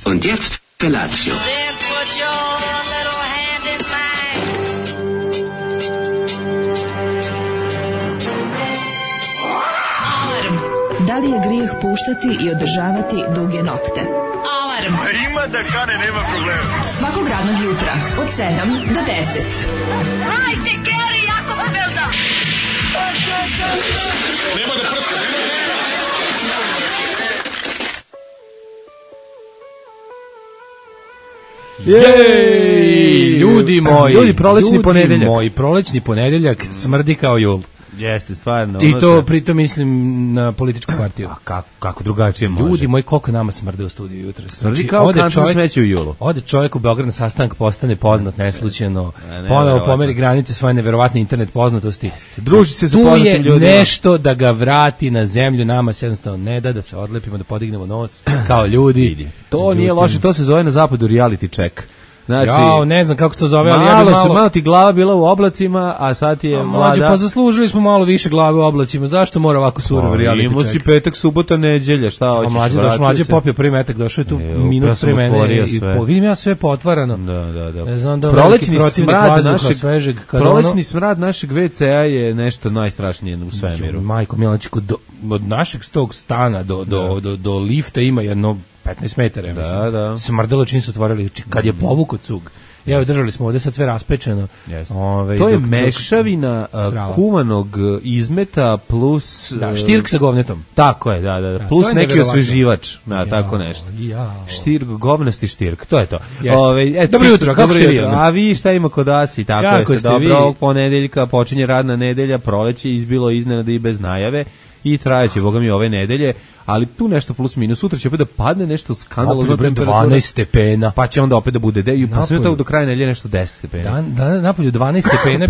Und jetzt Felatio. Then put your little hand in mine. Alarm. Da li je grijeh puštati i održavati duge nokte? Alarm. Ima da kane, nema problema. Svakog radnog jutra od 7 do 10. Hajde, Geri, jako se velda. Nema da prska, Jej, ljudi moji, Ljudi, prolećni ponedeljak. Moji, prolećni ponedeljak smrdi kao jul. Jeste, stvarno. I to pritom mislim na političku partiju. A kako drugačije može? Ljudi moji, koliko nama smrde u studiju jutro. Smrdi kao kancer smeće u julu. Ode čovjek u Beograd na sastanak, postane poznat neslučajno, ponovo neverovatno. pomeri granice svoje neverovatne internet poznatosti. Druži se sa tu poznatim je ljudima. nešto da ga vrati na zemlju, nama se jednostavno ne da se odlepimo, da podignemo nos kao ljudi. To nije loše, to se zove na zapadu reality check. Znači, Jao, ne znam kako se to zove, ali ja bi malo ti glava bila u oblacima, a sad je mlada. Pa zaslužili smo malo više glave u oblacima. Zašto mora ovako surov reality Imao si check? petak, subota, neđelja, šta hoćeš? Mlađe popio prvi metak, došao je tu minut pre mene i vidim ja sve potvarano. Da. Ne znam da Prolećni smrad našeg WC-a je nešto najstrašnije u svemiru. Majko Milačiku, od našeg tog stana do lifta ima jedno 15 metara, ja mislim. Da. Smrdelo čim su otvorili, kad je povukao cug. Evo, držali smo ovde sad sve raspečeno. To je mešavina kuvanog izmeta plus... Da, štirk sa govnetom. Tako je, da. Plus neki osveživač, tako nešto. Štirk, govnasti štirk, to je to. Dobro jutro, kako ste vi? A vi šta ima kod vas i tako kako jeste. Dobro, ovog ponedeljka počinje radna nedelja, proleće, izbilo iznenada i bez najave i trajeće, boga mi, ove nedelje, ali tu nešto plus minus, sutra će opet da padne nešto skandalozno, 12 stepena, pa će onda opet da bude, pa sve to do kraja nedelje nešto 10 stepena. Napolju 12 stepena,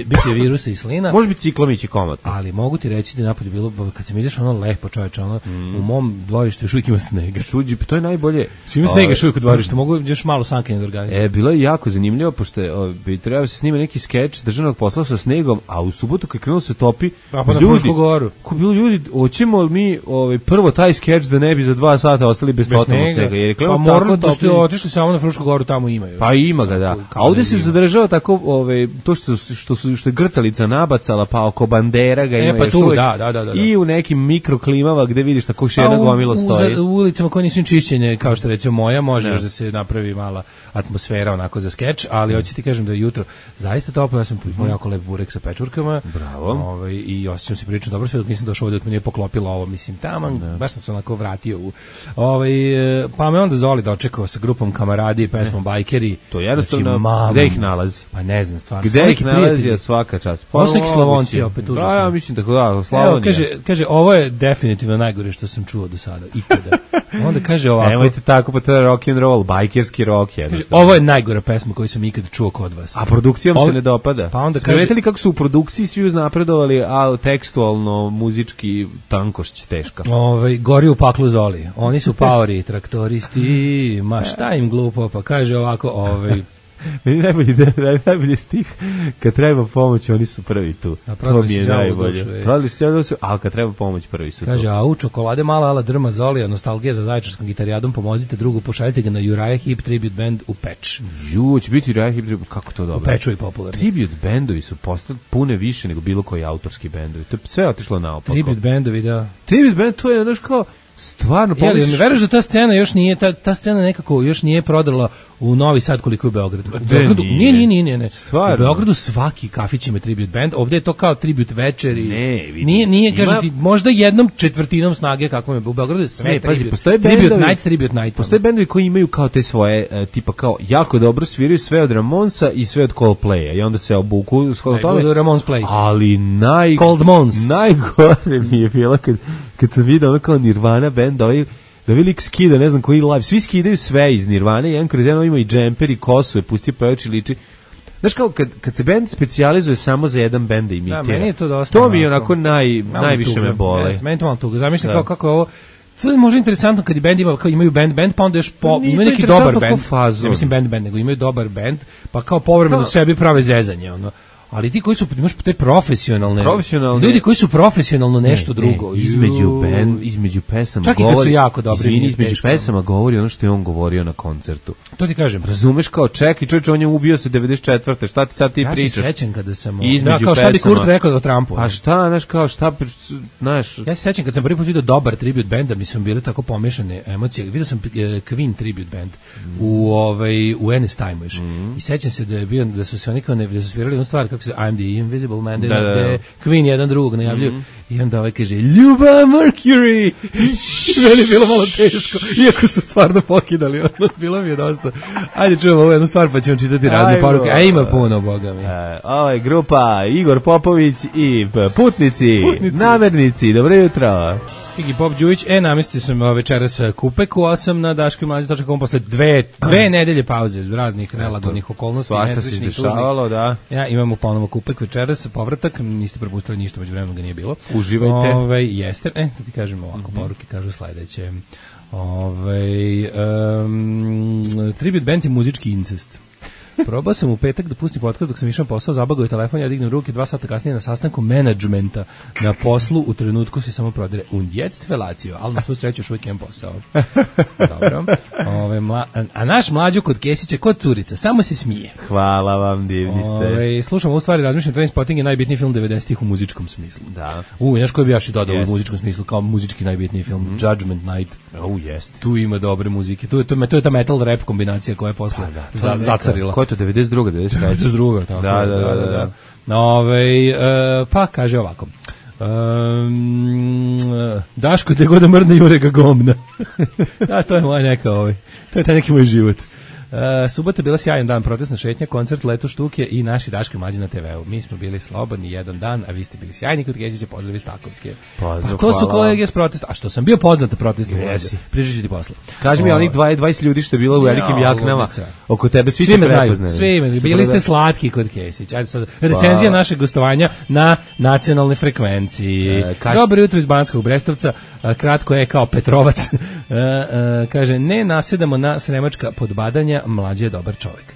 biće virusa i slina. Može biti ciklom ići komotno. Ali mogu ti reći da napolju bilo, kad sam izašao ono lepo čoveče, ono, u mom dvorištu još uvijek ima snega. To je najbolje. Ima snega još uvijek u dvorištu, mogu još malo sankanje da organizujem. Bilo je jako zanimljivo, pošto bi trebao se snima neki skeč državnog posla sa snegom, a u subotu kad krenulo se topi, ljudi, hoćemo li mi prvo taj skeč da ne bi za 2 sata ostali bez totalnog snega. Pa moramo da ste otišli samo na Frušku goru, tamo imaju. Pa ima ga, da. A ovdje se zadržava tako, to što je grtalica nabacala, pa oko bandera ga ima još uvijek. Da. I u nekim mikroklimama gde vidiš tako šena gomilo stoji. U ulicama koje nisu čišćenje, kao što recimo moja, može još da se napravi mala atmosfera onako za skeč, ali hoću ti kažem da je jutro zaista toplo, ja sam pojeo jako lep burek sa pečurkama. Bravo. I osjećam se prilično dobro, sve dok nisam došao ovdje, dok mi nije poklopilo ovo, mislim, taman, baš sam se onako vratio pa me onda Zoli dočekao sa grupom Kamaradi i pesmom Bajkeri. To je jednostavno, gde ih nalazi? Pa ne znam, stvarno. Gde ih nalazi je svaka čast. Osnik Slavonci opet užasno. Ja mislim tako da, Slavonija. Kaže, ovo je definitivno najgore što sam čuo do sada, ikada. Onda kaže ovako. Nemojte tako, pa to je rock and roll, bajkerski rock je. Ovo je najgora pesma koju sam ikad čuo kod vas. A produkcijom se ne dopada. Pa onda kaže, li kako su u produkciji svi uznapredovali, a tekstualno, muzički tankošć teška. Gori u paklu Zoli. Oni su paori, traktoristi, ma šta im glupo, pa kaže ovako, Meni najbolji stih, kad treba pomoć, oni su prvi tu. To mi je najbolje. Prodali su đavo dušu, ali kad treba pomoć, prvi su tu. Kaže, a u čokolade mala ala drma Zolija, nostalgija za zaječarskom gitarijadom, pomozite drugu, pošaljite ga na Uriah Heep Tribute Band u Peč. Će biti Uriah Heep Tribute, kako to dobro? U Peču i popularni. Tribute bandovi su postali pune više nego bilo koji autorski bandovi. To je sve otišlo naopako. Tribute bandovi, da. Tribute band, to je znaš kao, stvarno pomisliš... Jel, veriš da ta scena još nije, ta scena nekako još nije prodala u Novi Sad koliko je u Beogradu. U Beogradu nije. Stvarno. U Beogradu svaki kafić ima tribute band, ovdje je to kao tribute večer i... Nije, kaže ti, možda 1/4 snage kako je u Beogradu je sve tribute night. Postoje bendovi koji imaju kao te svoje, tipa kao, jako dobro sviraju sve od Ramonsa i sve od Coldplaya i onda se obuku shodno tome. Ramones Play. Ali najgore mi je bilo kad sam vidio ono kao Nirvana band, da velik skida, ne znam koji live, svi skidaju sve iz Nirvane, jedan kroz jedno ima i džemper i kosu je pustio pevači liči. Znaš kao, kad se band specijalizuje samo za jedan band da imitira, meni je to dosta. To mi je onako najviše me bole. Meni to malo tuga, zamišljam kao kako je ovo. To je možda interesantno kad i band imaju band, pa onda još imaju neki dobar band. Ne mislim band, nego imaju dobar band, pa kao povremeno sebi prave zezanje, ono. ali ti koji su, imaš te profesionalne ljudi koji su profesionalno nešto drugo. Između pesama čak govori. Čak i su jako dobri. Između pesama govori ono što je on govorio na koncertu. To ti kažem. Razumeš kao čekaj, čovječe, on je ubio se 94. Šta ti sad ti pričaš? Ja se sećam kada sam... Između kao šta bi Kurt rekao o Trumpu. Pa šta, znaš... Ja se sećam kad sam prvi put vidio dobar tribute band, da mi su bile tako pomešane emocije. Vidio sam Queen tribute band u Ennis Time još. I sećam se da su se oni kao da su svirali jednu stvar kako se I'm the Invisible Man, gde Queen jedan drugog najavljuju i onda ovaj kaže Ljuba Mercury. Meni je bilo malo teško, iako su stvarno pokidali, bilo mi je dosta. Ajde čujemo ovu jednu stvar pa ćemo čitati razne poruke, a ima puno, boga mi. Ovo je grupa Igor Popović i Putnici. Namernici, dobro jutro. Iggy Pop Đujić, namestio sam večeras Kupek u 8 na daškomlađe.com posle dve nedelje pauze iz raznih relativnih okolnosti. Svašta se dešavalo, da. Ja imamo ponovo Kupek večeras, povratak, niste propustili ništa, među vremenom ga nije bilo. Uživajte. Jeste, da ti kažem ovako, poruke kažu sledeće. Tribute band je muzički incest. Probao sam u petak da pustim podcast dok sam išao na posao, zabagao je telefon, ja dignem ruke 2 sata kasnije na sastanku menadžmenta na poslu, u trenutku se samo prodire und jetzt fellatio, ali na svu sreću još uvijek imam posao. Dobro. A naš mlađo kod Kesića, kod curica, samo se smije. Hvala vam, divni ste. Slušam u stvari, razmišljam, Trainspotting je najbitniji film 90-ih u muzičkom smislu. Da. Znaš koji bi ja i dodao u muzičkom smislu kao muzički najbitniji film? Judgment Night. Jest. Tu ima dobre muzike. Tu je ta metal rap kombinacija koja je posle zacarila. Ko je to, 92. 92. Tako da. Pa kaže ovako. Daško te god da mrne jure ga gomna. Da, to je moja neka to je taj neki moj život. Subota je bila sjajan dan, protestna šetnja, koncert, leto štuke i naši Daško i Mlađi na TV-u. Mi smo bili slobodni jedan dan, a vi ste bili sjajni kod Kesića, pozdrav iz Takovske. Pozdrav, to su kolege s protesta. A što sam bio poznat na protestu, pričat ću ti posle. Kaži mi, onih 20 ljudi što je bilo u velikim jaknama oko tebe, svi te prepoznali. Svi, bili ste slatki kod Kesića. Ajde sad, recenzija našeg gostovanja na nacionalnoj frekvenciji. Dobro jutro iz Banatskog Brestovca, kratko je kao Petrovac. Kaže, ne nasedamo na sremačka podbadanja, Mlađe je dobar čovjek.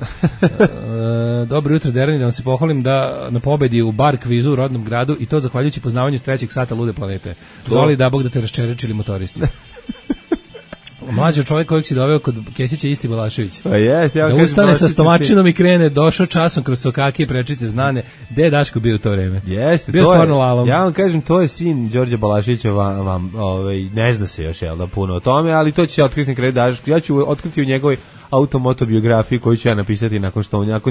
Dobro jutro, Derani, da vam se pohvalim da na pobedi u bar kvizu u rodnom gradu i to zahvaljujući poznavanju s 3. sata Lude planete. Zoli da Bog da te raščerečili motoristi. Mlađi čovjek kojeg si doveo kod Kesića isti Balašević. Pa jest, da ustane sa stomačinom i krene, došao časom kroz sokake i prečice znane. Gde je Daško bio u to vreme? Jeste, bio to je. Ja vam kažem, to je sin Đorđa Balaševića, ne zna se još puno o tome, ali to će se otkriti na kraju Daško. Ja ću otkriti u njegovoj automotobiografiju koju ću ja napisati nakon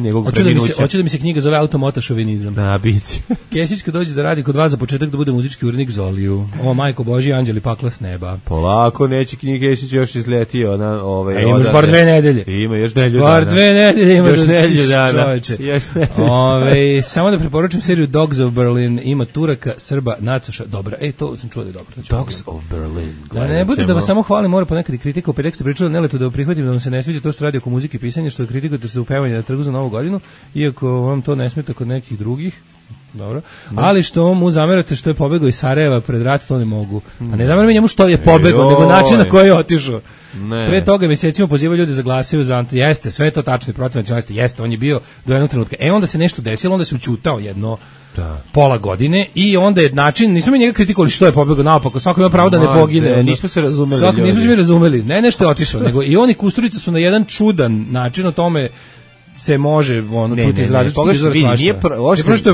njegovog preminuća. Hoću da mi se knjiga zove Automotošovinizam. Da, biće. Kesić kad dođe da radi kod vas za početak da bude muzički urednik Zoliju. O, majko Božji, anđeli pakla s neba. Polako, neće knjige Kesić još izletio. Imaš bar 2 nedelje. Ima još 2 dana. Bar 2 nedelje ima još da si čoveče. Samo da preporučim seriju Dogs of Berlin. Ima Turaka, Srba, Nacoša. Dobra, to sam čuo da je dobro. Dogs of Berlin. Da ne bude da vas samo hvalim, mora ponekad i kritika. Opet ste pričali Neletu da prihvatim da vam se ne sviđa to što radi oko muzike i pisanja, što kritikujete se upevanje na trgu za Novu godinu, iako vam to ne smeta kod nekih drugih. Dobro. Ali što mu zamerate što je pobegao iz Sarajeva pred rat, to ne mogu. A ne zameram njemu što je pobegao, nego način na koji je otišao. Pre toga mjesecima pozivaju ljudi da glasaju za jeste, sve je to tačno i protiv nacionalista, jeste, on je bio do jednog trenutka. Onda se nešto desilo, onda se ućutao jedno pola godine i onda je način, nismo mi njega kritikovali što je pobegao naopako, svako ima pravo da ne pogine. Nismo se razumeli. Nismo se mi razumeli, ne nešto je otišao, nego i oni Kusturica su na jedan čudan način o tome se može čuti iz različitih izvora svašta.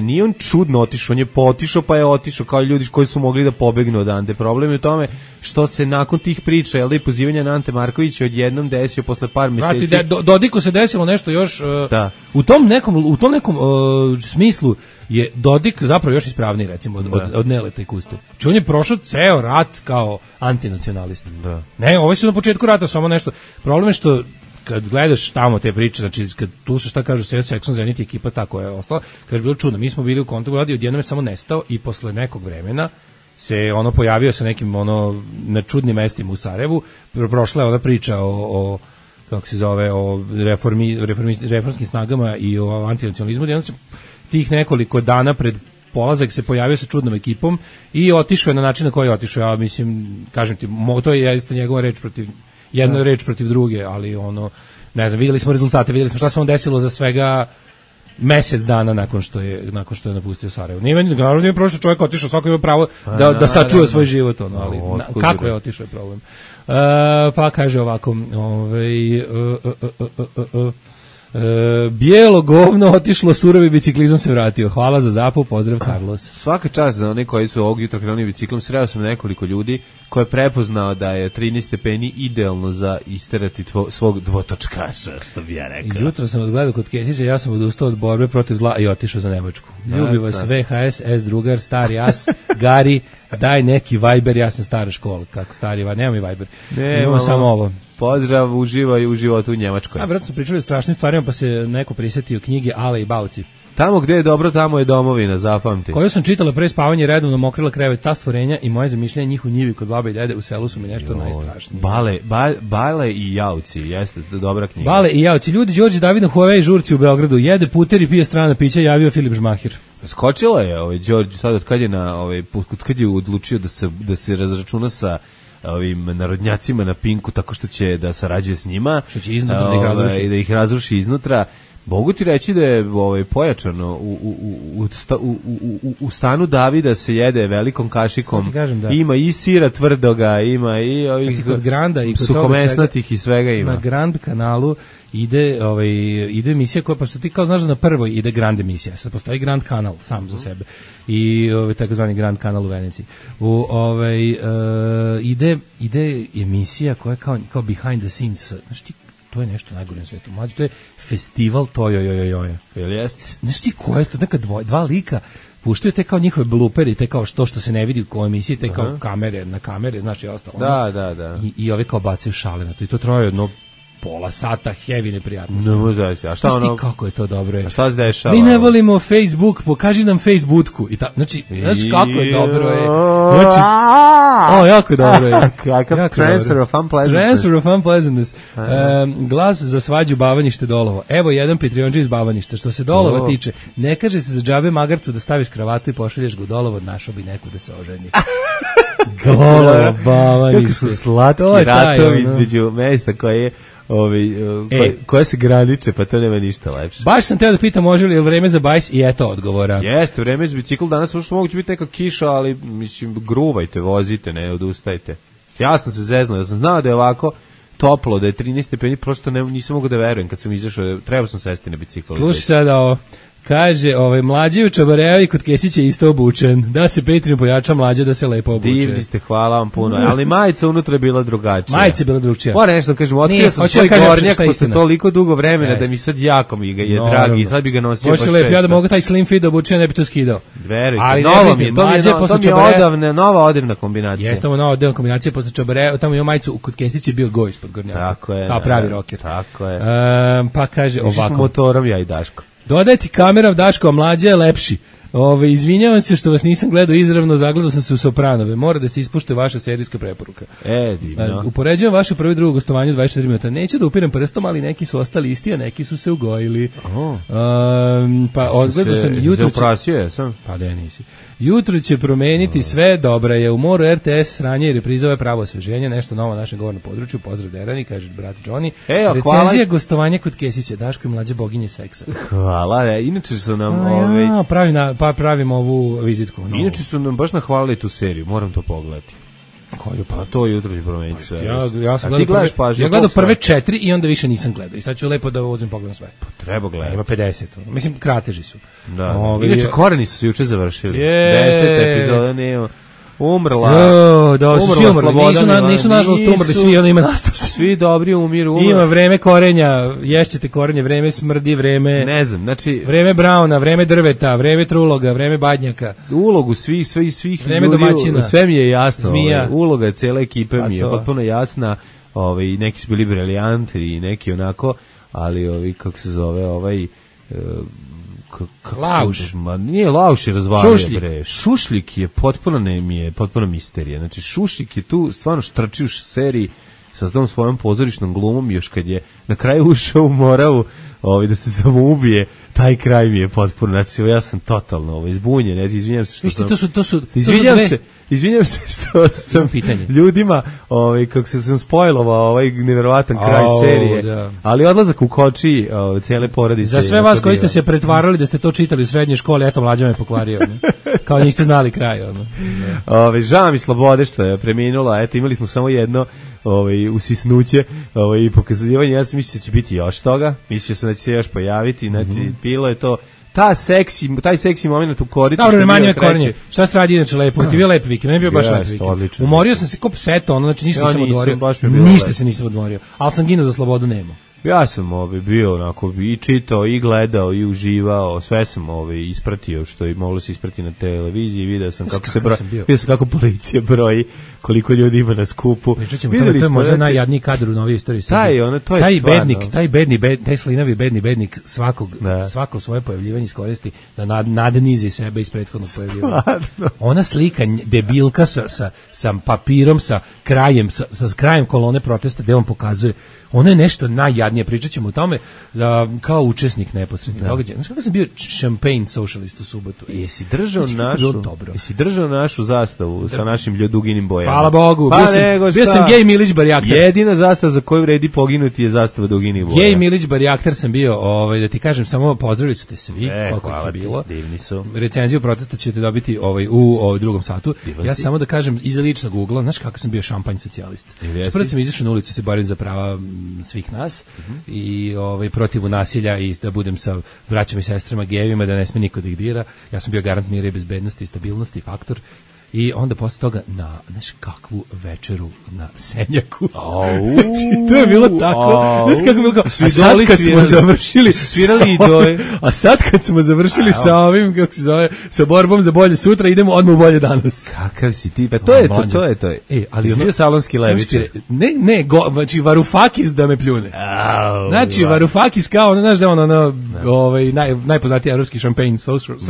Nije on čudno otišao, on je potišao pa je otišao kao ljudi koji su mogli da pobegnu odande. Problem je u tome što se nakon tih priča, i pozivanja na Ante Markovića odjednom desio posle par mjeseci. Dodiku se desilo nešto još, u tom nekom smislu je Dodik zapravo još ispravniji, recimo, od Neleta i Kuste. Znači on je prošao ceo rat kao antinacionalista. Ne, ovo su na početku rata samo nešto. Problem je što kad gledaš tamo te priče, znači kad slušaš šta kažu Saxon Zenit i ekipa tako je ostala, kaže bilo čudno, mi smo bili u kontaktu radi, odjednom je samo nestao i posle nekog vremena se pojavio sa nekim na čudnim mestima u Sarajevu, prošla je ona priča o kako se zove, o reformskim snagama i o antinacionalizmu, odjednom se tih nekoliko dana pred polazak se pojavio sa čudnom ekipom i otišao je na način na koji je otišao. Ja mislim, kažem ti, to je njegova reč protiv jedna reč protiv druge, ali ne znam, vidjeli smo rezultate, vidjeli smo šta se on desilo za svega mesec dana nakon što je napustio Sarajevo. Nije prošlo čovjek otišao, svako ima pravo da sačuva svoj život, ali kako je otišao je problem. Pa kaže ovako, bijelo govno otišlo, surovi biciklizam se vratio. Hvala za zapav, pozdrav Carlos. Svaka čast za one koji su ovog jutra krenuli biciklom. Sreo sam nekoliko ljudi koje je prepoznao da je 13 stepeni idealno za isterati svog dvotočkaša, što bi ja rekao. Jutro sam vas gledao kod Kesića, ja sam odustao od borbe protiv zla i otišao za Nemačku. Ljubi vas VHS, S drugar, stari as, Gari, daj neki Viber, ja sam stara škola. Kako stari, nemam i Viber. Imamo samo ovo. Pozdrav, uživaj u životu u Njemačkoj. Vratno smo pričali o strašnim stvarima, pa se neko prisjetio knjige Ale i Bauci. Tamo gde je dobro, tamo je domovina, zapamti. Koju sam čitala pre spavanja, redovno mokrila krevet, ta stvorenja i moje zamišljanje njih u njivi kod babe i dede u selu su mi nešto najstrašnije. Bale i Jauci, jeste dobra knjiga. Bale i Jauci, ljudi, Đorđe David na Huawei žurci u Beogradu, jede puter i pije strana pića, javio Filip Žmahir. Skočila je Đorđe sad od kad je kad je odlučio da se razračuna sa ovim narodnjacima na Pinku tako što će da sarađuje s njima, što će iznutra da ih razruši. Da ih razruši iznutra. Mogu ti reći da je pojačano u stanu Davida se jede velikom kašikom. Ima i sira tvrdoga, ima i ovih kod Granda i kod suhomesnatih i svega ima. Na Grand kanalu ide emisija koja, pa što ti kao znaš da na prvoj ide Grand emisija, sad postoji Grand kanal sam za sebe i takozvani Grand kanal u Veneciji. Ide emisija koja je kao behind the scenes, znaš ti, to je nešto najgore na svijetu. Mlađe, to je festival tojojojojoja. Jel jeste? Znaš ti ko je to? Neka dva lika puštaju te kao njihove bluperi, te kao što se ne vidi u emisiji, te kao na kamere, znači je ostalo. Da. I ovi kao bacaju šale na to. I to traje jedno pola sata heavy neprijatnosti. No, zaista. A šta znaš ti kako je to dobro? A šta se dešava? Mi ne volimo Facebook, pokaži nam Facebookku. Znači, znaš kako je dobro je. Znači, jako dobro je. Kakav transfer of unpleasantness. Transfer of unpleasantness. Glas za svađu Bavanište Dolovo. Evo jedan Patreonđe iz Bavaništa. Što se Dolova tiče, ne kaže se za džabe magarcu da staviš kravatu i pošalješ ga u Dolovo, našao bi neku da se oženi. Dolovo, Bavanište. Kako su slatki ratovi između mesta koje je koje se graniče, pa to nema ništa lepše. Baš sam teo da pitam može li je vreme za bajs i eto odgovora. Jeste, vreme za bicikl danas, možda moguće biti neka kiša, ali mislim, gruvajte, vozite, ne odustajte. Ja sam se zeznao, ja sam znao da je ovako toplo, da je 13 stepeni, prosto nisam mogu da verujem kad sam izašao, trebao sam sesti na bicikl. Slušaj sada ovo. Kaže, mlađi u Čabarevi kod Kesića isto obučen. Da se Patreon pojača mlađe da se lepo obuče. Divni ste, hvala vam puno. Ali majica unutra je bila drugačija. Majica je bila drugačija. Moram nešto kažem, otkrio sam svoj gornjak posle toliko dugo vremena da mi sad jako mi ga je dragi i sad bi ga nosio baš često. Ja da mogu taj slim fit da obučem, ne bi to skidao. Verujte, nova mi je, to mi je odavne, nova odevna kombinacija. Jeste ovo nova odevna kombinacija, posle Čabarevi, tamo je majicu, kod Kesića je bio go ispod gornjaka. Tako je. Kao pravi roker. Tako je. Pa kaže ovako. Motorom ja i Daško. Dodaj ti kamera, Daško, a mlađa je lepši. Izvinjavam se što vas nisam gledao izravno, zagledao sam se u Sopranove. Mora da se ispušte vaša serijska preporuka. Divno. Upoređujem vaše prvo i drugo gostovanje 24 minuta. Neću da upirem prstom, ali neki su ostali isti, a neki su se ugojili. Pa odgledao sam jutro. Zauprasio je sam. Pa da nisi. Jutro će promeniti sve, dobra je. U moru RTS, sranje i reprizove pravo osveženje, nešto novo na našem govornom području. Pozdrav Derani, kaže brat Johnny. Recenzija gostovanja kod Kesića, Daško i mlađe boginje seksa. Hvala, inače su nam pravimo ovu vizitku. Inače su nam baš nahvalili tu seriju, moram to pogledati. Koju pa to jutro će promeniti sve. Ja sam gledao prve 4 i onda više nisam gledao. I sad ću lepo da uzmem pogledam sve. Pa treba gledati. Ima 50. Mislim, krateži su. Da. Inače, Koreni su se juče završili. 10 epizoda nema. Umrla Slobodan. Nisu nažalost umrli, svi oni ima nastavci. Svi dobri umiru. Ima vreme korenja, ješćete korenje, vreme smrdi, vreme... Ne znam, znači... Vreme brauna, vreme drveta, vreme truloga, vreme badnjaka. Ulogu svih vreme ljudi, domaćina. sve mi je jasno. Zmija. Uloga cele ekipe mi je potpuno jasna. Neki su bili briljanti i neki onako, ali kako se zove, Lauš. Nije Lauš je razvalio, bre. Šušlik je potpuno misterija. Znači, Šušlik je tu stvarno štrči u seriji sa tom svojom pozorišnom glumom, još kad je na kraju ušao u Moravu da se samoubije, taj kraj mi je potpuno, znači ja sam totalno izbunjen, izvinjam se što sam... To su izvinjavam se što sam pitanje. ljudima, kako se sam spojlovao ovaj neverovatan kraj serije, da. ali odlazak u koči cijele porodice. Za sve vas koji ste se pretvarali da ste to čitali u srednjoj školi, eto mlađa me pokvario. Ne? Kao niste znali kraj. Žao mi Slobode što je preminula, eto imali smo samo jedno usisnuće i pokazivanje, ja sam mislio da će biti još toga, mislio sam da će se još pojaviti, znači bilo je to taj seksi moment u koritu. Dobro, manje me korenje. Šta se radi inače lepo? Ti bio lep vikend, meni bio baš lep vikend. Umorio sam se ko pseto, znači ništa nisam odmorio. Ništa se nisam odmorio, ali sam ginuo za slobodu nemo. Ja sam bio onako i čitao i gledao i uživao, sve sam ispratio što je moglo se isprati na televiziji, video sam kako policija broji koliko ljudi ima na skupu. To je možda najjadniji kadar u novoj istoriji Srbije. Taj slinavi bednik svako svoje pojavljivanje iskoristi da nadnizi sebe iz prethodnog pojavljivanja. Ona slika debilka sa papirom, sa krajem kolone protesta gde on pokazuje, ono je nešto najjadnije, pričat ćemo o tome kao učesnik neposrednih događaja. Znaš kako sam bio champagne socialist u subotu? Jesi držao našu zastavu sa našim ljuduginim bojama? Hvala Bogu, bio sam gej Milić Barjaktar. Jedina zastava za koju vredi poginuti je zastava duginih boja. Gej Milić Barjaktar sam bio, da ti kažem, samo pozdravili su te svi, koliko ih je bilo. Divni su. Recenziju protesta ćete dobiti u drugom satu. Ja samo da kažem, iza ličnog ugla, znaš kako sam bio šampanj socijalist. Prvo sam izašao na ulicu se borim za prava svih nas i protiv nasilja i da budem sa braćama i sestrama gejevima, da ne sme niko da ih dira. Ja sam bio garant mira i bezbednosti i stabilnosti, faktor. I onda posle toga na, znaš kakvu večeru na Senjaku. To je bilo tako. Znaš kako je bilo kao, a sad kad smo završili, svirali idole. A sad kad smo završili sa ovim, kako se zove, sa borbom za bolje sutra, idemo odmah u bolje danas. Kakav si ti, pa to je to. Ali bio salonski levičar. Ne, znači Varoufakis da me pljune. Znači Varoufakis kao, znaš da on najpoznatiji evropski šampanj socialist.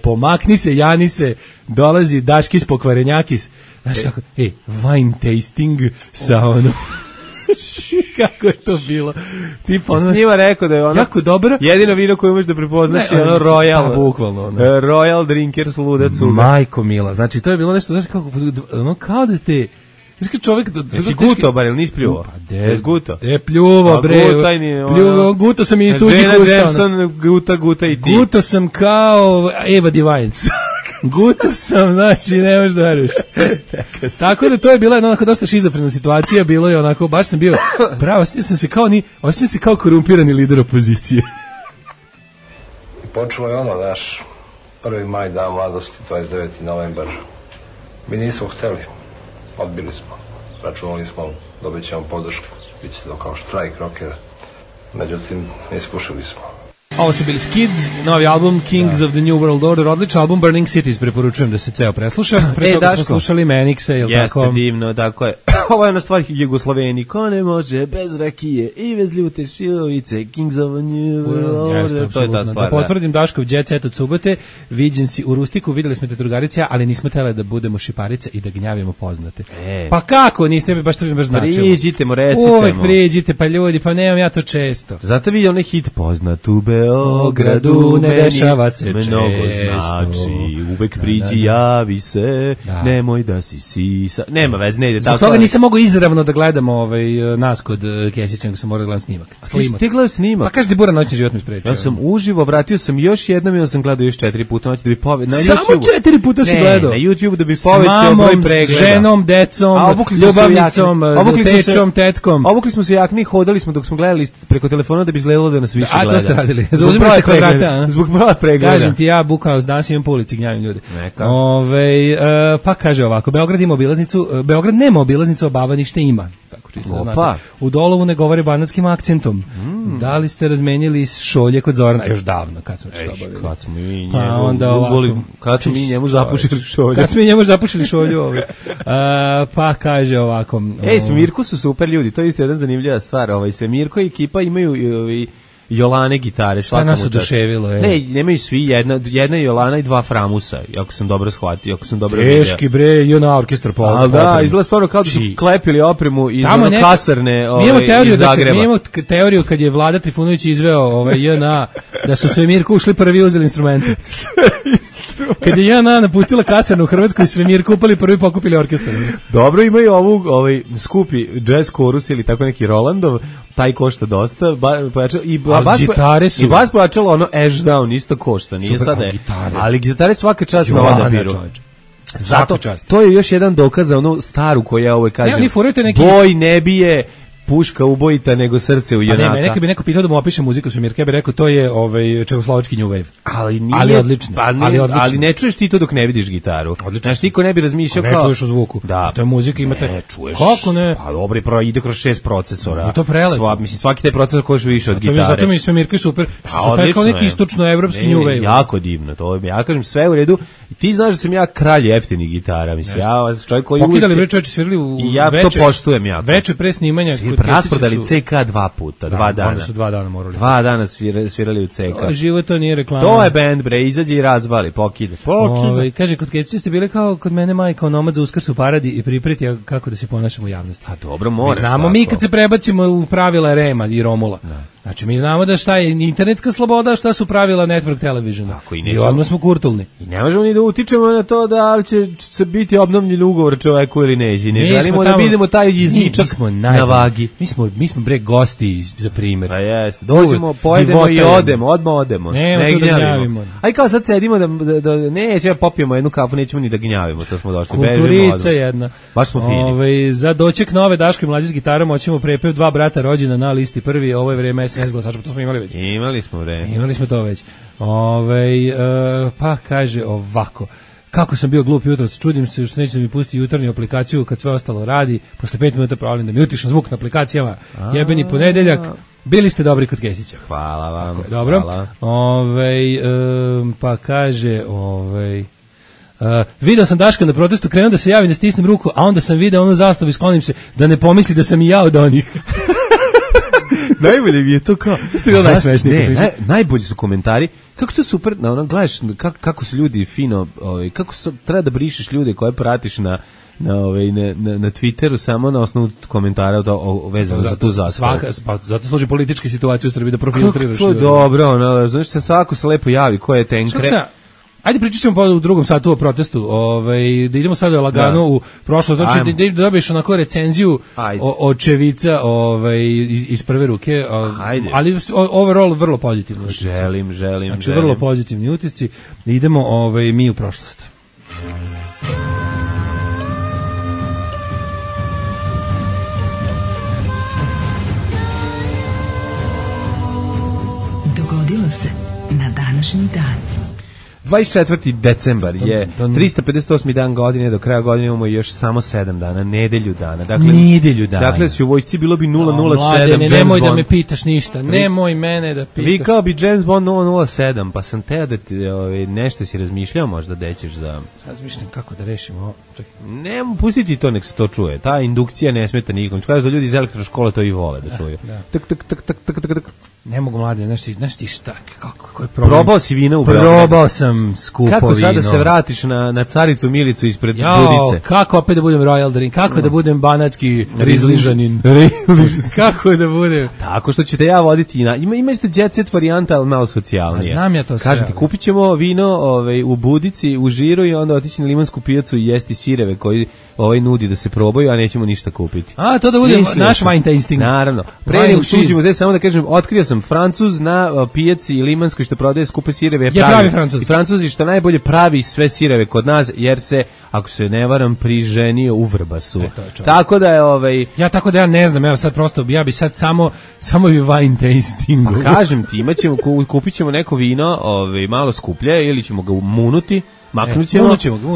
Pomakni se, jani se, dolazi Daškis pokvarenjakis, znaš kako, wine tasting sa ono, kako je to bilo, tipa ono, s njima rekao da je ono, jako dobro, jedino vino koje možeš da prepoznaš je ono Royal, bukvalno ono, Royal Drinkers luda cuga. Majko mila, znači to je bilo nešto, znaš kako, ono kao da te, znaš kad čovjek... Jesi guto, bar, ili nisi pljuvo? Jesi guto? Pljuvo, bre, guto sam i iz tuđih usta. Jameson, guta i ti. Guto sam kao Eva Divines. Guto sam, znači, ne možeš da veruješ. Tako da to je bila jedna onako dosta šizofrena situacija, bilo je onako, baš sam bio, bravo, osjećam se kao korumpirani lider opozicije. I počelo je ono, naš 1. maj, dan mladosti, 29. novembar. Mi nismo hteli, odbili smo, računali smo, dobit ćemo podršku, bit će to kao štrajk rockera, međutim, iskušali smo. Ovo su bili Skids, novi album Kings of the New World Order, odličan album, Burning Cities, preporučujem da se ceo presluša. Pre toga smo slušali Manixe, jel tako? Jeste divno, tako je. Ovo je ona stvar Jugosloveni, ko ne može bez rakije i bez ljute šilovice, Kings of the New World Order, to je ta stvar. Da potvrdim Daškov jet set od subote, viđen si u Rustiku, videli smo te drugarice, ali nismo tele da budemo šiparice i da gnjavimo poznate. Pa kako, niste mi baš to baš značilo. Priđite mu, recite mu. Uvek priđite, pa ljudi, pa nemam ja to često. Zato vidio onaj hit poznat u Beogradu, ne dešava se često. Mnogo znači, uvek priđi, javi se, nemoj da si sisa. Nema veze, ne ide tako. Zbog toga nisam mogao izravno da gledam nas kod Kesića, nego sam morao da gledam snimak. Ti gledao snimak? Pa kaži ti Bura noćni život mi sprečio. Ja sam uživo, vratio sam još jednom i sam gledao još 4 puta noć da bi povećao. Samo 4 puta si gledao? Na YouTube da bi povećao broj pregleda. S ženom, decom, ljubavnicom, tečom, tetkom. Obukli smo se jakni, hodali smo dok smo gledali preko telefona da bi izgledalo da nas više gleda. A to ste radili. Zbog broja pregleda. Kažem ti, ja bukao danas imam po ulici, gnjavim ljudi. Pa kaže ovako, Beograd ima obilaznicu, Beograd nema obilaznicu, a Bavanište ima. Tako čisto znate. U Dolovu ne govore banatskim akcentom. Da li ste razmenili šolje kod Zorana? Još davno, kad smo što obavili. Kad smo mi njemu zapušili šolju. Kad smo mi njemu zapušili šolju. Pa kaže ovako. Smirku su super ljudi, to je isto jedna zanimljiva stvar. Mirko i ekipa imaju Jolane gitare, šta nas oduševilo je? Ne, nemaju svi, jedna Jolana i 2 Framusa, ako sam dobro shvatio, ako sam dobro vidio. Teški bre, i ona orkestra po. A da, izgleda stvarno kao da su klepili opremu iz kasarne iz Zagreba. Mi imamo teoriju kad je Vlada Trifunović izveo JNA, da su sve Mirko ušli prvi uzeli instrumente. Kad je JNA napustila kasarnu u Hrvatskoj, Svemirka upali prvi pokupili orkestar. Dobro, imaju ovu skupi jazz chorus ili tako neki Rolandov, taj košta dosta, i bas pojačalo ono Ashdown isto košta, nije sada je, ali gitare svaka čast na odabiru. Zato, to je još jedan dokaz za onu staru koja kaže, boj ne bije puška ubojita nego srce u junaka. Pa neka bi neko pitao da mu opiše muziku Svemirka, ja bih rekao to je čehoslovački new wave. Ali odlično. Ali ne čuješ ti to dok ne vidiš gitaru. Znaš, niko ne bi razmišljao kao... Ne čuješ u zvuku. Da. To je muzika, imate... Ne čuješ. Kako ne? Pa dobro, ide kroz 6 procesora. I to prelepo. Mislim, svaki taj procesor koš više od gitare. Zato mi Svemirka super. Što su kao neki istočno-evropski new wave. Jako divno. Ja kažem sve u redu. I ti znaš da sam ja kralj jeftinih gitara. Mislim, ja čovjek koji uvijek... Pokidali čovječi svirali u veče. I ja to poštujem jako. Veče pre snimanja. Rasprodali CK 2 puta, 2 dana. Onda su 2 dana morali. 2 dana svirali u CK. Život to nije reklama. To je band, bre, izađe i razvali, pokide. Kaže, kod Kesića ste bili kao kod mene majka onomad za Uskrs u Paradi i pripreti kako da se ponašamo u javnosti. A dobro, moraš. Znamo mi kad se prebacimo u pravila Rema i Romula. Znači, mi znamo da šta je internetska sloboda, šta su pravila network televisiona. I odmah smo kurtulni. I ne možemo ni da utičemo na to da li će se biti obnovljen ugovor čoveku ili neće. Ne želimo da vidimo taj jezičak na vagi. Mi smo bre gosti za primjer. A jeste. Dođemo, pojedemo i odmah odemo. Ne gnjavimo. Aj kao sad sedimo da neće, popijemo jednu kafu, nećemo ni da gnjavimo. To smo došli. Kulturica jedna. Baš smo fini. Za doček nove Daško i Mlađe s gitarom hoćemo prepev 2 brata rođena na listi prvi. Ovo je vreme SNS glasača, to smo imali već. Imali smo vreme. Imali smo to već. Pa kaže ovako. Kako sam bio glup jutros, čudim se što neće da mi pusti jutarnju aplikaciju kad sve ostalo radi. Posle 5 minuta provalim da mi utišam zvuk na aplikacijama. Jebeni ponedeljak. Bili ste dobri kod Kesića. Hvala vam. Tako, dobro. Pa kaže, video sam Daška na protestu, krenuo da se javim da stisnem ruku, a onda sam video onu zastavu i sklonim se da ne pomisli da sam i ja od onih. Najbolje mi je to kao... Najbolji su komentari. Kako to super, gledaš kako su ljudi fino, kako treba da brišeš ljude koje pratiš na Twitteru samo na osnovu komentara vezano za tu zastavu. Zato služi političke situacije u Srbiji da profiltriraš. Kako to dobro, znaš se svako se lepo javi ko je tenkre. Ajde pričat ćemo u drugom satu o protestu, da idemo sada lagano u prošlost, znači da dobiješ onako recenziju očevica iz prve ruke, ali overall vrlo pozitivno. Želim. Znači vrlo pozitivni utisci, idemo mi u prošlost. Dogodilo se na današnji dan. 24. decembar je 358. dan godine, do kraja godine imamo još samo 7 dana, nedelju dana. Dakle, si u vojsci bilo bi 007. Nemoj da me pitaš ništa, nemoj mene da pitaš. Vi kao bi James Bond 007, pa sam teo da ti nešto si razmišljao možda da ćeš za... Razmišljam kako da rešimo ovo. Ne, pustiti to, nek se to čuje. Ta indukcija ne smeta nikom. Kaže da ljudi iz elektroškole to i vole da čuju. Tak. Ne mogu mlade, znaš ti šta, kako je problem? Probao si vino u Beogradu. Probao sam skupo vino. Kako sada se vratiš na Caricu Milicu ispred Budice? Kako opet da budem royal drink, kako da budem banatski rizližanin. Kako da budem? Tako što ćete ja voditi, imate jet set varijanta, ali malo socijalnije. Znam ja to sve. Kažem ti, kupit ćemo vino u Budici, u Žiru i onda otići na Limansku pijacu i jesti sireve koji nudi da se probaju, a nećemo ništa kupiti. A, to da bude naš wine tasting. Naravno. Pre nego uđemo, samo da kažem, otkrio sam Francuz na pijaci Limanskoj što prodaje skupe sireve. Pravi Francuz. I Francuzi što najbolje pravi sve sireve kod nas, jer se, ako se ne varam, priženio u Vrbasu. Tako da je ja ne znam, evo sad prosto, ja bi sad samo bi wine tasting. Kažem ti, kupit ćemo neko vino malo skuplje ili ćemo ga munuti.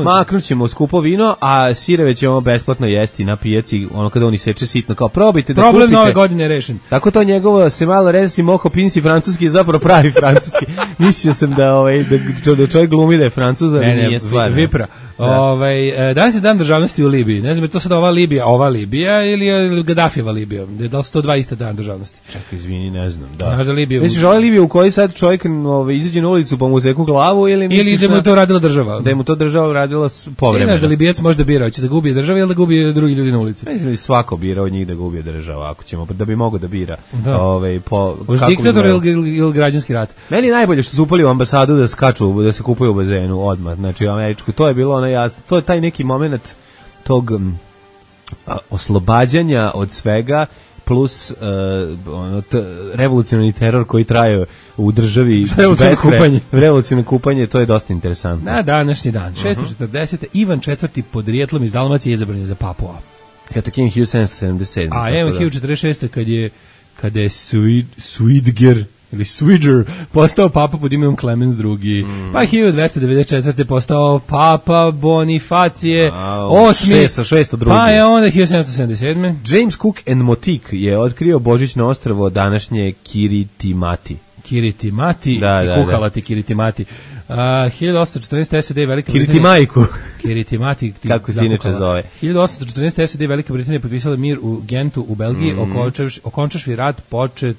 Maknut ćemo skupo vino, a sireve ćemo besplatno jesti na pijaci, kada oni seče sitno, kao probajte da kupite. Problem nove godine je rešen. Tako to njegovo se malo resi moho pinsi francuski je zapravo pravi francuski. Mislio sam da čovjek glumi da je Francuz, ali nije stvar. Vipra. Danas je dan državnosti u Libiji. Ne znam, je to sad ova Libija ili je Gaddafijeva Libija? Da li su to dva iste dan državnosti? Čekaj, izvini, ne znam. Da. Znaš da Libija... Misliš ova Libija u kojoj sad čovjek izađe na ulicu pa mu zeku glavu ili da mu je to radila država? Da je mu to država radila povremeno. Znaš da Libijac može da bira, hoće da ga ubije država ili da ga ubije drugi ljudi na ulici? Mislim da svako bira od njih da ga ubije država, ako ćemo, da bi mogao da bira. Diktator ili građanski rat? Meni je najbolje što su upali u ambasadu da skaču, da se kupuju u bazenu odmah, znači američku, to je bilo ono jasno, to je taj neki moment tog oslobađanja od svega, plus revolucionarni teror koji traje u državi, revolucionarno kupanje, to je dosta interesantno. Na današnji dan, 640. Ivan IV. Podrijetlom iz Dalmacije izabran je za papu. Kato King 1777. A evo 1046. kada je Suidger ili Swidger postao papa pod imenom Clemens II. Pa 1294. postao papa Bonifacije VIII. Pa je onda 1777. James Cook and Motique je otkrio božićno ostrvo današnje Kiritimati. Kiritimati, kuhalati Kiritimati. 1814. SAD Velika Kiritimajku. Kiritimati. Kako se inače zove. 1814. SAD Velika Britanija potpisala mir u Gentu u Belgiji, okončavši rat počet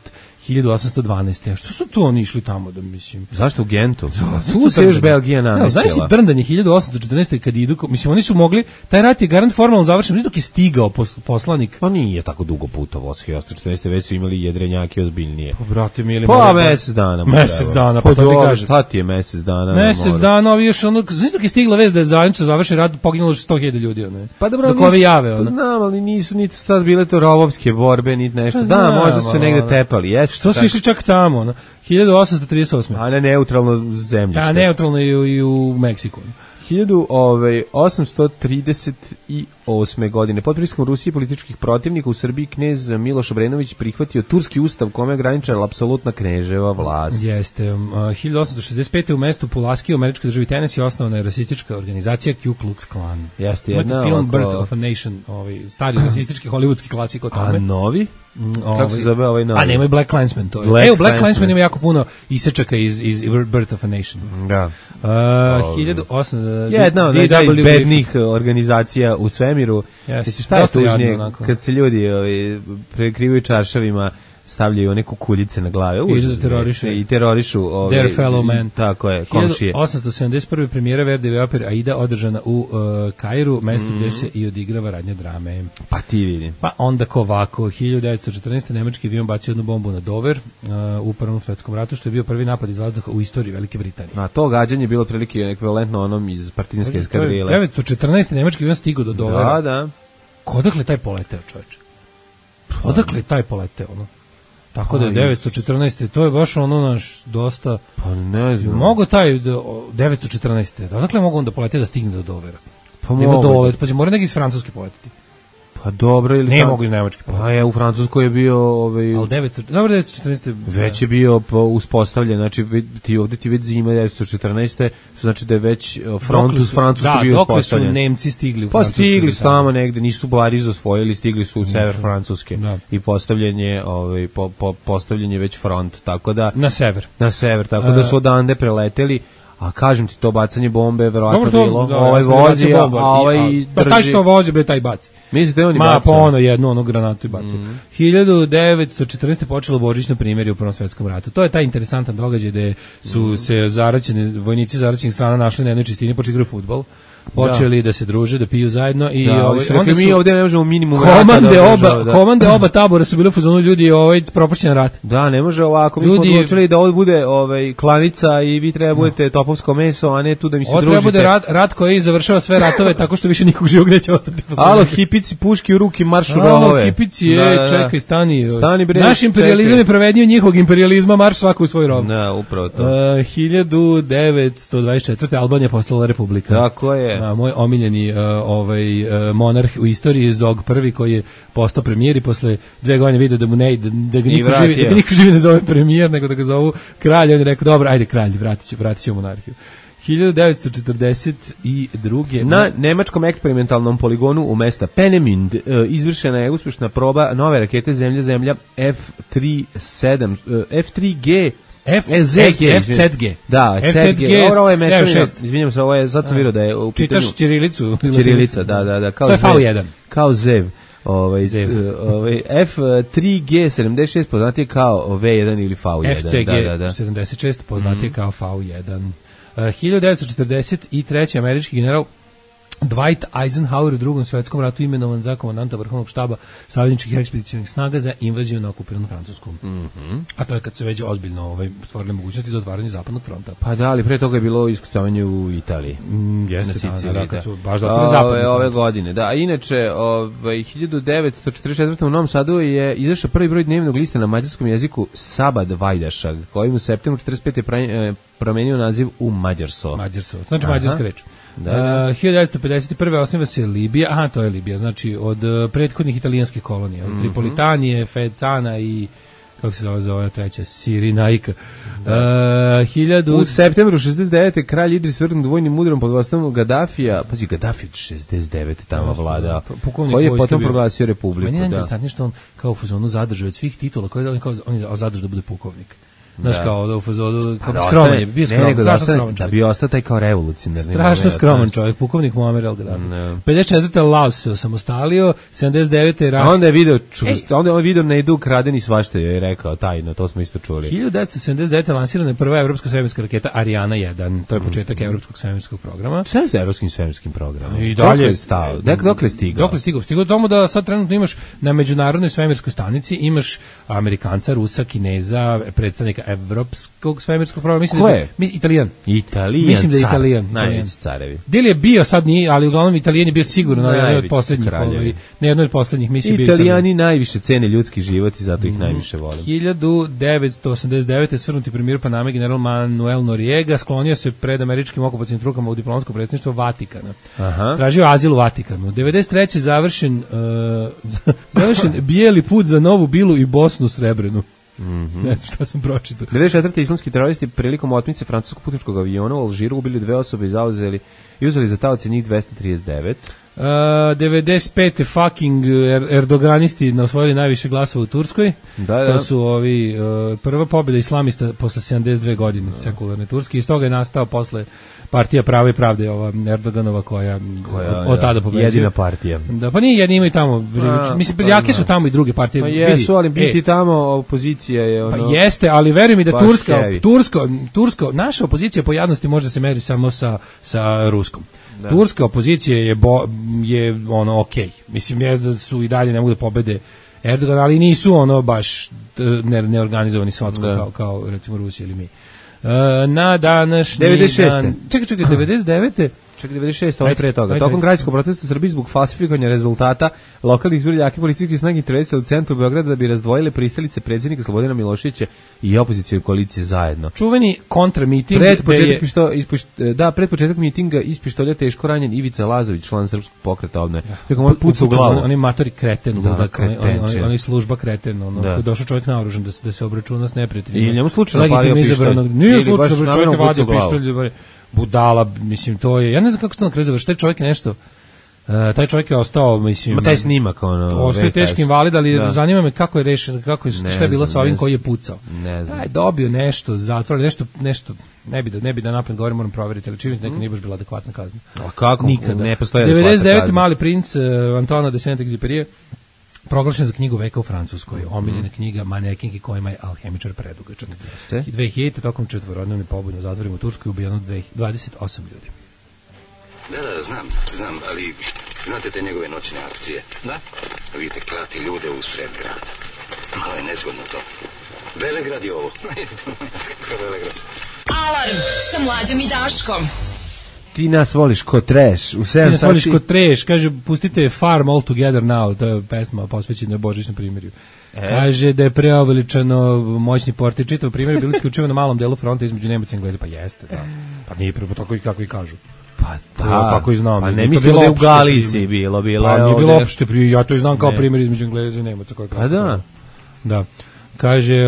1812. Što su tu oni išli tamo da mislim? Zašto u Gentu? Tu se još Belgija namestila. Znaš si drndanje 1814. kad idu, mislim oni su mogli, taj rat je garant formalno završen, dok je stigao poslanik. Pa nije tako dugo putovao, 1814. već su imali jedrenjaki ozbiljnije. Pa brate mi ili mesec dana. Mesec dana, pa to ti kaže. Šta ti je mesec dana? Mesec dana, ovi još ono, znaš dok je stigla vest da je završen rat, poginulo 100.000 ljudi, ono. Pa dobro, dok ovi jave, ono. Znam, ali nisu niti sad bile to rovovske borbe, niti nešto. Da, možda su se negde tepali. Što su išli čak tamo, ono? 1838. A ne neutralno zemljište. A neutralno i u Meksiku. 1838. godine pod pritiskom Rusije i političkih protivnika u Srbiji knez Miloš Obrenović prihvatio turski ustav kome je ograničila apsolutna kneževa vlast. Jeste. 1865. u mestu Pulaski u američkoj državi Tennessee osnovana je rasistička organizacija Ku Klux Klan. Jeste jedna. Film Birth of a Nation, stari rasistički hollywoodski klasik o tome. A novi? Kako se zove ovaj novi? A nemoj Black Klansman, to je. Evo, Black Klansman ima jako puno isečaka iz Birth of a Nation. Da. 1800... Jedna od najbednijih organizacija u svemiru. Mislim, šta je tužnije kad se ljudi prekrivaju čaršavima, stavljaju neku kuljice na glave. I terorišu their fellow man. Tako je, komšije. 1871. premijera Verdijeve opere Aida održana u Kairu, mestu gde se i odigrava radnja drame. Pa ti vidim. Pa onda ovako, 1914. nemački avion bacio jednu bombu na Dover u Prvom svetskom ratu, što je bio prvi napad iz vazduha u istoriji Velike Britanije. A to gađanje je bilo prilike ekvivalentno onom iz partizanske eskadrile. 1914. nemački avion stigao do Dovera. Da. Odakle taj poleteo, čoveče? Odakle taj poleteo, ono? Tako da je 914. To je baš ono naš dosta... Pa ne znam. Mogu taj 914. Odakle mogu onda poletiti da stigne do Dovera? Pa mogu. Pa će mora neki iz Francuske poletiti. Pa dobro ili... Ne mogu iz Nemačke poletiti. Pa je, u Francuskoj je bio... Ali 914. Već je bio uspostavljen, znači ovdje ti već zima 914. Što znači da je već front uz Francusku bio uspostavljen. Dokle su Nemci stigli u Francusku? Pa stigli su tamo negde, nisu Pariz osvojili, stigli su u sever Francuske. I postavljen je već front, tako da... Na sever, tako da su odande preleteli. A kažem ti, to bacanje bombe verovatno bilo. Ovaj vozi, a ovaj drži. Pa taj što vozi, bre, taj baci. Mislite oni baca? Ma, po jednu granatu i bacio. 1914. počelo božićno primirje u Prvom svetskom ratu. To je taj interesantan događaj gde su se vojnici zaraćenih strana našli na jednoj čistini, počeli igraju fudbal. Počeli da se druže, da piju zajedno i onda mi ovdje ne možemo minimum komande oba tabora su bile u fazonu ljudi propašćen rat. Da, ne može ovako. Mi smo odlučili da ovo bude klanica i vi treba budete topovsko meso, a ne tu da mi se družite. Ovo treba bude rat koji završava sve ratove tako što više nikog živog neće ostati. Alo, hipici, puški u ruki, marš u rovove. Alo, hipici, čekaj, stani. Naš imperializam je prevednio njihovog imperializma, marš svako u svoj rov. Da, upravo to. 1924. Albanija postala republika. Tako je. Moj omiljeni monarh u istoriji Zog I koji je postao premijer i posle 2 godine vidio da mu ne ide, da ga niko živi ne zove premijer, nego da ga zovu kralj. On je rekao, dobro, ajde kralj, vratit ćemo monarhiju. 1942. Na nemačkom eksperimentalnom poligonu u mesta Peenemünde izvršena je uspješna proba nove rakete Zemlja F3G FZG. Da, FZG. Ovo je mešavina. Izvinjam se, ovo je, sad sam vidio da je u pitanju. Čitaš ćirilicu? Ćirilica, da. Kao to je V1. Kao zev. F3G76 poznatije kao V1 ili V1. FCG 76 poznatije kao V1. 1943. američki general Dwight Eisenhower u Drugom svjetskom ratu imenovan za komandanta vrhovnog štaba savezničkih ekspedicionih snaga za invaziju na okupiranu Francusku. A to je kad se već ozbiljno stvorili mogućnosti za otvaranje zapadnog fronta. Pa da, ali pre toga je bilo iskucavanje u Italiji. Jeste, da, kad su baš otvorili zapadnog ove godine. Da, a inače, 1944. u Novom Sadu je izašao prvi broj dnevnog lista na mađarskom jeziku Sabad Vajdašag, kojim u septembru 45. je promenio naziv u Mađarso. Znači mađarska reč. 1951. osniva se Libija, to je Libija, znači od prethodnih italijanskih kolonija, od Tripolitanije, Fecana i kako se zove treća, Sirinajka. U septembru 69. kralj Idris vrgnut vojnim udarom pod vodstvom Gaddafija, pazi, Gaddafi 69. tamo vlada, koji je potom proglasio republiku. Meni je interesantno što on kao u fazonu zadržao od svih titula, on je zadržao da bude pukovnik. Znaš, kao da u fazodu, skroman je, bio skroman, strašno skroman čovjek. Da bi ostao taj kao revolucionarni. Strašno skroman čovjek, pukovnik Muammar al-Gaddafi. 54. Laos se osamostalio, 79. ras... Onda je video na idu kradeni svašta, je rekao tajno, to smo isto čuli. 1979. lansirana je prva evropska svemirska raketa Ariana 1, to je početak evropskog svemirskog programa. Šta je sa evropskim svemirskim programom? I dalje je stao? Dokle je stigao? Stigao tomu da sad trenutno imaš na međunarodnoj svemirskoj stanici, imaš Amerikanca, Rusa, Kineza, predstavnika evropskog svemirskog programa, mislim. Ko je? Italijan. Mislim da je Italijan. Najveći carevi. Del je bio, sad nije, ali uglavnom Italijan je bio sigurno na jednoj od poslednjih, mislim. Italijani najviše cene ljudski život i zato ih najviše vole. 1989. svrnuti premijer Paname general Manuel Noriega sklonio se pred američkim okupacijnim trukama u diplomatsko predstavništvo Vatikana. Tražio azil u Vatikanu. 93. završen bijeli put za Novu Bilu i Bosnu Srebrenu. Ne znam šta sam pročitao. 94. islamski teroristi prilikom otmice francuskog putničkog aviona u Alžiru ubili 2 osobe i uzeli za taoce njih 239. 95. fucking erdoganisti osvojili najviše glasova u Turskoj. To su ovi prva pobjeda islamista posle 72 godine sekularne Turske. Iz toga je nastao posle partija Prava i pravde, ova Erdoganova koja od tada pobeđuje. Jedina partija. Da, pa nije jedni, imaju tamo. Mislim, jake su tamo i druge partije. Pa jesu, ali biti tamo opozicija je ono... Pa jeste, ali veruj mi da Turska, naša opozicija po jadnosti može se meri samo sa ruskom. Da. Turska opozicija je ono okej. Mislim, da su i dalje ne mogu da pobede Erdogan, ali nisu ono baš neorganizovani socko kao recimo Rusija ili mi. Na današnji 96. dan... Čekaj, 99. Čekaj, 96, ovo je pre toga. Tokom građanskog protesta Srbiji zbog falsifikovanja rezultata lokalnih izbora jake policijske snage intervjuisali u centru Beograda da bi razdvojile pristalice predsjednika Slobodana Miloševića i opozicije koalicije zajedno. Čuveni kontramiting pred početak mitinga iz pištolja teško ranjen Ivica Lazović, član Srpskog pokreta obnove. Rekao, moj puca u glavu. On je matori kreten, on je služba kreten, došao čovjek naoružan da se obračuna s neprijateljima. I njemu slučajno palio pištolj. Nije slučajno, čovjek je vadio pištolj. Budala, mislim, to je, ja ne znam kako se to na kraju završi, taj čovjek je ostao, mislim... Taj snimak, ostao je teški invalid, ali zanima me kako je rešeno, šta je bilo sa ovim koji je pucao. Ne znam. Dobio nešto, zatvor, nešto, ne bi da napred govorim, moram provjeriti, ali čini se neka nije baš bila adekvatna kazna. A kako? Nikada. Ne postoji adekvatna kazna. 99. Mali princ Antoine de Saint-Exupéry proglašen za knjigu veka u Francuskoj, omiljena knjiga manekinki kojima je alhemičar predugačak. 2000. tokom četvorodnevne pobune u zatvorima u Turskoj ubijeno 28 ljudi. Da, znam, ali znate te njegove noćne akcije? Da. Vidite, klati ljude u sred grada. Malo je nezgodno to. Velegrad je ovo. Velegrad. Alarm sa Mlađom i Daškom. Ti nas voliš ko trash. U 7 sati... Ti nas voliš ko trash. Kaže, pustite Farm All Together Now. To je pesma posvećena božićnom primjerju. Kaže da je preoveličano moćni portir. Čitav primjer bili isključivo na malom delu fronta između Nemaca i Engleza. Pa jeste, da. Pa nije prvo tako i kako i kažu. Pa kako i znam. Pa ne mislim da je u Galiciji bilo. Pa nije bilo opšte. Ja to i znam kao primjer između Engleza i Nemaca. Pa da. Da. Kaže,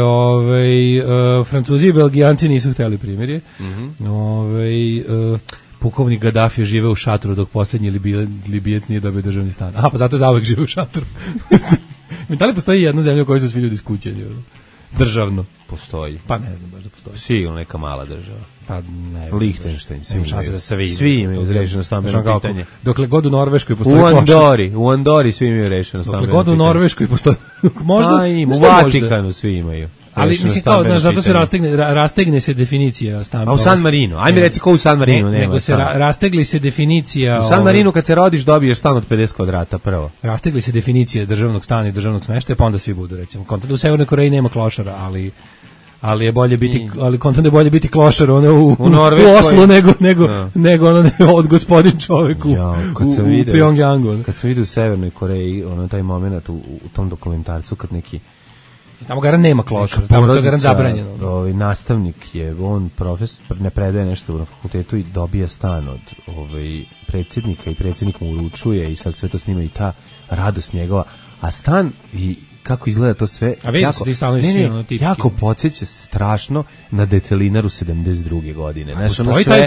Francuzi i Belgijanci nisu hteli primjerje. Pukovnik Gaddafi je živeo u šatoru dok posljednji Libijac nije dobio državni stan. Pa zato je zauvek živeo u šatoru. Da li postoji jedna zemlja u kojoj su svi ljudi skućeni? državno. Postoji. Pa ne znam baš da postoji. Sigurno neka mala država. Pa ne. Lichtenstein, svi imaju rešeno stambeno pitanje. Dokle god u Norveškoj postoji u Andori svi imaju rešeno stambeno pitanje. Dokle god u Norveškoj postoji, možda, u Vatikanu svi imaju. Ali mislim kao, zato se rastegne se definicija stambena. A u San Marinu, ajme reci ko u San Marinu nema. Nego se rastegli se definicija. U San Marinu kad se rodiš dobiješ stan od 50 kvadrata prvo. Rastegli se definicije državnog stana i državnog smeštaja, pa onda svi budu, recimo. U Severnoj Koreji nema klošara, ali je bolje biti, ali kontent je bolje biti klošar ono u Oslu nego ono od gospodin čovjek u Pyongyangu. Kad sam vidio u Severnoj Koreji, ono taj moment u tom dokumentarcu kad neki tamo garan nema klošara, tamo to garan zabranjeno. Nastavnik je, on profesor, ne predaje nešto na fakultetu i dobija stan od predsjednika i predsjednik mu uručuje i sad sve to snima i ta radost njegova, a stan i kako izgleda to sve, jako podsjeća strašno na Detelinaru 72. godine.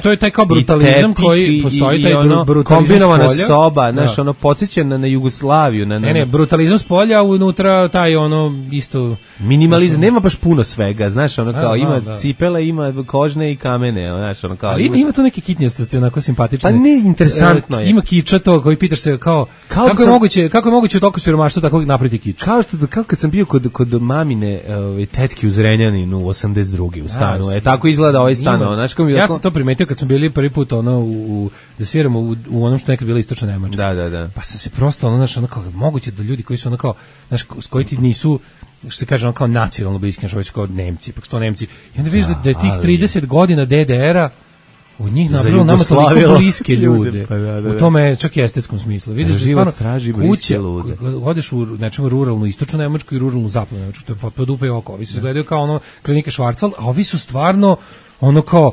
To je taj kao brutalizam koji postoji, taj brutalizam kombinovana soba, podsjeća na Jugoslaviju. Ne, brutalizam s polja, unutra taj isto... Minimalizam, nema baš puno svega, znaš, kao ima cipele, ima kožne i kamene, znaš, kao... Ali ima tu neke kitnjostosti, onako simpatične. Pa ne, interesantno je. Ima kiča to, koji pitaš se kao kako je moguće u toku siromaštva tako napraviti kiču? Kao kad sam bio kod mamine tetke u Zrenjaninu u 82. u stanu. Tako izgleda ovaj stan. Ja sam to primetio kad smo bili prvi put da sviramo u onom što nekad bila Istočna Nemačka. Da. Pa sam se prosto kao moguće da ljudi koji su kao s koji ti nisu što se kaže kao nacionalno bliski, kao Nemci, pa sto Nemci. I onda vidiš da je tih 30 godina DDR-a od njih napravilo nama toliko bliske ljude. U tome čak i estetskom smislu. Vidiš da stvarno kuće, odeš u ruralnu istočnu Nemačku i ruralnu zapadnu Nemačku, to je potpuno dupe i oko. Ovi se gledaju kao klinike Schwarzwald, a ovi su stvarno kao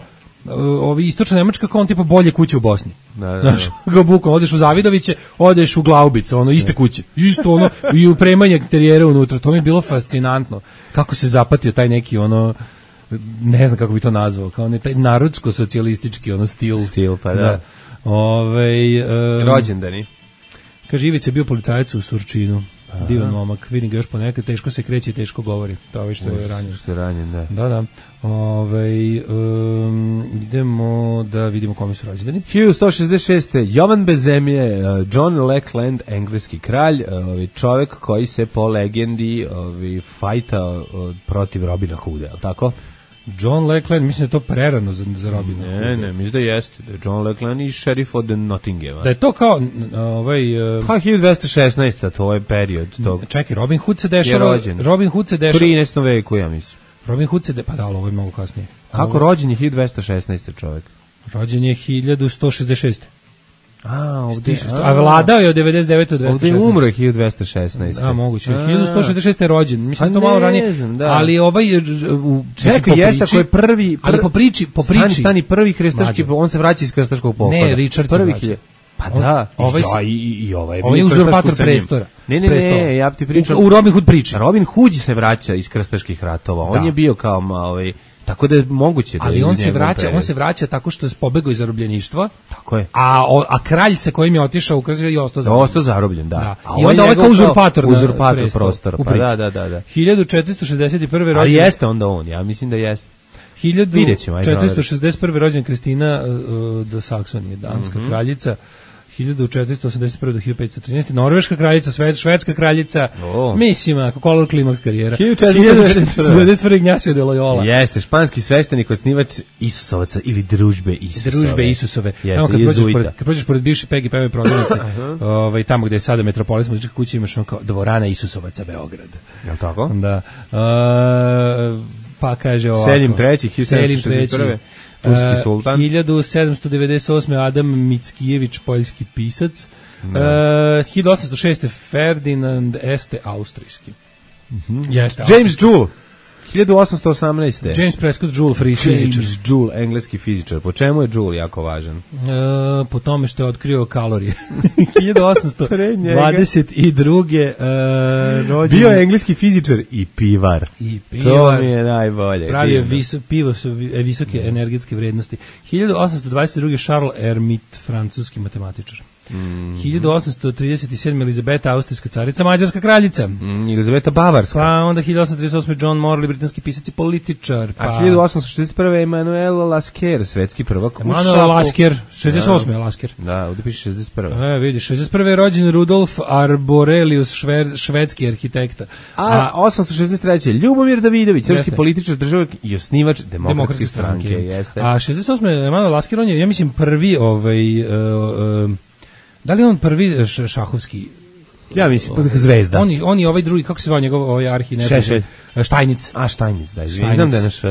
ovi istočna Nemačka kao tipa bolje kuće u Bosni. Znaš, kao bukom, odeš u Zavidoviće, odeš u Glaubice, iste kuće. Isto i upremanje terijera unutra. To mi je bilo fascinantno. Kako se zapatio taj neki ne znam kako bi to nazvao, kao taj narodsko-socijalistički stil. Stil, pa da. Rođendani. Kaže, Ivica je bio policajac u Surčinu. Divan momak, vidim ga još ponekad, teško se kreće i teško govori. To je što je ranjen. Što je ranjen, da. Da. Idemo da vidimo kome su rođendani. 1166. Jovan bez zemlje, John Lackland, engleski kralj, čovjek koji se po legendi fajta protiv Robina Hooda, je li tako? John Lackland, mislim da je to prerano za Robina Hooda. Ne, mislim da jeste. Da je John Lackland i šerif od Nottinghama. Da je to kao... Pa 1216. to je period tog. Čekaj, Robin Hood se dešava... Robin Hood se dešava... 13. veku, ja mislim. Robin Hood se... Pa da, ovo je mnogo kasnije. Kako rođen je 1216. čovjek? Rođen je 1166. Ovdje... A vladao je od 99. do 216. Ovdje je umro je 1216. Moguće. 1166. je rođen. Mislim to malo ranije. Ali čekaj, jeste koji je prvi... Ali po priči... Stani prvi krstaški, on se vraća iz krstaškog pohoda. Ne, Richard se vraća. Pa da, i ovaj je uzurpator prestora. Ne, ja ti pričam. U Robin Hood priči. Robin Hood se vraća iz krstaških ratova. On je bio kao tako da je moguće da. Ali on se vraća tako što je pobegao iz zarobljeništva. Tako je. A kralj sa kojim je otišao u Krstaš je ostao zarobljen. Da. I onda ovaj kao uzurpator prostora. Pa da. 1461. rođen. Ali jeste onda on, ja mislim da jeste. 1461. rođen Kristina do Saksonije, danska kraljica. 1481. do 1513. Norveška kraljica, švedska kraljica, mislim, ako kolor klimaks karijera. 1491. Ignacio de Loyola. Jeste, španski sveštenik, osnivač Isusovaca ili Družbe Isusove. Družbe Isusove. Evo, kad prođeš pored bivše Pegi Peve prodavnice, tamo gde je sada Metropolis muzička kuća, imaš kao dvorana Isusovaca Beograd. Je li tako? Da. Pa kaže ovako. Selim III, 1761. Turski sultan. 1798. Adam Mickijević, poljski pisac. 1806. Ferdinand Este, austrijski. James Joule. 1818. James Prescott Joule, fizičar. James Joule, engleski fizičar. Po čemu je Joule jako važan? Po tome što je otkrio kalorije. 1822. Rođen. Bio je engleski fizičar i pivar. To mi je najbolje. Pravio pivo su visoke energetske vrednosti. 1822. Charles Hermite, francuski matematičar. 1837. Elizabeta, austrijska carica, mađarska kraljica. Elizabeta Bavarska. Pa onda 1838. John Morley, britanski pisac i političar. Pa... A 1861. Emanuel Lasker, svetski prvak u šahu. Emanuel Lasker, 68. je Lasker. Da, ovdje piše 61. Vidi, 61. je rođen Rudolf Arborelius, švedski arhitekta. A 863. Ljubomir Davidović, srpski političar, državnik i osnivač Demokratske stranke. Jeste. A 68. je Emanuel Lasker, on je, ja mislim, prvi da li on prvi šahovski? Ja mislim, zvezda. On je ovaj drugi, kako se zvao njegov ovaj arhi? Štajnic. A, Štajnic, da, znam da je naš...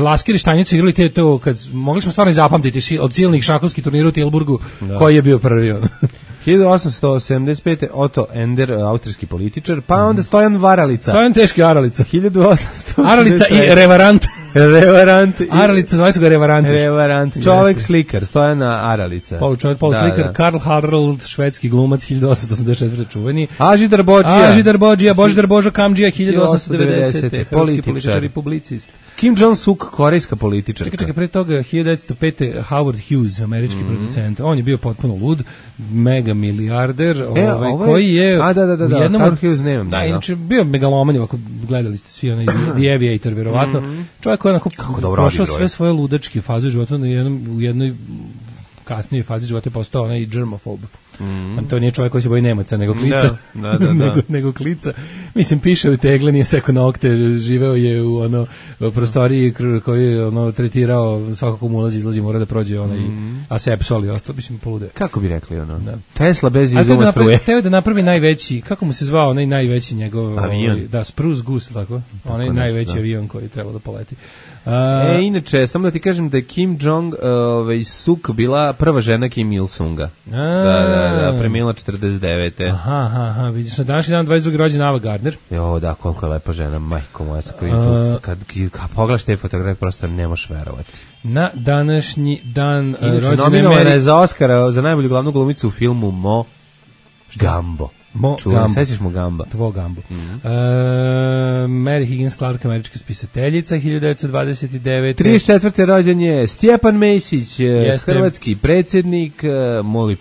Lasker i Štajnic su igrali to, kad mogli smo stvarno zapamtiti od silnih šahovskih turnira u Tilburgu, koji je bio prvi on. 1875. Otto Ender, austrijski političar, pa onda Stojan Varalica. Stojan teški Aralica. 1800. Aralica i Revarant. Aralica, zvali su ga Revarant. Čovek slikar, Stojana Aralica. Slikar, Karl Harald, švedski glumac, 1884. čuveni. Ažidar Bođija, Božidar Božo Kamđija, 1890. Hrvatski političar i publicist. Kim Jong-suk, korejska političarka. Čekaj, pre toga 1905. Howard Hughes, američki producent. On je bio potpuno lud, mega milijarder, koji je u jednom Howard Hughes nemam. Da, inače bio megaloman, ako gledali ste svi onaj The Aviator, verovatno. Čovjek koji je prošao sve svoje ludačke faze života u jednoj kasnijoj fazi života je postao onaj germofob. To nije čovjek koji se boji Nemaca, nego klica. nego klica. Mislim, piše u tegli, nije seko nokte, živeo je u prostoriji koji je tretirao svakako mu ulazi, izlazi, mora da prođe asepsol i ostalo, mislim, polude. Kako bi rekli Tesla bez izuma struje. Teo da napravi najveći, kako mu se zvao onaj najveći njegov avion? Da, Spruce Goose, tako? Onaj najveći avion koji treba da poleti. Inače, samo da ti kažem da je Kim Jong-suk bila prva žena Kim Il-sunga. Da, premijela 49. Aha, vidiš, na današnji dan 22. rođen Ava Gardner. Jo, da, koliko je lepa žena, majko moja, kad pogledaš te fotografije, prosto ne možeš verovati. Na današnji dan rođen nominovana je za Oscara za najbolju glavnu glumicu u filmu Gambo. Sećaš mu Gamba? Tvo Gambo. Mary Higgins Clark, američka spisateljica, 1929. 34. rođen je Stjepan Mesić, hrvatski predsjednik. Moj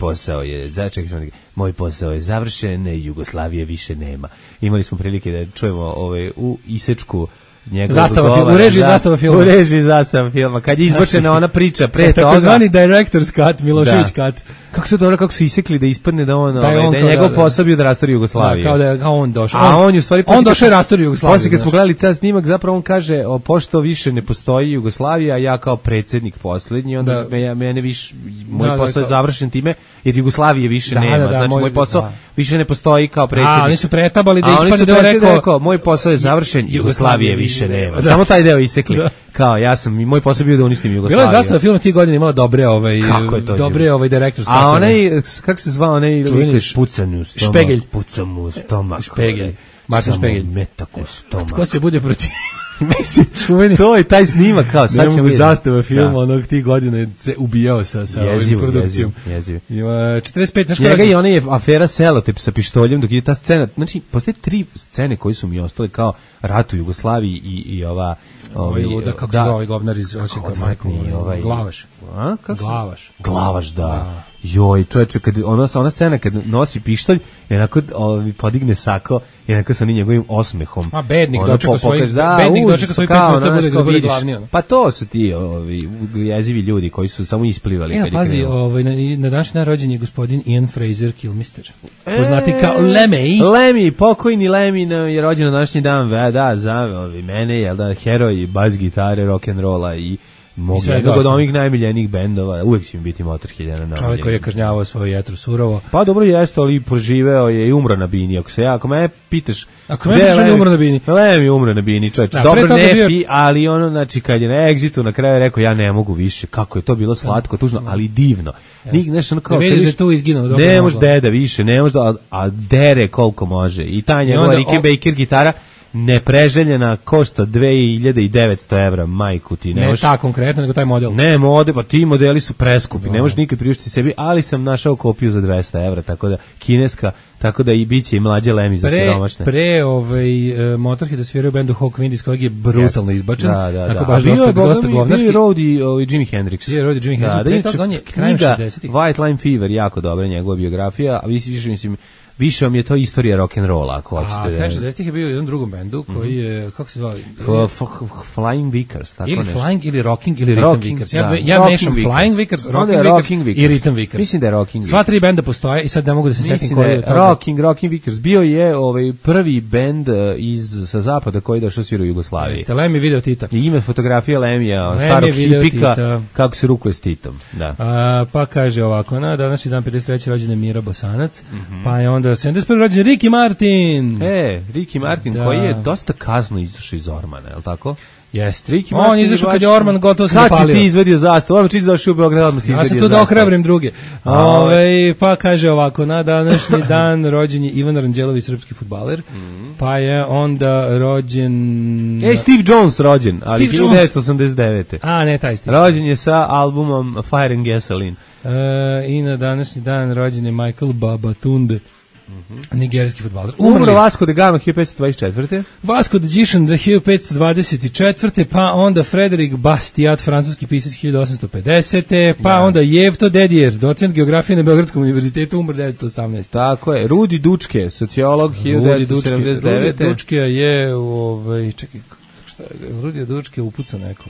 posao je završen, Jugoslavije više nema. Imali smo prilike da čujemo u isečku u režiji zastava filma, kad je izbačena ona priča pre toga. Takozvani director's cut, Milošević cut. Kako se dobro, kako su isekli da ispadne da on, da je njegov posao bio da rastori Jugoslaviju. Kao da je on došao. A on je u stvari on došao i rastori Jugoslaviju. Posle kad smo gledali ceo snimak, zapravo on kaže, pošto više ne postoji Jugoslavija, ja kao predsjednik poslednji, onda mene više, moj posao je završen time, jer Jugoslavije više nema. Znači, moj posao više ne postoji kao predsjednik. A oni su pretabali da ispadne da je rekao, moj posao je završen, Jugoslavije više nema. Samo taj deo isekli. Kao moj posao bio da unistim Jugoslaviju. Bila je zastava film tih godina imala dobre direktorske. A onaj, kako se zvao onaj pucan u stomak. Špegelj. Pucan u stomak. Špegelj. Martin Špegelj. Metak u stomak. Ko se bude protiv... To je taj snimak, kao sad ćemo vidjeti. Zastava film onog tih godina se ubijao sa ovim produkcijom. Jezivo. 45. Njega i ona je afera Selotip sa pištoljem, dok je ta scena, znači, postoje 3 scene koji su mi ostale kao rat u Jugoslaviji i ova... Kako se zove ovaj govnar iz Osijeka, Glavaš. Glavaš, da. Joj, čovječe, ona scena kad nosi pištolj, jednako podigne sako, jednako sa njegovim osmehom. A bednik dočeka svojih 5 minuta da bude glavni. Pa to su ti jezivi ljudi koji su samo isplivali. Pazi, na današnji dan rođen je gospodin Ian Fraser Kilmister. Poznati kao Lemmy. Lemmy, pokojni Lemmy je rođen na današnji dan, za mene, heroj bas gitare, rock'n'rolla i jednog od ovih najmiljenijih bendova, uvijek će mi biti Motorhead na najmiljeniji. Čovjek koji je kažnjavao svoje jetru surovo. Pa dobro jeste, ali proživeo je i umro na bini. Ako me pitaš... Ako me pitaš, on je umro na bini. Lemmy umro na bini, čovječ. Dobro nefi, ali znači kad je na Exitu na kraju rekao, ja ne mogu više. Kako je to bilo slatko, tužno, ali divno. Da vidiš da je tu izginuo. Ne može deda više, ne može, a dere koliko može. I ta njegova Ricky Baker gitara nepreželjena, košta 2900 evra, majku ti. Ne ta konkretno, nego taj model. Ne, pa ti modeli su preskupi, ne možeš nikad priuštiti sebi, ali sam našao kopiju za 200 evra, tako da kineska, tako da i biće i mlađe Lemi za siromašne. Pre Motorhead da sviraju bendu Hawk Wind iz kojeg je brutalno izbačen. Da. Baš dosta govnarski. Bio je Road i Jimi Hendrix. Bio je Road i Jimi Hendrix. Pre toga on je krajem 60-ih. White Line Fever, jako dobra njegova biografija, a više vam je to istorija rock'n'rolla, ako hoćete. A krajem 60-ih je bio u jednom drugom bendu koji je, kako se zvao? Flying Vickers, tako ili nešto. Flying, ili Rocking, ili Rhythm Vickers. Ja mešam Flying Vickers, Rocking Vickers i Rhythm Vickers. Mislim da je Rocking Vickers. Sva tri benda postoje i sad ne mogu da se setim koji je to. Rocking Vickers. Bio je prvi bend sa zapada koji je došao svira u Jugoslaviji. Jeste, Lemmy video Tita. I ima fotografija Lemija, starog hipika, kako se rukuje s Titom. Da. Pa kaže ovako, na današnji dan 53. rođen je Mira Bosanac, pa je onda 71. rođen Ricky Martin. Ricky Martin, koji je dosta kazno izašao iz Ormana, je li tako? Jeste. On je izašao kad je Orman gotovo se zapalio. Kad si ti izvedio zastavu? Orman čisto došao u Beograd, odmah si izvedio zastavu. Ja sam tu da ohrabrim druge. Pa kaže ovako, na današnji dan rođen je Ivan Ranđelović, srpski fudbaler, pa je onda rođen... Steve Jones rođen, ali 1989. A, ne, taj Steve. Rođen je sa albumom Fire and Gasoline. I na današnji dan rođen je Michael Babatunde, nigerijski fudbaler. Umro Vasco da Gama 1524. Vasco da Gama 1524. Pa onda Frederick Bastiat, francuski pisac 1850. Pa onda Jevto Dedijer, docent geografije na Beogradskom univerzitetu, umro 1918. Tako je. Rudi Dučke, sociolog 1979. Rudi Dučke je čekaj, šta je? Rudi Dučke upuca neko.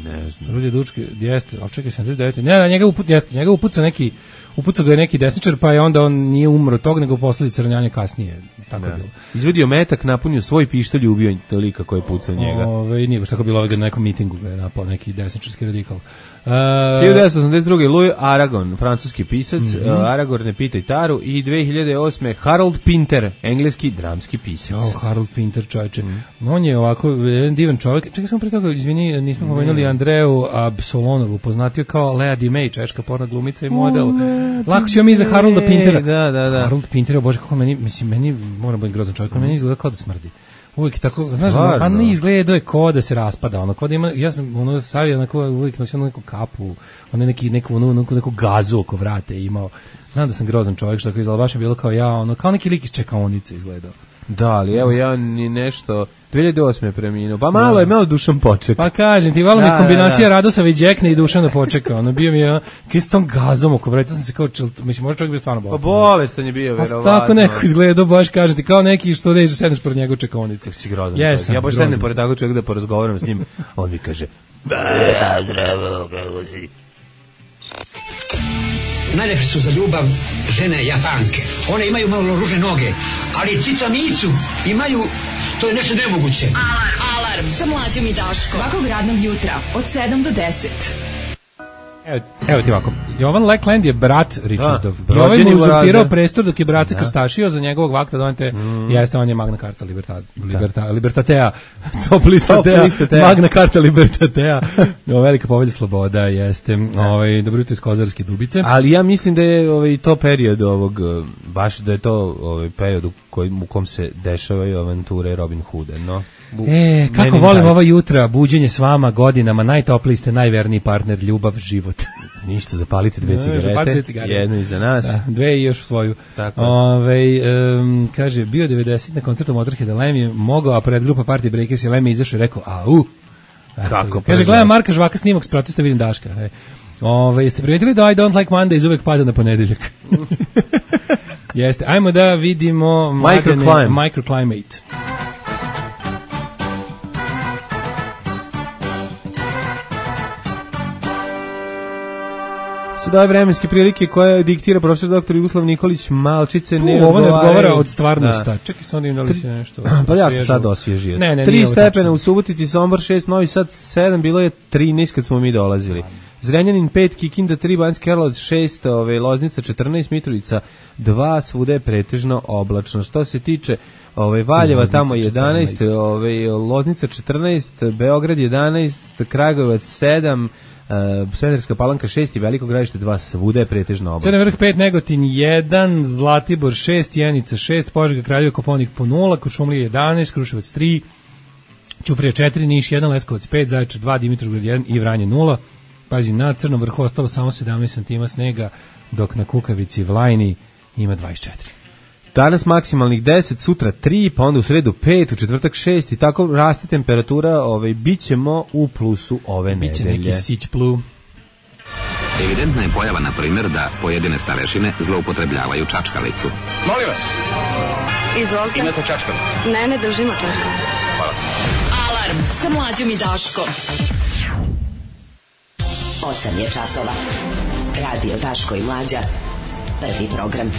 Ne znam. Rudi Dučke, jeste, ali čekaj, 79. Ne, njega upuca neki, upucao ga je neki desničar, pa je onda on nije umro tog, nego posledica ranjanja kasnije. Tako je bilo. Izvedio metak, napunio svoj pištolj i ubio lika koji je pucao njega. Nije baš tako bilo, na nekom mitingu ga je napao neki desničarski radikal. 1982. Louis Aragon, francuski pisac, Aragorn ne pitaj taru, i 2008. Harold Pinter, engleski dramski pisac. Harold Pinter, čovječe. On je ovako jedan divan čovjek. Čekaj sam pre toga, izvini, nismo pomenuli Andreju Absolonovu, poznatio kao Lea Dimej, češka porna glumica i model. Lako ćemo mi za Harolda Pintera. Da. Harold Pinter, bože, kako meni moram biti grozan čovjek, meni izgleda kao da smrdi. Uvijek tako, znaš, pa ne izgleda je kao da se raspada, ono, kao da ima, ja sam savio onako, uvijek nosio neku kapu, neku gazu oko vrate imao. Znam da sam grozan čovjek, što tako izgleda, baš je bilo kao ja, ono, kao neki lik iz čekaonice izgledao. Da, ali evo ja ni nešto 2008. preminuo. Pa malo je malo Dušan Poček. Pa kažem ti, malo mi kombinacija Radosavljević Đekne i Dušana Počeka. Ono bio mi je kaj s tom gazom oko vrata, sam se kao mislim može čovjek biti stvarno bolestan. Pa bolestan je bio verovatno. Tako neko izgleda, baš kažem ti, kao neki što ne sedneš pored njega u čekaonici. Si grozan čovjek. Ja baš sednem pored takvog čovjeka da porazgovaram s njim. On mi kaže: "Zdravo, kako si?" Najlepše su za ljubav žene Japanke. One imaju malo ružne noge, ali cica micu imaju, to je nešto nemoguće. Alarm sa Mlađom i Daškom. Svakog radnog jutra od 7 do 10. Evo ti ovako, Jovan Lackland je brat Richardov. I ovaj mu uzurpirao prestor dok je brat se krstašio za njegovog vakta donete, jeste, on je Magna Carta Libertatea, top lista Magna Carta Libertatea, velika povelja sloboda, jeste, dobro jutro iz Kozarske Dubice. Ali ja mislim da je to period ovog, baš da je to period u kom se dešavaju avanture Robin Hooda, no? Kako volim ova jutra, buđenje s vama godinama, najtopliji ste, najverniji partner, ljubav, život. Ništa, zapalite dve cigarete, jednu iza nas. Da, dve i još svoju. Kaže, bio 90 na koncertu Motorheada, Lemmy je mogao, a pred grupa Party Breakers je Lemmy izašao i rekao, Kako? Kaže, gledam Marka Žvaka snimak s protesta, vidim Daška. Jeste primetili da I Don't Like Mondays uvek pada na ponedeljak? Jeste, ajmo da vidimo Microclimate. Sada ove vremenske prilike koje diktira profesor dr. Jugoslav Nikolić Malčice ovo ne odgovara od stvarnosti. Čekaj, sam da im dali se nešto. Pa ja sam sad osvježio. 3 stepena u Subotici, Sombor 6, Novi Sad 7, bilo je 13 kad smo mi dolazili. Zrenjanin 5, Kikinda 3, Banjski Karlovac 6, Loznica 14, Mitrovica 2, svuda je pretežno oblačno. Što se tiče Valjeva tamo 11, Loznica 14, Beograd 11, Kragujevac 7, Smederevska Palanka 6 i Veliko Gradište 2, svuda je pretežno oblačno. Crni Vrh 5, Negotin 1, Zlatibor 6, Jenica 6, Požega, Kraljevo, Koponik po 0, Kuršumlija 11, Kruševac 3, Ćuprija 4, Niš 1, Leskovac 5, Zaječar 2, Dimitrovgrad 1 i Vranje 0. Pazi, na Crnom Vrhu ostalo samo 17 cm snega, dok na Kukavici Vlajni ima 24. Danas maksimalnih 10, sutra 3, pa onda u sredu 5, u četvrtak 6 i tako raste temperatura, bićemo u plusu ove nedelje. Biće neki sić plu. Evidentna je pojava, na primjer, da pojedine starešine zloupotrebljavaju čačkalicu. Molim vas. Izvolite. Imate čačkalicu? Ne držimo čačkalicu. Hvala. Alarm sa Mlađom i Daškom. 8 je časova. Radio Daško i Mlađa. Prvi program.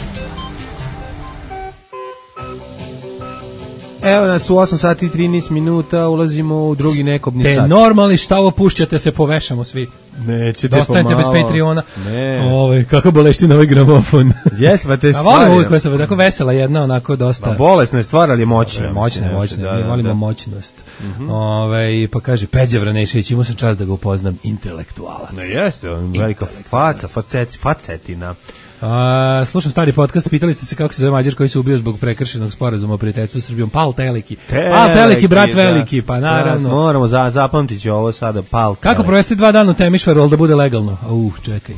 Evo nas u 8 sati i 13 minuta, ulazimo u drugi nekobni sat. Te normalni, šta ovo pušćate, se povešamo svi. Nećete dostanete pomalo. bez Patreona. Ne. Kako bolešti na ovaj gramofon. Jes, pa te stvari. A volim uvijek koja se tako vesela jedna, onako dosta. Bolesna je stvar, ali je moćna. Moćna. Mi volimo moćnost. Pa kaže, Peđa Vranešević, imao sam čast da ga upoznam, intelektualac. Ne, jeste, velika facetina. Slušam stari podcast, pitali ste se kako se zove Mađar koji se ubio zbog prekršenog sporazuma o prijateljstvu s Srbijom. Pal Teleki. Pal Teleki, brat veliki, pa naravno. Moramo zapamtiti ovo sada, Pal Teleki. Kako provesti 2 dana u Temišvaru, ali da bude legalno? Čekaj.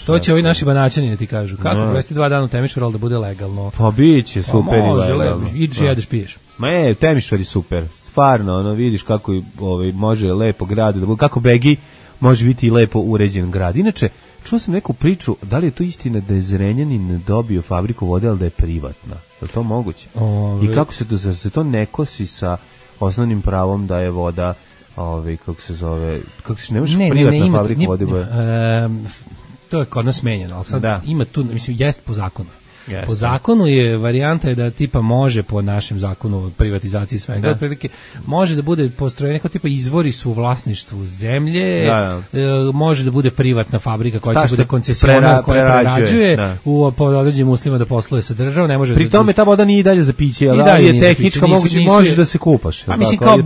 To će ovi naši banaćani da ti kažu. Kako provesti 2 dana u Temišvaru, ali da bude legalno? Pa biće super i legalno. Ideš i jedeš, piješ. Temišvar je super. Stvarno, vidiš kako može lepo grad, kako Begi može biti i lepo uređen grad. Inače, čuo sam neku priču, da li je to istina da je Zrenjanin dobio fabriku vode, ali da je privatna? Je li to moguće? I kako se to ne kosi sa osnovnim pravom da je voda, ne možeš privatna fabrika vode? To je kod nas menjeno, ali sad ima tu, mislim, jest po zakonu. Yes. Po zakonu je varijanta je da tipa može po našem zakonu o privatizaciji svega, otprilike može da bude postrojen neko tipa izvori su u vlasništvu zemlje, može da bude privatna fabrika koja će bude koncesionar koja prerađuje pod određenim uslovima da posluje sa državom, ne može. Pri tome ta voda nije i dalje za piće, ali je tehnička, možeš da se kupaš. Pa mislim kao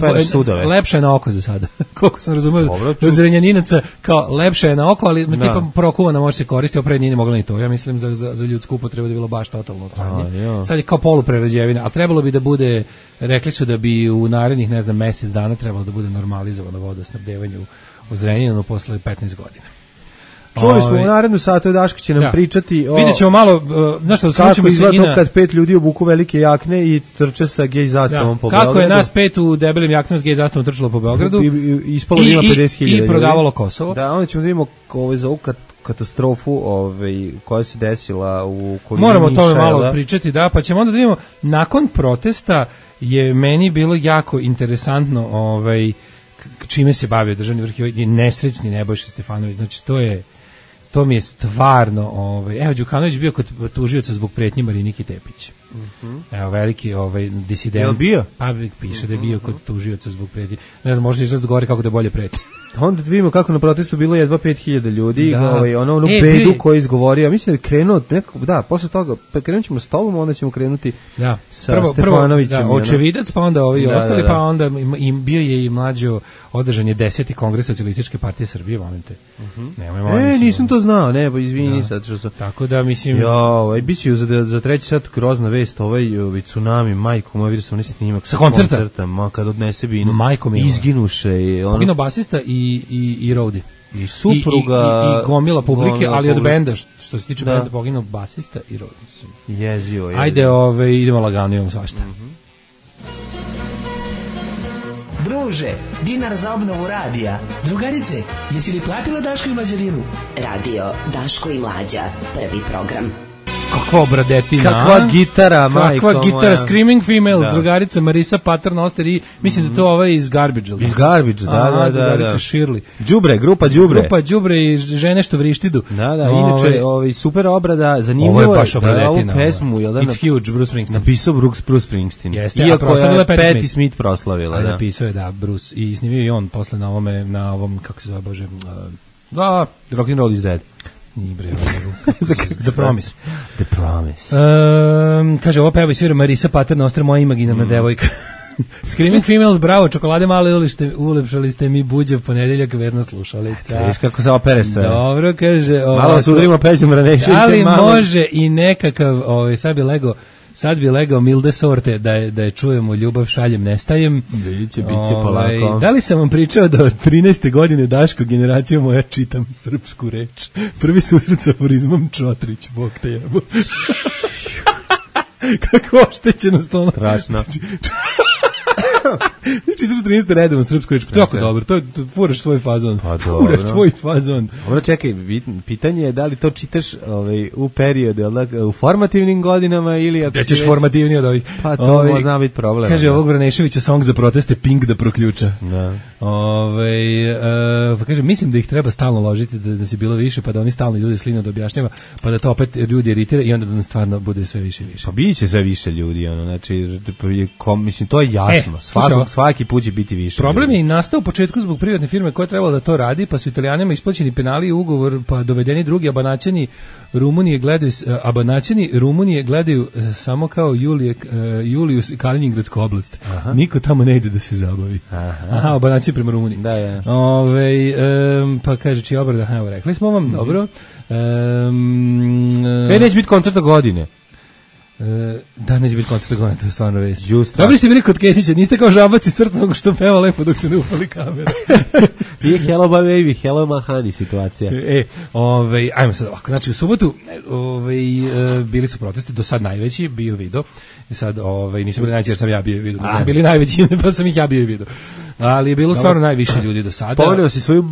lepša je na oko za sada. Koliko sam razumeo od Zrenjaninaca, kao lepša je na oko, ali tipa prokuvana može se koristiti, opred nije mogla ni to. Ja mislim za ljudsku upotrebu da bilo baš totalno odsanje. Sad je kao poluprerađevina, ali trebalo bi da bude, rekli su da bi u narednih, ne znam, mesec dana trebalo da bude normalizovano vodosnabdevanje u Zrenjaninu posle 15 godina. Čuli smo u narednu satu, Daško će nam pričati o... Vidjet ćemo malo, kako izgleda to kad 5 ljudi obuku velike jakne i trče sa gej zastavom po Beogradu. Kako je nas 5 u debelim jaknom s gej zastavom trčalo po Beogradu. Ispalo ima 50.000 i prodavalo Kosovo. Da, onda ćemo da vidimo za ovu katastrofu koja se desila u okolini Moramo o tome malo pričati, pa ćemo onda da vidimo, nakon protesta je meni bilo jako interesantno čime se bavio državni vrh, je nesrećni Nebojša Stefanović, znači to mi je stvarno, evo Đukanović bio kod tužioca zbog pretnji Mariniki Tepić. Evo veliki disident. Je li bio? Pa piše da je bio kod tužioca zbog pretnji. Ne znam, možda izraz govori kako da bolje preti. Onda vidimo kako na protestu bilo jedva 5.000 ljudi, onu bedu koju je izgovorio. Mislim da je krenuo nekako, posle toga krenut ćemo s tobom, onda ćemo krenuti sa Stefanovićem. Očevidac, pa onda ovi ostali, pa onda bio je i Mlađo, održan je 10. kongres Socijalističke partije Srbije, molim te. Nisam to znao, izvini sad što sam. Tako da, mislim... Bit će za treći sat grozna vest, tsunami, majko, vidio sam snimak sa koncerta, kad odnese binu, majko mi izginuše. Poginuo basista i Rodi. I supruga. I gomila publike, ali od benda, što se tiče benda, poginuo basista i Rodi. Jezio. Ajde, idemo lagano, imamo svašta. Druže, dinar za obnovu radija. Drugarice, jesi li platila Daško i Mlađarinu? Radio Daško i Mlađa, prvi program. Kakva obradetina. Kakva gitara, majko moja. Kakva gitara, Screaming Females, drugarica Marisa Paternoster i mislim da to iz Garbage. Iz Garbage, da. Drugarica Shirley. Đubre, grupa Đubre. Grupa Đubre i žene što vrištidu. Da, inače, super obrada, zanimljivo je. Ovo je baš obradetina. Ovu pesmu, It's huge, Bruce Springsteen. Napisao Bruce Springsteen. Jeste, iako je Patti Smith proslavila. Napisao je, Bruce, i snimio i on posle na ovom, kako se zove, Bože, Rock and Roll is Dead. Nije bre, The Promise. The Promise. Kaže, ovo peva i svira Marisa Paternoster, moja imaginarna devojka. Screaming Females, bravo, čokolade male, ulepšali ste mi buđe ponedeljak, verna slušalica. Viš kako se opere sve. Dobro, kaže. Malo sudrimo Peđom Raneševićem. Ali može i nekakav, sad bi legao milde sorte da je čujemo ljubav šaljem nestajem. Biće polako. Da li sam vam pričao da od 13. godine Daško generacija moja čitam srpsku reč? Prvi susret sa aforizmom Čotrić, Bog te jebo. Kako oštećenost ono. Strašno. Čitaš 13. redom srpsku reč, to je jako dobro, to furaš svoj fazon. Pa furaš tvoj fazon. Dobro, čekaj, pitanje je da li to čitaš u periodu, u formativnim godinama ili... Da ćeš formativni od ovih. Pa to zna biti problem. Kaže ovog Vraneševića song za proteste Pink da proključa. Da. Pa kaže, mislim da ih treba stalno ložiti da se bilo više, pa da oni stalno izvode slino da objašnjava, pa da to opet ljudi iritira i onda da nam stvarno bude sve više i više. Pa biće sve više ljudi, znači, mislim, to je jasno. Svaki put će biti više. Problem je i nastao u početku zbog privatne firme koja je trebala da to radi, pa su Italijanima isplaćeni penali i ugovor, pa dovedeni drugi Abanaćani Rumunije gledaju samo kao Julijus Kaliningradsku oblast. Aha. Niko tamo ne ide da se zabavi. Aha, Abanaći prema Rumuniji. Da, ja. Pa kaže čiji obrada, evo rekli smo vam, dobro. Neće biti koncerta godine. Da, neće biti koncert godine, to je stvarno već. Dobri ste bili kod Kesića, niste kao žabaci crtnog što peva lepo dok se ne upali kamera. Nije hello baby, hello mahani situacija. Ajmo sad ovako, znači u subotu bili su protesti, do sad najveći, bio video, i sad nisu bili najveći jer sam ja bio video, bili najveći pa sam ih ja bio video. Ali je bilo stvarno najviše ljudi do sada. Poneo si svoju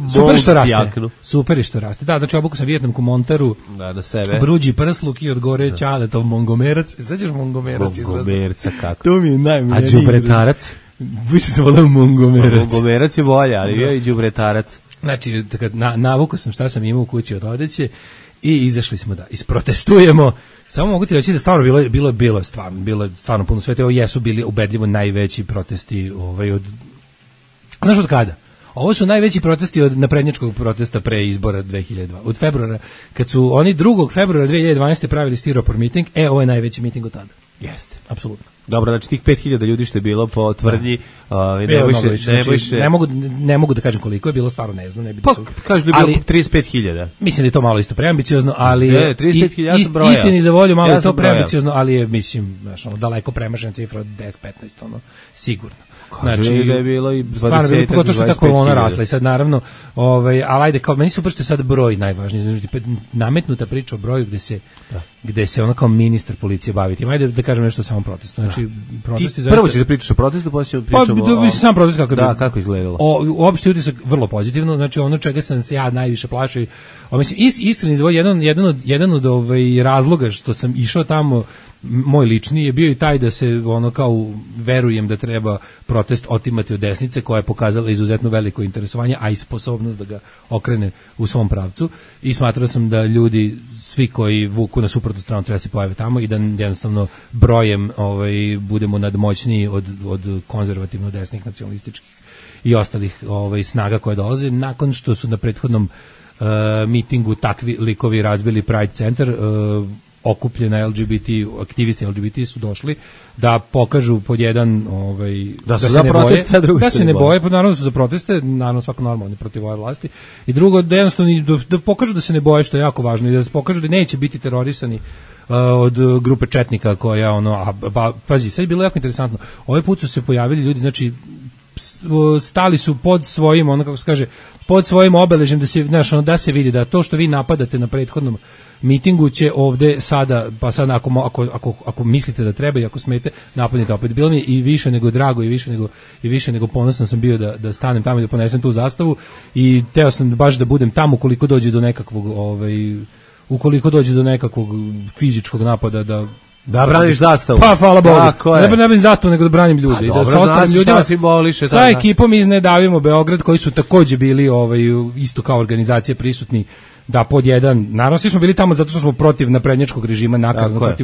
jaknu. Super je što raste. Da, znači obuku sam Vijetnamku Montaru. Da sebe. Bruđi prsluk i od gore Ćaletov Mongomerac. Sećaš Mongomerac? Mongomerca kako? To mi je najmiljeniji. A đubretarac? Više se volao Mongomerac. Mongomerac je bolje, ali bio i đubretarac. Znači, navukao sam šta sam imao u kući od odeće i izašli smo da isprotestujemo. Samo mogu ti reći da stvarno bilo stvarno puno sveta. Ovo jesu bili ubedljivo najveći protesti od... Znaš od kada? Ovo su najveći protesti od naprednjačkog protesta pre izbora 2002. Od februara, kad su oni 2. februara 2012. pravili stiropor miting, ovo je najveći miting od tada. Jeste. Apsolutno. Dobro, znači tih 5000 ljudi što je bilo po tvrdnji, ne mogu da kažem koliko je bilo, stvarno ne znam. Kažu da je bilo 35.000. Mislim da je to malo isto preambiciozno, ali istini za volju malo je to preambiciozno, ali je, mislim, daleko premašena cifra od 10-15, sigurno. Znači, da je bilo i 20-25.000. Pogotovo što je ta kolona rasla i sad naravno, ali ajde, kao meni super što je sad broj najvažniji, nametnuta priča o broju gde se ono kao ministar policije bavi tim. Ajde da kažem nešto o samom protestu. Znači, protesti zaista... Prvo ćeš da pričaš o protestu, pa ćeš pričamo o... sam protest kako izgledalo. Uopšte utisak vrlo pozitivno, znači ono čega sam se ja najviše plašio, mislim, iskreno izvoj, jedan od razloga što sam išao tamo, moj lični je bio i taj da se ono kao verujem da treba protest otimati od desnice koja je pokazala izuzetno veliko interesovanje, a i sposobnost da ga okrene u svom pravcu, i smatrao sam da ljudi svi koji vuku na suprotnu stranu treba se pojave tamo i da jednostavno brojem budemo nadmoćniji od konzervativno desnih nacionalističkih i ostalih snaga koje dolaze, nakon što su na prethodnom mitingu takvi likovi razbili Pride centar. Okupljena aktivisti LGBT su došli da pokažu pod jedan da se ne boje, da se ne boje, pa naravno su za proteste, naravno svako normalno protiv ove vlasti, i drugo da jednostavno da pokažu da se ne boje, što je jako važno, i da pokažu da neće biti terorisani od grupe četnika koja pazi, sad je bilo jako interesantno, ovaj put su se pojavili ljudi, znači stali su pod svojim, kako se kaže, pod svojim obeležjem da se vidi da to što vi napadate na prethodnom mitingu će ovde sada, pa sad ako mislite da treba i ako smete, napadnite opet. Bilo mi je i više nego drago i više nego ponosan sam bio da stanem tamo i da ponesem tu zastavu, i teo sam baš da budem tamo ukoliko dođe do nekakvog fizičkog napada da braniš zastavu. Pa hvala Bogu. Ne branim zastavu, nego da branim ljude. Da sa ostalim ljudima, sa ekipom iz Ne davimo Beograd, koji su takođe bili isto kao organizacije prisutni, da pod jedan, naravno svi smo bili tamo zato što smo protiv naprednjačkog režima, nakarno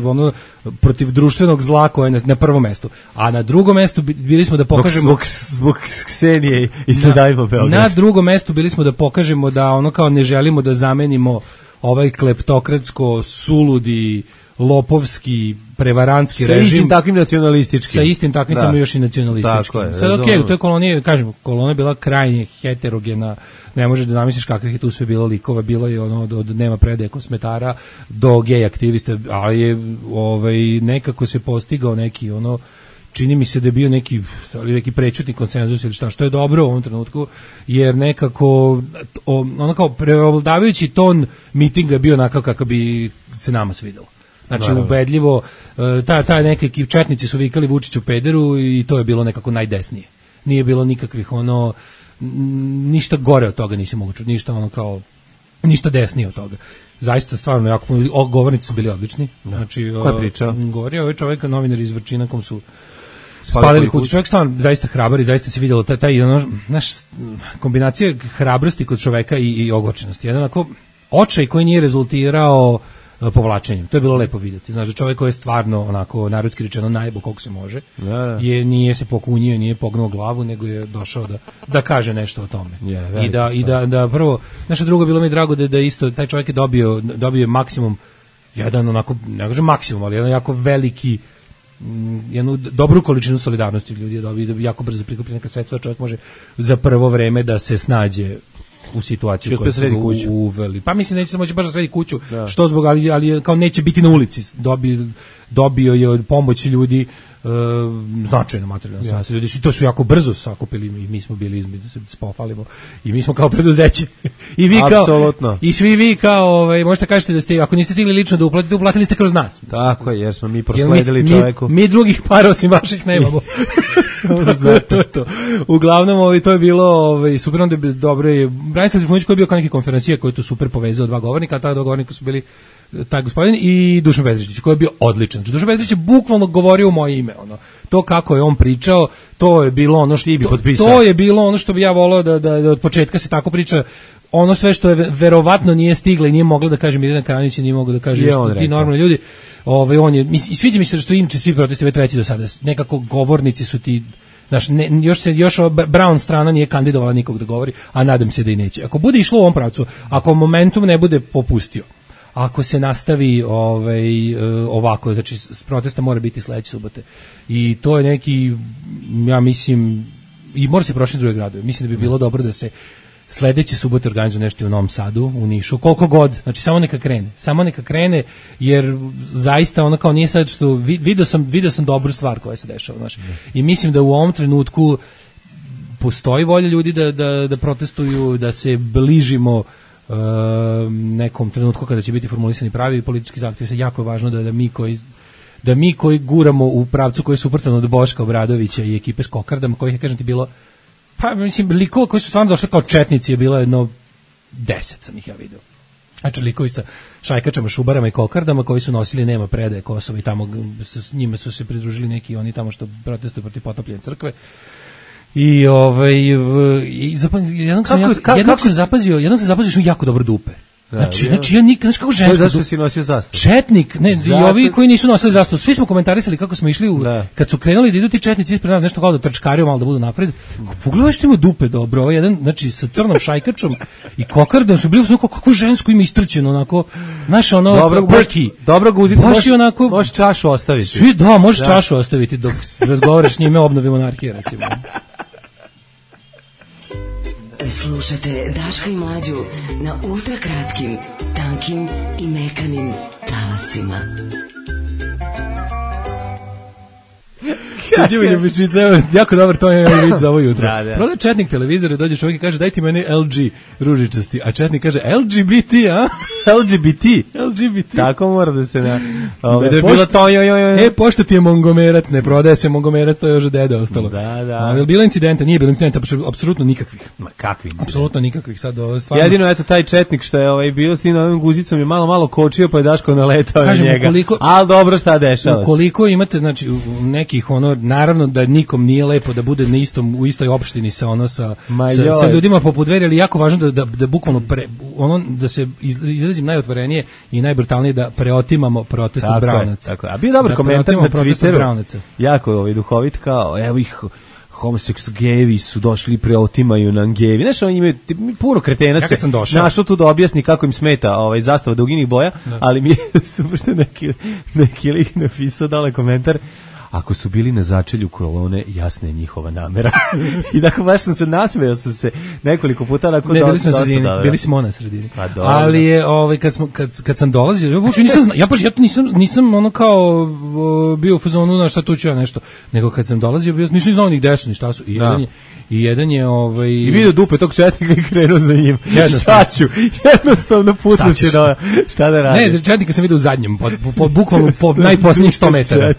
protiv društvenog zla koje je na prvom mestu, a na drugom mestu bili smo da pokažemo zbog Ksenije i Ne davimo Beograd. Na drugom mestu bili smo da pokažemo da kao ne želimo da zamenimo ovaj kleptokratsko, suludi, lopovski, prevarantski režim. Sa istim takvim nacionalističkim. Sa istim takvim, samo još i nacionalističkim. Sad u toj koloniji, kažem, kolona je bila krajnje heterogena, ne možeš da zamisliš kakvih je tu sve bilo likova, bilo je od nema predaje kosmetara do gej aktivista, ali je nekako se postigao neki čini mi se da je bio neki prečutni konsenzus ili što je dobro u ovom trenutku, jer nekako kao preovladavajući ton mitinga je bio onakav kako bi se nama svidelo. Znači, ubedljivo, ta neki četnici su vikali Vučiću pederu i to je bilo nekako najdesnije. Nije bilo nikakvih ništa gore od toga nisi mogu čuti, ništa desnije od toga. Zaista stvarno jako govornici su bili odlični. Znači, ko je pričao? Govorio ovaj čovjek, novinar iz Vrčina, kom su spalili kuću. Čovjek stvarno zaista hrabar i zaista se vidjelo taj kombinacija hrabrosti kod čoveka i ogorčenosti. Jedan onako očaj koji nije rezultirao povlačenjem. To je bilo lepo vidjeti. Znači, čovjek koji je stvarno onako narodski rečeno najbo koliko se može. Nije se pokunio, nije pognuo glavu, nego je došao da kaže nešto o tome. I da prvo, nešto drugo bilo mi drago da isto taj čovjek je dobio maksimum, jedan onako, ne kažem maksimum, ali jedan jako veliki, jednu dobru količinu solidarnosti ljudi je dobio, jako brzo prikupi neka sredstva, čovjek može za prvo vreme da se snađe u situaciji koju su ga uveli. Pa mislim neće se moći baš da sredi kuću, što zbog, ali kao neće biti na ulici. Dobio je od pomoći ljudi značajno materijalno sredstvo. Ljudi to su jako brzo sakupili i mi smo bili između se spofalimo i mi smo kao preduzeće. I vi kao i svi vi kao možete kažete da ste, ako niste stigli lično da uplatite, uplatili ste kroz nas. Tako je, jer smo mi prosledili čoveku. Mi drugih para osim vaših nemamo. To. Uglavnom to je bilo super, onda je dobro je Branislav Trifunović koji je bio kao neki konferencija koji je to super povezao dva govornika, a ta dva govornika su bili taj gospodin i Dušan Petričić koji je bio odličan. Znači, Dušan Petričić je bukvalno govorio u moje ime, to kako je on pričao, to je bilo ono što to je bilo ono što bi ja voleo da od početka se tako priča, ono sve što je verovatno nije stigla i nije mogla da kaže Mirjana Karanić, nije mogla da kaže ti normalni ljudi. On je i sviđa mi se što inače svi protesti već treći do sada nekako govornici su ti. Znaš, još Brown strana nije kandidovala nikog da govori, a nadam se da i neće. Ako bude išlo u ovom pravcu, ako momentum ne bude popustio, ako se nastavi ovako, znači protesta mora biti sledeće subote. I to je neki, ja mislim, i mora se prošiti druge gradove. Mislim da bi bilo dobro da se sledeće subote organizuje nešto u Novom Sadu, u Nišu, koliko god, znači samo neka krene, jer zaista ono kao nije sad što, vidio sam dobru stvar koja se dešava, znači. I mislim da u ovom trenutku postoji volja ljudi da protestuju, da se bližimo nekom trenutku kada će biti formulisani pravi politički zahtjevi. Se jako je važno da mi koji guramo u pravcu koji je suprotan od Boška Obradovića i ekipe s kokardama, kojih je, kažem ti, bilo, pa mislim, likova koji su stvarno došli kao četnici je bilo jedno 10 sam ih ja vidio. Znači likovi sa šajkačama, šubarama i kokardama koji su nosili nema predaje Kosova i tamo s njima su se pridružili neki oni tamo što protestuju protiv potopljenja crkve. I jednog sam zapazio što jako dobro dupe. Znači ja nikad, kako žensko. Zašto si nosio zastavu? Četnik, ne, i ovi koji nisu nosili zastavu, svi smo komentarisali kako smo išli kad su krenuli da idu ti četnici ispred nas, nešto kao da trčkariju malo da budu napred. Pogledaj što ima dupe dobro, ovaj jedan, znači sa crnom šajkačom i kokardom su bili kako žensko ima istrčeno onako, znaš ono perky. Dobro guzicu, možeš čašu ostaviti. Svi možeš čašu ostaviti dok razgovaraš s njime o obnovi monarhije recimo. Slušate Daška i Mlađu na ultrakratkim, tankim i mekanim talasima. Stiđivo ljubičica, jako dobar, to je vid za ovo jutro. Proda četnik televizor, dođe čovjek i kaže daj ti meni LG ružičasti, a četnik kaže LGBT, a? LGBT. Tako mora da se na... pošto ti je mongomerac, ne prodaje se mongomerac, to je još od deda ostalo. Da. Bilo incidenta, nije bilo incidenta, apsolutno nikakvih. Ma kakvi incidenta? Apsolutno nikakvih, sad stvarno. Jedino, eto, taj četnik što je bio s tim ovim guzicom je malo kočio, pa je Daško naletao na njega. Ali dobro, šta dešava se? Ukoliko imate, znači, nekih, naravno da nikom nije lepo da bude u istoj opštini sa ljudima poput Dveri, ali jako važno da bukvalno da se izrazim najotvorenije i najbrutalnije da preotimamo protest od Braunaca. Tako. A bio dobar komentar na Twitteru, jako duhovit, kao evo ih homoseksualni su došli preotimaju na gevi. Znaš, oni imaju puno kretena se našao tu da objasni kako im smeta zastava duginih boja, ali mi je super što neki lik napisao dale komentar. ako su bili na začelju kolone, jasna je njihova namera. I dakle, baš sam se nasmejao sam se nekoliko puta. Ne, bili smo na sredini, bili smo na sredini. Ali je, kad sam dolazio, ja nisam ono kao bio u fazonu na šta tu ću ja nešto, nego kad sam dolazio, nisam znao ni gde su, ni šta su. I jedan je I vidio dupe tog četnika i krenuo za njim. Šta ću? Jednostavno putno će šta da radi. Ne, četnika sam vidio u zadnjem, bukvalno po najposljednjih 100 metara.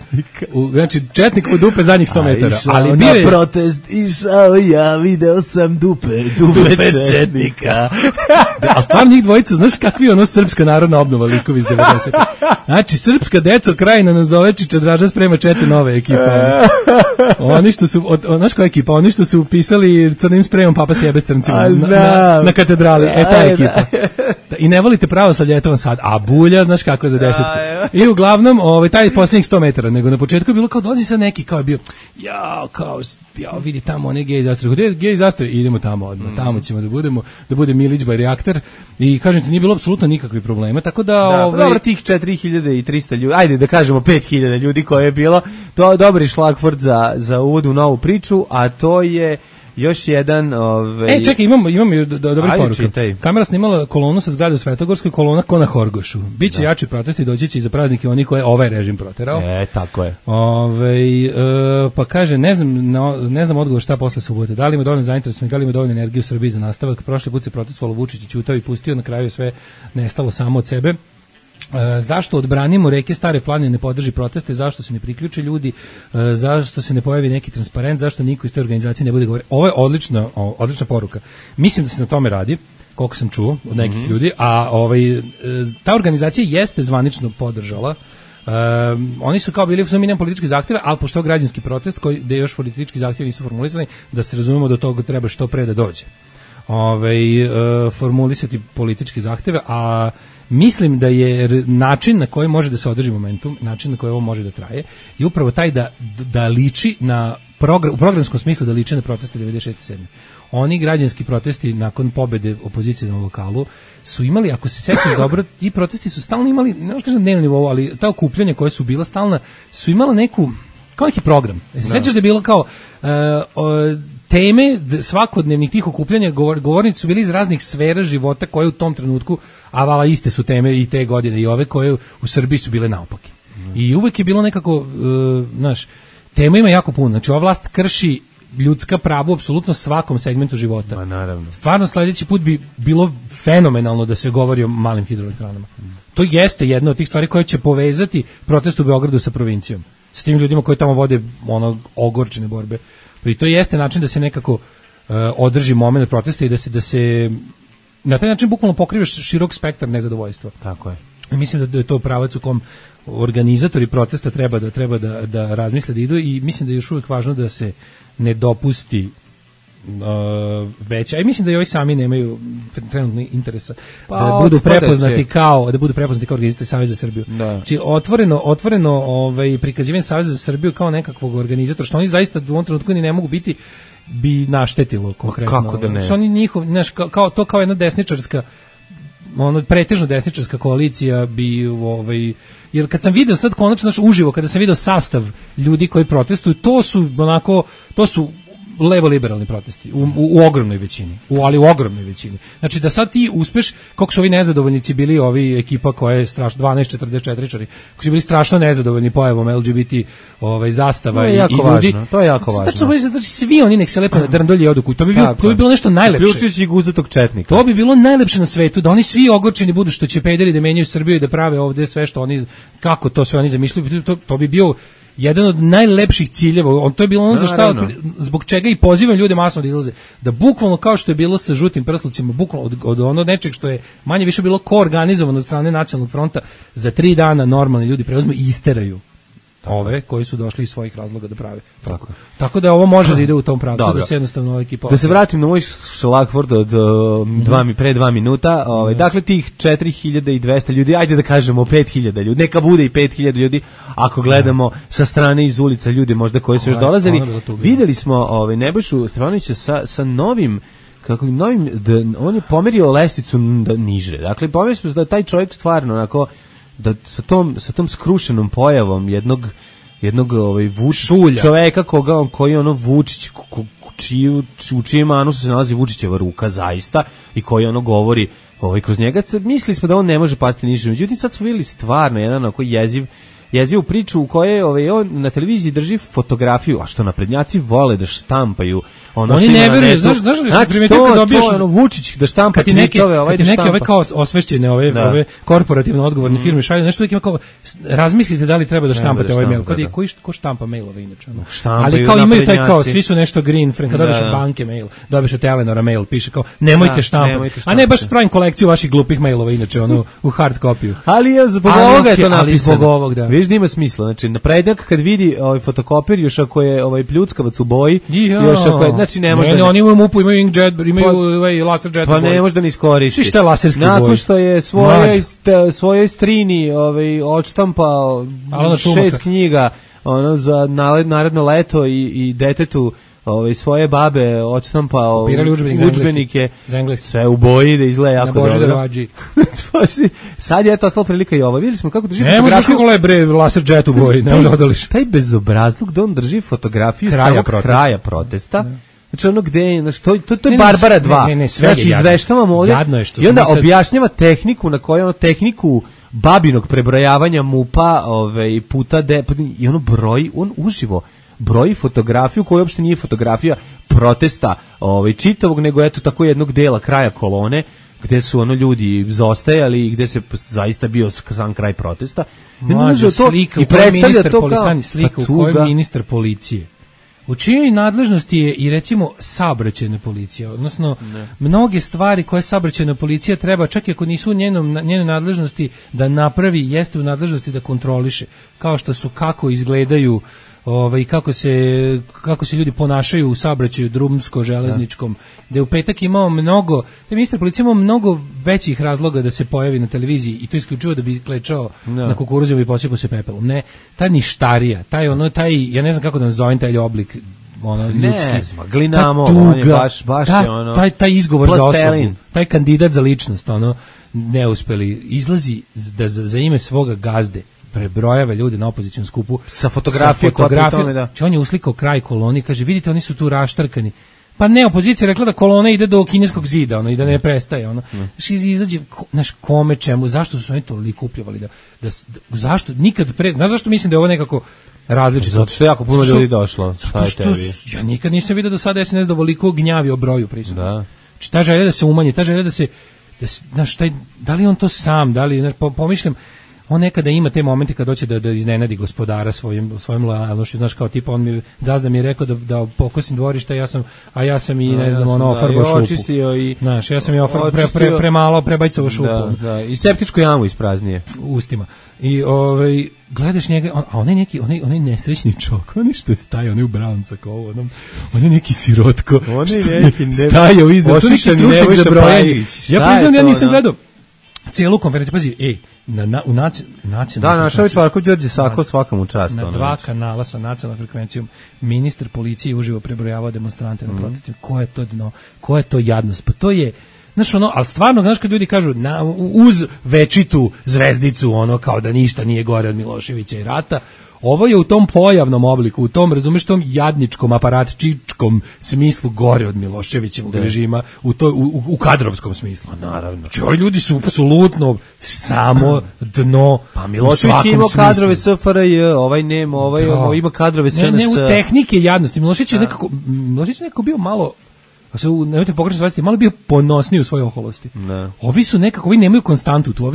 Znači, četnik u dupe zadnjih 100 metara. Ali bio je... Na protest išao ja, video sam dupe četnika. A stvarno njih dvojica, znaš kakvi je ono srpska narodna obnova likovi iz 90. Znači, srpska deco krajina nazove Draža sprema 4 nove ekipe. Oni što su, znaš koja ekipa? Oni što su upisali crnim spremom Papa sjebe s crncima na katedrali. Ta ekipa. I ne volite pravoslavlje, eto vam sad. A Bulja, znaš kako je za 10. I uglavnom, taj posljednjih 100 metara, nego na početku je bilo kao dolazi sa neki, kao je bio, vidi tamo one gej zastave. Gde je gej zastave? Idemo tamo odmah. Tamo ćemo da bude Milić by reaktor. I kažem ti, nije bilo apsolutno nikakvih problema, tako da... Dobro, tih 4300 ljudi, ajde da kažemo 5000 ljudi koje je bilo, to je dobri šlagvort za uvod u novu priču, a to je još jedan... čekaj, imamo dobri poruka. Kamera snimala kolonu sa zgrade u Svetogorskoj, kolona ko na Horgošu. Biće jači protesti, doći će i za praznike oni koje ovaj režim proterao. Tako je. Pa kaže, ne znam odgovor šta posle subote. Da li ima dovoljno zainteresovanja, da li ima dovoljno energije u Srbiji za nastavak. Prošli put se protestovalo, Vučić i ćutao i pustio, na kraju je sve nestalo samo od sebe. Zašto odbranimo reke Stare planine ne podrži proteste, zašto se ne priključe ljudi, zašto se ne pojavi neki transparent, zašto niko iz te organizacije ne bude govorio. Ovo je odlična poruka. Mislim da se na tome radi, koliko sam čuo od nekih ljudi, a ta organizacija jeste zvanično podržala. Oni su kao bili minimum politički zahtjeve, ali pošto je građanski protest gde još politički zahtjevi nisu formulisani, da se razumemo da toga treba što pre da dođe. Formulisati politički zahtjeve, a mislim da je način na koji može da se održi momentum, način na koji ovo može da traje, je upravo taj da liči na u programskom smislu da liči na proteste 96. Oni građanski protesti nakon pobede opozicije na lokalu su imali, ako se sećaš dobro, ti protesti su stalno imali, ne možeš kažem na dnevnom nivou, ali ta okupljanja koja su bila stalna su imala neku, kao neki program. Se sećaš da je bilo kao teme svakodnevnih tih okupljanja, govornici su bili iz raznih sfera života koje u tom trenutku, a vala iste su teme i te godine i ove koje u Srbiji su bile naopake. I uvek je bilo nekako, tema ima jako puno. Znači, ova vlast krši ljudska prava u apsolutno svakom segmentu života. Ma naravno. Stvarno, sledeći put bi bilo fenomenalno da se govori o malim hidroelektranama. To jeste jedna od tih stvari koje će povezati protest u Beogradu sa provincijom. S tim ljudima koji tamo vode ogorčene borbe. I to jeste način da se nekako održi moment protesta i da se na taj način bukvalno pokrivaš širok spektar nezadovoljstva. Tako je. Mislim da je to pravac u kom organizatori protesta treba da razmisle da idu i mislim da je još uvijek važno da se ne dopusti veća. I mislim da i ovi sami nemaju trenutno interesa da budu prepoznati kao organizatori Saveza za Srbiju. Znači otvoreno prikazivanje Saveza za Srbiju kao nekakvog organizatora, što oni zaista u ovom trenutku ni ne mogu biti, bi naštetilo konkretno. Kako da ne? Što oni njihov, znaš, kao jedna desničarska, pretežno desničarska koalicija bi jer kad sam video sad konačno uživo, kada sam video sastav ljudi koji protestuju, to su levo-liberalni protesti u ogromnoj većini, ali u ogromnoj većini. Znači da sad ti uspeš, kako su ovi nezadovoljnici bili, ovi ekipa koja je strašno 1244-čari, koji su bili strašno nezadovoljni pojavom LGBT zastava i ljudi. To je jako važno. Znači svi oni nek se lepo na drndolje odu, to bi bilo nešto najlepše. Uključujući i guzatog četnika. To bi bilo najlepše na svetu, da oni svi ogorčeni budu što će pederi da menjaju Srbiju i da prave ovde sve što oni, kako to sve oni zamišljaju, to bi bio jedan od najlepših ciljeva. To je bilo ono zbog čega i pozivam ljude masno da izlaze. Da bukvalno kao što je bilo sa žutim prslucima, bukvalno od ono nečeg što je manje više bilo koorganizovano od strane Nacionalnog fronta, za 3 dana normalni ljudi preuzmu i isteraju ove koji su došli iz svojih razloga da prave. Tako da ovo može da ide u tom pravcu, da se jednostavno ova ekipa... Da se vratim na moj šlagvort od pre 2 minuta. Dakle, tih 4200 ljudi, ajde da kažemo 5000 ljudi, neka bude i 5000 ljudi, ako gledamo sa strane iz ulica ljude možda koji su još dolazili. Videli smo Nebojšu Stefanovića sa novim, on je pomerio lestvicu niže. Dakle, pomerio smo da taj čovjek stvarno onako, da sa tom skrušenom pojavom jednog jednog Šulja. čoveka koji ono Vučić u čijem anusu se nalazi Vučićeva ruka zaista i koji ono govori kroz njega. Mislili smo da on ne može pasti niže. Međutim, sad smo vidjeli stvarno jedan koji jezivu priču u kojoj on na televiziji drži fotografiju, a što naprednjaci vole da štampaju. Oni ne veruju, znaš da se primetio kad dobiješ Vučić da štampa tweetove, kad ti neke kao osvešćene ove korporativno odgovorne firme šalju nešto uvijek ima kao razmislite da li treba da štampate ovaj mail. Ko štampa mailove inače? Ali kao imaju taj kao svi su nešto green, kad dobiješ od banke mail, dobiješ od Telenora mail, piše kao nemojte štampati. A ne baš pravim kolekciju vaših glupih mailova inače u hard kopiju. Ali zbog ovoga je to napisano. Vidiš da ima smisla. Znači naprednjak kad vidi fotokopir još ako je pljuckavac u boji, još ako je znači ne može. Oni imaju MUP, imaju inkjet, imaju laser jet. Pa ne može da ni iskoristi. Šta je laserski boj? Nakon što je svojoj strini odštampao 6 knjiga za naredno leto i detetu svoje babe odštampao udžbenike sve u boji da izgleda jako dobro. Sad je to ostala prilika i ovo. Vidjeli smo kako drži fotografiju. Ne možeš kako lebre laser jet u boji, ne može odališ. Taj bezobrazluk da on drži fotografiju samog kraja protesta. Znači ono gde je, to je Barbara 2. Ne, sve je jadno. Izveštavamo ovdje i onda objašnjava tehniku na kojoj tehniku babinog prebrojavanja MUP-a puta i ono on uživo broji fotografiju koja uopšte nije fotografija protesta čitavog, nego eto tako jednog dela kraja kolone gde su ljudi zaostajali i gde se zaista bio sam kraj protesta. Mlađa slika u kojoj ministar policije. U čijoj nadležnosti je i recimo saobraćajna policija, odnosno mnoge stvari koje saobraćajna policija treba, čak i ako nisu u njenoj nadležnosti da napravi, jeste u nadležnosti da kontroliše, kao što su kako izgledaju i kako se ljudi ponašaju u saobraćaju drumsko-železničkom, gde u petak imao ministar policije imao mnogo većih razloga da se pojavi na televiziji i to isključivo da bi klečao na kukuruzima i posipao se pepelom. Ne, ta ništarija, ja ne znam kako da nazovem taj oblik ljudski. Glinamo, on je baš taj izgovor za osobu, taj kandidat za ličnost, neuspeli, izlazi da za ime svoga gazde prebrojava ljude na opozicijnom skupu sa fotografijom. On je uslikao kraj koloni, kaže, vidite, oni su tu raštrkani. Pa ne, opozicija rekla da kolona ide do kineskog zida, i da ne prestaje. Izađe, kome, čemu, zašto su oni toliko upljevali? Zašto? Nikad pre... Znaš zašto mislim da je ovo nekako različito? Zato što je jako puno ljudi došlo. Ja nikad nisam vidio do sada SNS dovoliko gnjavi o broju prisutnih. Znači, ta želja da se umanji, ta želja da se... Da li on to sam, da li... Pomišljam, on nekada ima te momente kad hoće da iznenadi gospodara svojim lojalnošću, znaš, kao tipa gazda mi je rekao da pokosim dvorište, ja sam i ne znam, ofarbao šupu. Očistio i... Znaš, ja sam i premalo prebajcovo šupu. Da, i septičku jamu ispraznije. Ustima. I gledaš njega, a onaj nesrećni čok, onaj što je stajao, onaj u Braunca kao ovo, on je neki sirotko, stajao iza, to neki stručnik za brojanje. Ja priznam, ja nisam gledao cijelu konferenciju, pazi, u nacionalnom... Da, našao je Čvarko Đorđe Sako svakom u čast. Na 2 kanala sa nacionalnom frekvencijom ministar policije uživo prebrojavao demonstrante na protestima. Ko je to dno? Ko je to jadnost? Pa to je... Znaš, ali stvarno, znaš kad ljudi kažu uz večitu zvezdicu, kao da ništa nije gore od Miloševića i rata, ovo je u tom pojavnom obliku, u tom, razumeš, tom jadničkom, aparatčičkom smislu gore od Miloševićevog režima, u kadrovskom smislu. Naravno. Ovi ljudi su apsolutno samo dno. Pa Milošević ima kadrove SFRJ, ovaj nema, ovaj ima kadrove SNS. Ne, u tehnike jadnosti. Milošević je nekako bio malo... nemojte pogrešno shvatiti, malo bio ponosniji u svojoj oholosti. Ovi su nekako, ovi nemaju konstantu tu,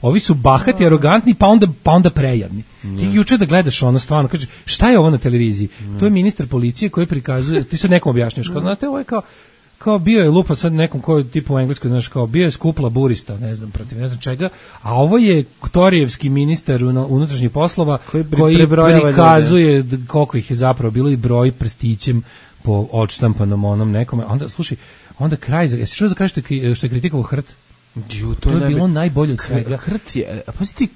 ovi su bahati, arogantni, pa onda prejadni. Ti juče da gledaš stvarno, kažeš, šta je ovo na televiziji? To je ministar policije koji prikazuje, ti sad nekom objašnjaš, kao, znate, ovo je kao bio je lupa sad nekom koji tipu u Engleskoj, znaš, kao bio je skup laburista, ne znam, protiv ne znam čega, a ovo je Torijevski ministar unutrašnjih poslova koji prikazuje koliko ih je zapravo bilo i broj prstićem po odštampanom onom nekome. Onda, slušaj, onda kraj, jesi čuo za kraj što je kritikovao Hrt? To je bilo najbolje od svega. Hrt je, a pazi ti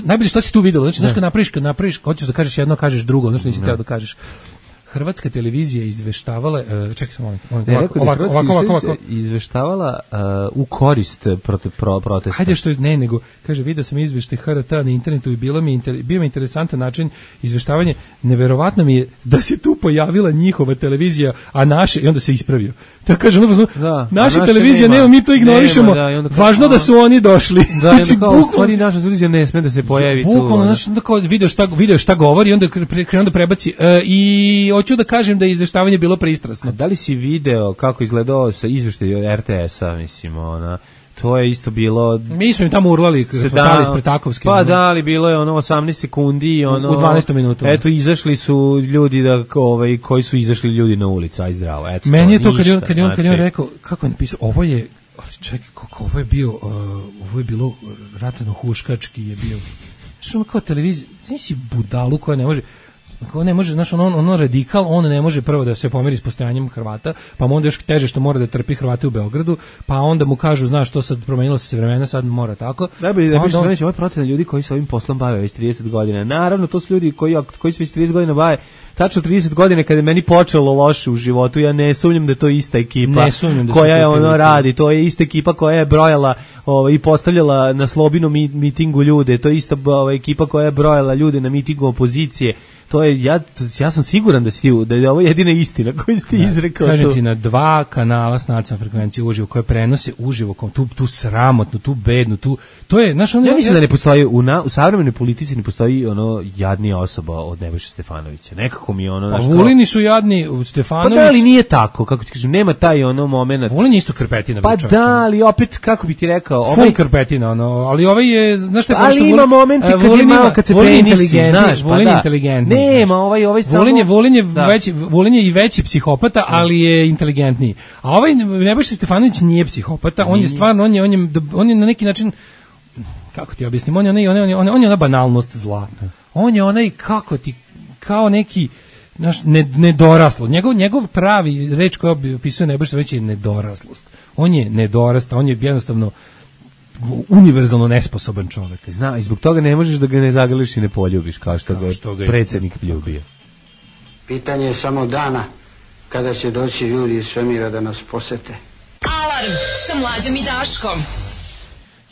najbolje šta si tu vidio, znači, znaš kad napraviš, hoćeš da kažeš jedno, kažeš drugo, znaš nisi teo da kažeš. hrvatska televizija izveštavala, čekaj samo ovako, izveštavala u korist protesta. Hajde što ne, nego kaže, vidio sam izveštaj HRT na internetu i bio mi interesantan način izveštavanja. Neverovatno mi je da se tu pojavila njihova televizija, a naše, i onda se ispravio. Tako kaže, naša televizija nema, mi to ignorišemo. Važno da su oni došli. Da, znači, kao, u stvari naša televizija ne sme da se pojavi tu. Bukvalno, znači, video šta govori i onda krenuo da prebaci. I hoću da kažem da je izveštavanje bilo pristrasno. A da li si video kako izgledao sa izveštajem RTS-a, mislim, to je isto bilo... Mi smo im tamo urlali, kada smo stali ispred Takovske. Pa da, ali bilo je 18 sekundi i u 12 minuta. Eto, izašli su ljudi koji su izašli ljudi na ulicu, aj zdravo. Eto, meni je to kad je on rekao, kako je napisao, ovo je, čekaj, ovo je bilo ratno huškački je bio. Što ono kao televizija, znači budalu koja ne može, znaš, ono radikal, on ne može prvo da se pomeri s postojanjem Hrvata, pa mu onda još teže što mora da trpi Hrvate u Beogradu, pa onda mu kažu, znaš, to sad promenilo se vremena, sad mora tako. Najbolje da piše ovo je procena ljudi koji se ovim poslom bave već 30 godina. Naravno, to su ljudi koji se već 30 godina bave. Tačno 30 godina kada je meni počelo loše u životu, ja ne sumnjam da to je ista ekipa koja je radi, to je ista ekipa koja je brojala i postavljala na Slobinom mitingu ljude, to je ista ekipa koja je brojala ljude na mitingu opozicije. To je, ja sam siguran da je ovo jedina istina koju ste izrekao. Kažem ti, na 2 kanala s nacionalnom frekvencijom uživo, koje prenose uživo, tu sramotnu, tu bednu, to je, znaš, ja mislim da ne postoji, u savremenoj politici ne postoji jadnija osoba od Nebojše Stefanovića. Nekako mi je Pa Vulini su jadni, Stefanović... Pa da, ali nije tako, kako ti kažem, nema taj moment. Vulin je isto krpetina. Pa da, ali opet, kako bi ti rekao... Full krpetina, ali ovaj je, znaš šta je pošto... Ali ima momenti kad se prenisi, znaš, Vulin je inteligentni. Nema, ovaj samo... Vulin je i veći psihopata, ali je inteligentniji. A ovaj Nebojša Stefanović nije psihopata, on je stvarno, on je na neki način, kako ti objasnim, on je ona banalnost zla. On je onaj, kao neki, znaš, nedoraslo. Njegov pravi reč koja opisuje Nebojša Stefanović je nedoraslost. On je nedorasta, on je jednostavno univerzalno nesposoban čovjek. Zna, i zbog toga ne možeš da ga ne zagrliš i ne poljubiš, kao što ga je predsjednik ljubio. Pitanje je samo dana kada će doći ljudi iz svemira da nas posete. Alarm sa Mlađom i Daškom.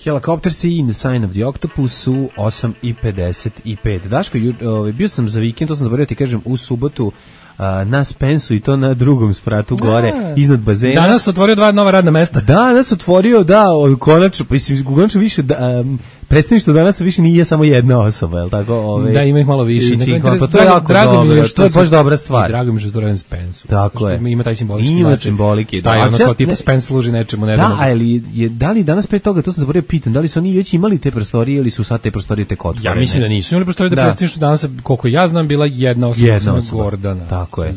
Helicopters in the Sign of the Octopus u 8:55. Daško, bio sam za vikend, to sam zaboravio ti kažem, u subotu na Spensu i to na drugom spratu gore, iznad bazena. Danas otvorio 2 nova radna mesta. Danas otvorio, konačno, konačno više, predstavništvo danas više nije samo jedna osoba, je li tako? Da, ima ih malo više. Pa to je jako dobro, to je baš dobra stvar. Drago mi što je to radim Spensu. Tako je. Ima taj simbolički značaj. Ima simbolike. Taj ono kao tipa Spens služi nečemu. Da li danas pre toga, to sam zaboravio pitan, da li su oni već imali te prostorije ili su sad te prostorije tek otvorene? Ja mislim da nisu imali prostorije, da predstavništvo danas, koliko ja znam, bila jedna osoba. Gordana. Tako je.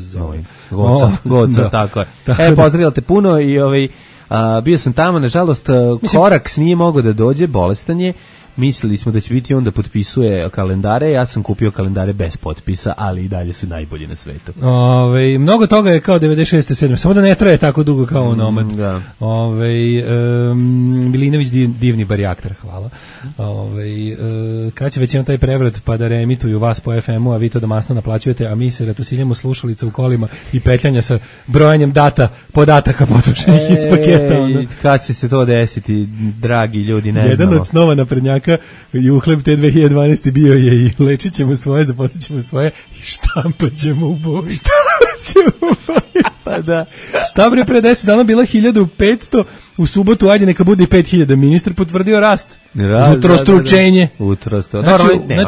Goca, tako je. Pozdravljala te puno i bio sam tamo, nažalost, Koraks nije mogao da dođe, bolestan je. Mislili smo da će biti on da potpisuje kalendare, ja sam kupio kalendare bez potpisa, ali i dalje su najbolji na svetu. Mnogo toga je kao 96. 7. Samo da ne traje tako dugo kao onomad. Milinović divni barjaktar, hvala. Kad će već imam taj prevrat pa da reemituju vas po FM-u, a vi to da masno naplaćujete, a mi se ratusiljamo slušalica u kolima i petljanja sa brojanjem podataka potrošenih iz paketa. Kad će se to desiti, dragi ljudi, ne znamo. Jedan od snova naprednjaka i uhleb te 2012. bio je i lečit ćemo svoje, zaposlit ćemo svoje i štampat ćemo u boji. Pa da. Šta bre, pre 10 dana bila 1500, u subotu ajde neka bude i 5000, ministar potvrdio rast. Utrostručenje. Znači,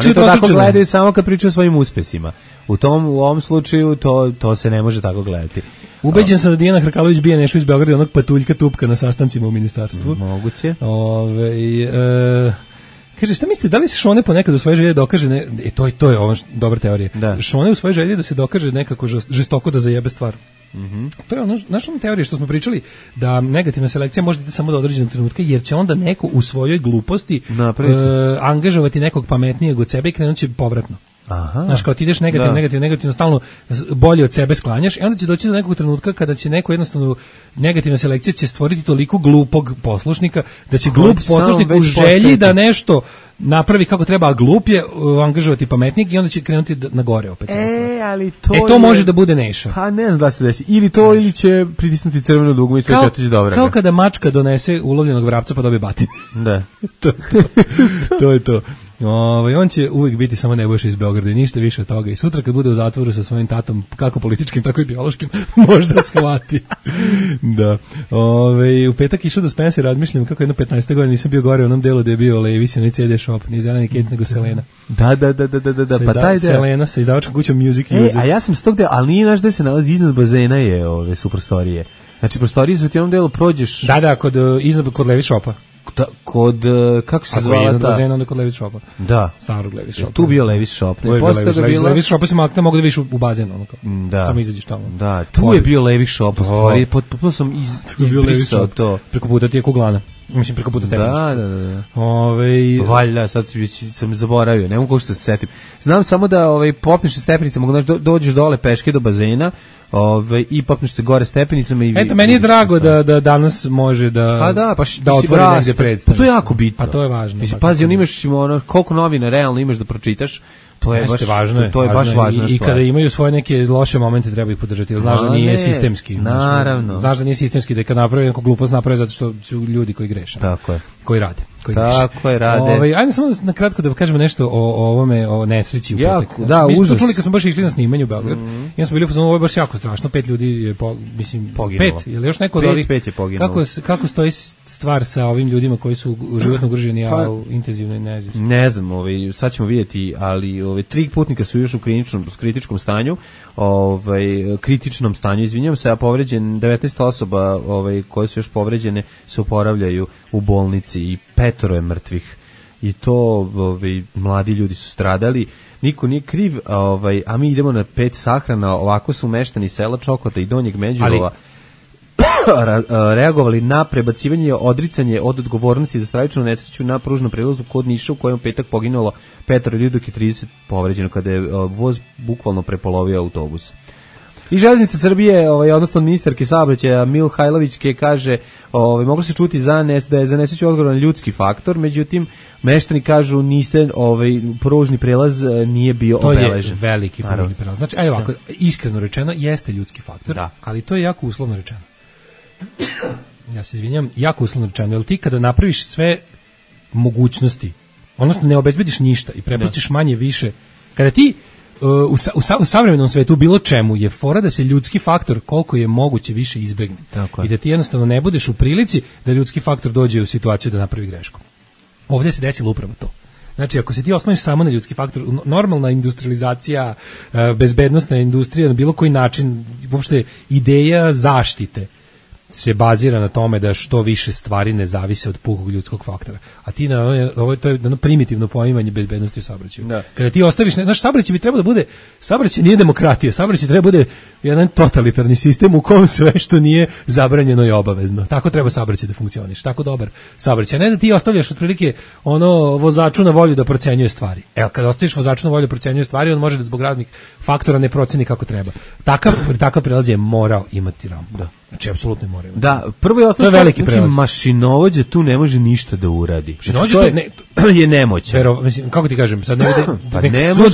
oni to tako gledaju samo kad pričaju o svojim uspesima. U ovom slučaju to se ne može tako gledati. Ubeđen sam da Dijana Hrkalović bije nešto iz Beograda, onog patuljka tupka na sastancima u ministarstvu. Moguće. Kaže, šta mislite, da li se Šone ponekad u svojoj želji dokaže, to je ovo dobra teorija, Šone u svojoj želji da se dokaže nekako žestoko da zajebe stvar. To je naša teorija što smo pričali, da negativna selekcija može biti samo do određenog trenutka, jer će onda neko u svojoj gluposti angažovati nekog pametnijeg od sebe i krenut će povratno. Aha. Znaš, kao ti ideš negativno, stalno bolje od sebe sklanjaš i onda će doći do nekog trenutka kada će neko jednostavno negativna selekcija će stvoriti toliko glupog poslušnika da će glup poslušnik u želji da nešto napravi kako treba, a glup je angažovati pametnik i onda će krenuti na gore opet. Ali to može da bude Neša. Pa ne znam da se desi. Ili to, ili će pritisnuti crveno dugme i sve će otići dobro. Kao kada mačka donese ulovljenog vrapca pa dobije batin. Da. To je to. On će uvijek biti samo Nebojša iz Beograda i ništa više od toga. I sutra kad bude u zatvoru sa svojim tatom, kako političkim, tako i biološkim, možda shvati. Da. U petak išao da Spencer, razmišljam kako jedno 15. godina nisam bio gore u onom delu da je bio Levis, onaj CD shop, ni Zeleni Kec, nego Selena. Da, pa taj deo. Selena sa izdavačkom kućom Music User. A ja sam s tog dela, ali nije naš gde se nalazi iznad bazena su prostorije. Znači, prostorije su ti u onom delu prođeš... Da, kod Levis shopa. Kod, kako se zvala ta? Ako je iznad bazena, onda kod Levis shopa. Da. Starog Levis shopa. Tu bio Levis shop. Levis shopa si makne, mogu da vidiš u bazenu. Da. Samo izađeš tamo. Da, tu je bio Levis shop, u stvari. Potpuno sam izbrisao to. Preko puta ti je kuglana. Mislim, preko puta stepeništa. Da. Valjda, sad sam zaboravio, ne mogu što se setim. Znam samo da popneš se stepenicama, dođeš dole peške do bazena, i popneš se gore stepenicama i... Eto, meni je drago da danas može da otvori negde predstaviš. To je jako bitno. Pa to je važno. Pazi, imaš koliko novina realno imaš da pročitaš, to je baš važno. To je baš važna stvar. I kada imaju svoje neke loše momente treba ih podržati, jer znaš da nije sistemski. Naravno. Znaš da nije sistemski, da je kad napravi neku glupost napravi zato što su ljudi koji greše. Tako je. Koji rade. Tako je, rade. Ajde samo na kratko da kažemo nešto o ovome, o nesreći u petak. Da, mi smo čuli kad smo baš išli na snimanje u Beograd. Ja smo bili u fazonu, ovo je baš jako strašno, 5 ljudi je poginulo. 5, ili još neko od ovih. 5 je poginulo. Kako stoji stvar sa ovim ljudima koji su životno ugroženi, a u intenzivnoj nezi? Ne znam, sad ćemo vidjeti, ali 3 putnika su još u kritičkom stanju, kritičnom stanju, izvinjam se, a povređen 19 osoba koje su još povređene se oporavljaju u bolnici i 5 je mrtvih. I to mladi ljudi su stradali. Niko nije kriv, a mi idemo na 5 sahrana, ovako su meštani sela Čokota i Donjeg Međurova reagovali na prebacivanje, odricanje od odgovornosti za stravičnu nesreću na pružnom prelazu kod Niša u kojem u petak poginulo 5 ljudi, dok je 30 povređeno kada je voz bukvalno prepolovio autobus. I Železnica Srbije, odnosno ministarke saobraćaja Mihajlović kaže, moglo se čuti da je za nesreću odgovoran ljudski faktor, međutim meštani kažu niste, pružni prelaz nije bio obeležen. To je veliki pružni prelaz. Znači, ovako, iskreno rečeno, jeste ljudski faktor, ali to je jako uslovno rečeno. Ja se izvinjam, jako uslovno rečeno, jer ti kada napraviš sve mogućnosti, odnosno ne obezbediš ništa i prepustiš manje više, kada ti u savremenom svetu bilo čemu je fora da se ljudski faktor koliko je moguće više izbegne. I da ti jednostavno ne budeš u prilici da ljudski faktor dođe u situaciju da napravi grešku. Ovdje se desilo upravo to. Znači, ako se ti osloniš samo na ljudski faktor, normalna industrializacija, bezbednostna industrija, na bilo koji način, uopšte ideja zaštite se bazira na tome da što više stvari ne zavise od pukog ljudskog faktora. A ti to je jedno primitivno poimanje bezbednosti u saobraćaju. Kada ti ostaviš, naš saobraćaj bi trebao da bude, saobraćaj nije demokratija, saobraćaj treba da bude jedan totalitarni sistem u kom sve što nije zabranjeno je obavezno. Tako treba saobraćaj da funkcioniše, tako dobar saobraćaj. Ne da ti ostavljaš otprilike vozaču na volju da procenjuje stvari. Kada ostaviš vozaču na volju da procenjuje stvari, on može da zbog raznih faktora ne proceni kako treba. Takav prelaz je morao imati rampu. Znači, apsolutno je morao imati. Da, prvo je ostalo veliki prelaz. Mašinovođa tu ne može ništa da uradi. Mašinovođa je nemoćan. Kako ti kažem, sad ne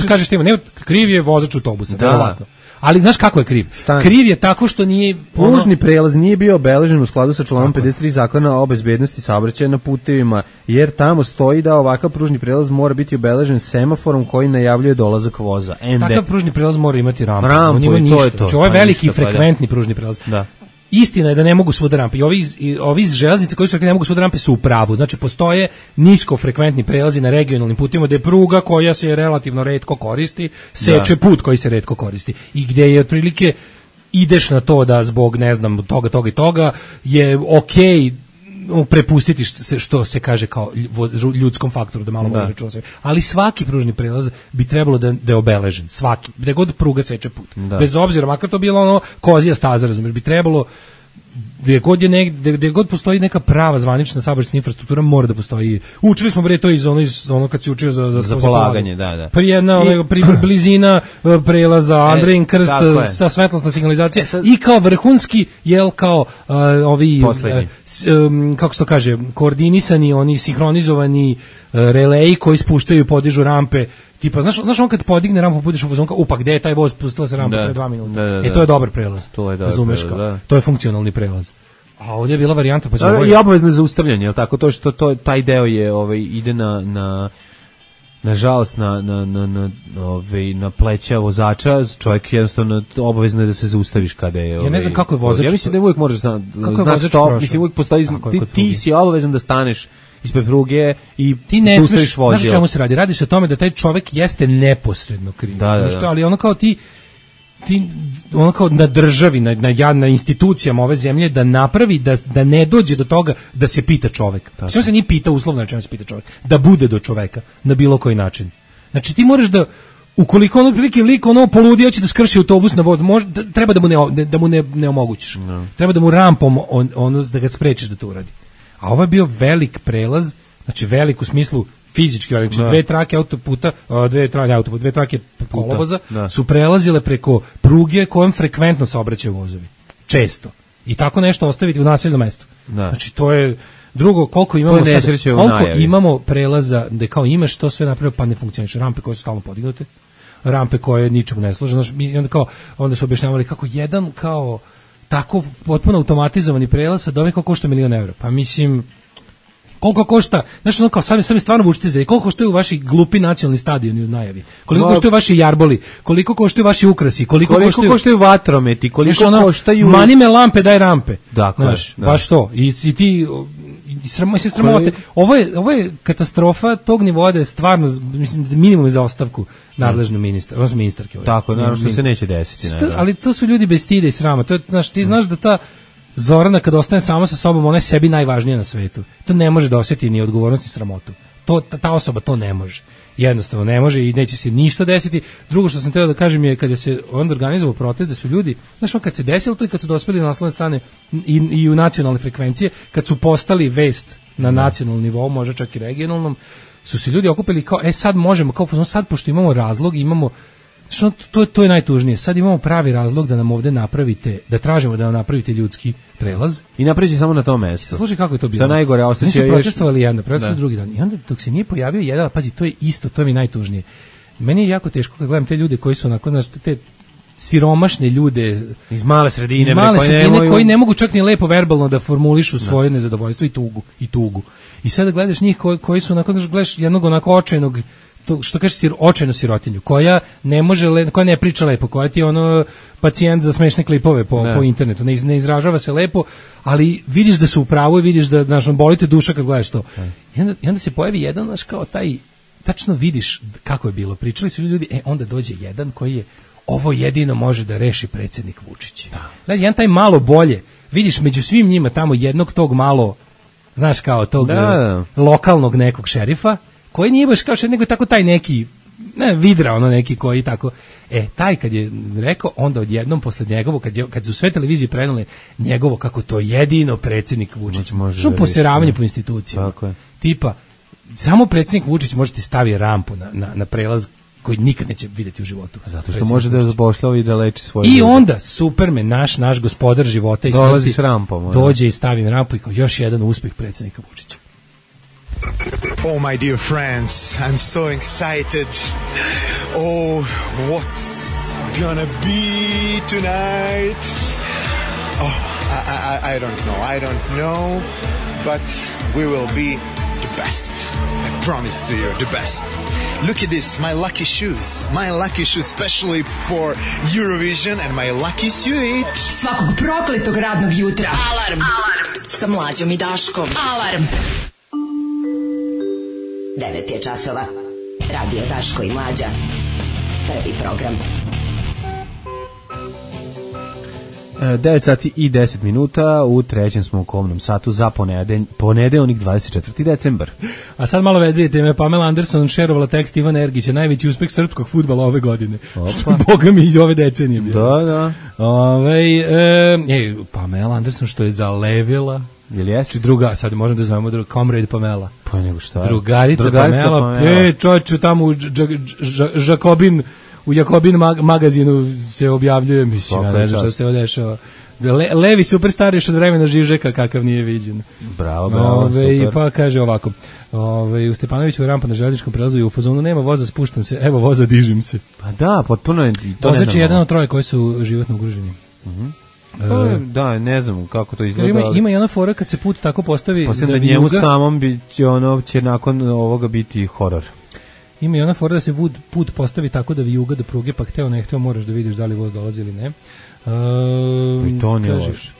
kažeš tema, kriv je vozač autobusa, verovatno. Ali znaš kako je kriv? Kriv je tako što nije... Pružni prelaz nije bio obeležen u skladu sa članom 53 zakona o bezbednosti saobraćaja na putevima, jer tamo stoji da ovakav pružni prelaz mora biti obeležen semaforom koji najavljuje dolazak voza. Takav pružni prelaz mora imati rampu. To je to. Znači, ovo je veliki frekventni pružni prelaz. Da. Istina je da ne mogu svuda rampe. I ovi iz železnice koji su rekli ne mogu svuda rampe su u pravu. Znači, postoje niskofrekventni prelazi na regionalnim putima gde pruga koja se relativno retko koristi, seče put koji se retko koristi. I gde je otprilike ideš na to da zbog, ne znam, toga i toga je okej prepustiti što se kaže kao ljudskom faktoru, da malo može računa. Ali svaki pružni prelaz bi trebalo da je obeležen. Svaki. Gde god pruga seče put. Bez obzira, makar to bilo kozija staza, razumiješ, bi trebalo gdje god postoji neka prava zvanična saobraćajna infrastruktura, mora da postoji. Učili smo bre to iz ono kad se učio za polaganje, da. Pa jedna blizina prelaza, Andrejin krst, sa svetlosna signalizacija i kao vrhunski, kao ovi kako se to kaže, koordinisani, oni sinhronizovani releji koji spuštaju i podižu rampe. Tipa, znaš on kad podigne rampu, podiš u vozonka, upak, gde je taj voz, pustila se rampa pre 2 minuta. To je dobar prelaz. Razumeš kao? To je funkcionalni prelaz. A ovdje je bila varijanta, pa i obavezno zaustavljanje, je li tako? To što taj deo je ide nažalost na pleća vozača, čovjek jednostavno obavezno je da se zaustaviš kada je... Ja ne znam kako je vozač... Ja mislim da uvijek možeš znati stop, mislim uvijek postoji... Ti si obavezan da staneš ispred pruge i ti ne smiješ vozilo. Znaš čemu se radi? Radi se o tome da taj čovjek jeste neposredno kriv. Ali ono kao ti ono kao na državi, na institucijama ove zemlje da napravi da ne dođe do toga da se pita čovjek. Sve se nije pita uslovno na čemu se pita čovjek. Da bude do čovjeka na bilo koji način. Znači ti moraš da ukoliko ono prilike lik poludio će da skrši autobus na voz, treba da mu ne omogućiš. Treba da mu rampom da ga sprečiš da to uradi. A ovo je bio velik prelaz, znači velik u smislu fizički velik, znači dve trake kolovoza su prelazile preko pruge kojom frekventno saobraćaju vozovi. Često. I tako nešto ostaviti u naseljenom mestu. Znači to je drugo, koliko imamo prelaza da kao imaš to sve napravio pa ne funkcioniše, rampe koje su stalno podignute, rampe koje ničemu ne služe, onda su objašnjavali kako jedan kao tako potpuno automatizovani prelaz sad kao košta €1.000.000. Pa mislim, koliko košta, znači kao sami stvarno vučite za koliko koštaju vaši glupi nacionalni stadioni u najavi, koliko koštaju vaši jarboli, koliko koštaju vaši ukrasi, koliko koštaju vatrometi, koliko koštaju mani me lampe, daj rampe. Znaš, baš to. I ti sramote. Ovo je katastrofa tog nivoa da je stvarno, mislim, minimum za ostavku nadležnog ministra, odnosno ministarke. Tako, naravno što se neće desiti. Ali to su ljudi bez stida i srama. To je, ti znaš da ta Zorana kad ostane sama sa sobom, ona je sebi najvažnija na svetu. To ne može da osjeti ni odgovornost ni sramotu. Ta osoba to ne može. Jednostavno ne može i neće se ništa desiti. Drugo što sam htio da kažem je kada se onda organizovao protest, da su ljudi, znaš, kad se desilo to i kad su dospeli na naslovne strane i u nacionalne frekvencije, kad su postali vest na nacionalnom nivou, možda čak i regionalnom, su se ljudi okupili kao, sad možemo, kao sad pošto imamo razlog, imamo, to je najtužnije, sad imamo pravi razlog da nam ovde napravite, da tražimo da nam napravite ljudski prelaz. I napravi samo na tom mjestu. Slušaj kako je to bilo. To najgore, ostaće još... protestovali jedan, protestovali drugi dan. I onda dok se nije pojavio jedan, pazi, to je isto, to je mi najtužnije. Meni je jako teško kad gledam te ljude koji su onako, znaš, te siromašne ljude iz male sredine, koji ne mogu čak ni lepo verbalno da formulišu svoje nezadovoljstvo i tugu. I sada gledaš njih koji su onako, znaš, gledaš jednog onako očajnog, to što kažeš očajnu sirotinju, koja ne može, koja ne priča lepo, koja ti je ono pacijent za smešne klipove po internetu, ne izražava se lepo, ali vidiš da su u pravu i vidiš da, znaš, boli te duša kad gledaš to. I onda se pojavi jedan, znaš, kao taj, tačno vidiš kako je bilo, pričali su ljudi, onda dođe jedan koji je, ovo jedino može da reši predsjednik Vučić. Znači, jedan taj malo bolje, vidiš među svim njima tamo jednog tog malo, znaš, kao tog lokalnog nekog šerifa, koji nije baš kao što nego tako taj neki vidra, ono neki koji tako, taj kad je rekao, onda odjednom posle njegovo, kad su sve televizije prenale njegovo kako to jedino predsjednik Vučić što poseravanje po institucijama, tipa samo predsjednik Vučić može ti stavi rampu na prelaz koji nikad neće vidjeti u životu. Zato što može da zapošljava i da leči svoje I onda Superman, naš gospodar života i dolazi s rampom, dođe i stavi rampu i kao još jedan uspjeh predsjednika Vučića. Oh, my dear friends, I'm so excited. Oh, what's gonna be tonight? Oh, I don't know, but we will be the best. I promise to you, the best. Look at this, my lucky shoes, especially for Eurovision, and my lucky suit. Svakog prokletog radnog jutra. Alarm sa Mlađom i Daškom. Alarm. 9 je časova. Radio Daško i Mlađa. Prvi program. 9 sati i 10 minuta, u trećem smo u komnom satu za ponedeljnik 24. decembar. A sad malo vedrije teme, Pamela Anderson šerovala tekst Ivana Ergića, najveći uspeh srpskog fudbala ove godine. Što boga mi iz ove decenije bilo. Da. Pamela Anderson što je zalevila. Jel jesi? Druga, sad možemo da zovemo Comrade Pamela. Pa nego šta? Drugarica Pamela. Čoču tamo u Jakobin magazinu se objavljuje, mislim, ja ne znam šta se odešava. Levi superstar još od vremena Žižeka, kakav nije viđen. Bravo, super. Pa kaže ovako, u Stepanoviću rampa na željezničkom prelazu i u fazonu nema voza, spuštam se, evo voza, dižim se. Pa da, potpuno je to. Vozač je jedan od troje koji su životno ugroženi. Da, ne znam kako to izgleda. Ima i ona fora kad se put tako postavi da njemu samom će nakon ovoga biti horor. Ima i ona fora da se put postavi tako da vijuga do pruge, pa hteo ne hteo moraš da vidiš da li voz dolazi ili ne. I to nije loše.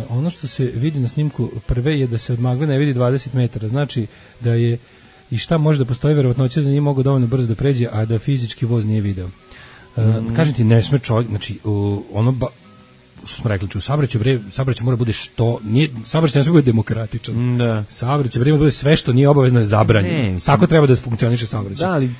Ono što se vidi na snimku prve je da se od magle ne vidi 20 metara, znači da je i šta može da postoji verovatnoća da nije mogao dovoljno brzo da pređe, a da fizički voz nije video. Kažem ti, ne sme čovjek, znači što smo rekli, u saobraćaju mora bude što nije, saobraćaj ne sme bude demokratičan. Da. Saobraćaj mora bude sve što nije obavezno je zabranjeno. Tako treba da funkcioniše saobraćaj. Da, ali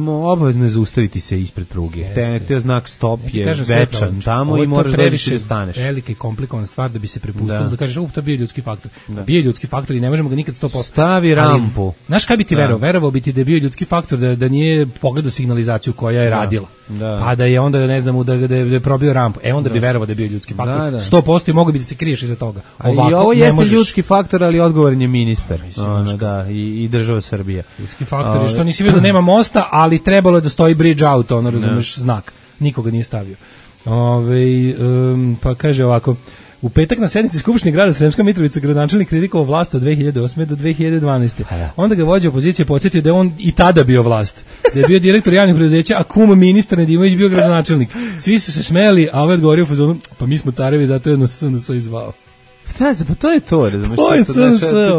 obavezno je zaustaviti se ispred pruge. Te znak stop je večan tamo i moraš da staneš. Velika i komplikovana stvar da bi se prepustilo da kažeš, to je bio ljudski faktor. Bio ljudski faktor i ne možemo ga nikad 100%. Stavi rampu. Znaš kaj bi ti verovao bi ti da je bio ljudski faktor da nije pogledao signalizaciju koja je radila. Pa da je onda, ne znam, da je probio rampu. Onda bi verovao da je bio ljudski faktor. 100% i mogu bi da se kriješ iza toga. I ovo jeste ljudski faktor, ali odgovoran je ministar. I država Srbija. Ljudski faktor je što nisi vidio da nema mosta, ali trebalo je da stoji bridge out, razumeš, znak. Nikoga nije stavio. Pa kaže ovako, u petak na sednici Skupštine grada Sremska Mitrovica gradonačelnik kritikovao vlast od 2008. do 2012. Onda ga vođa opozicije podsjetio da je on i tada bio vlast. Da je bio direktor javnih preduzeća, a kum ministar Nedimović bio gradonačelnik. Svi su se smejali, a ovaj odgovorio u fazonu, pa mi smo carevi, zato je nas izvao. Pa to je to, razumeš? To je sve,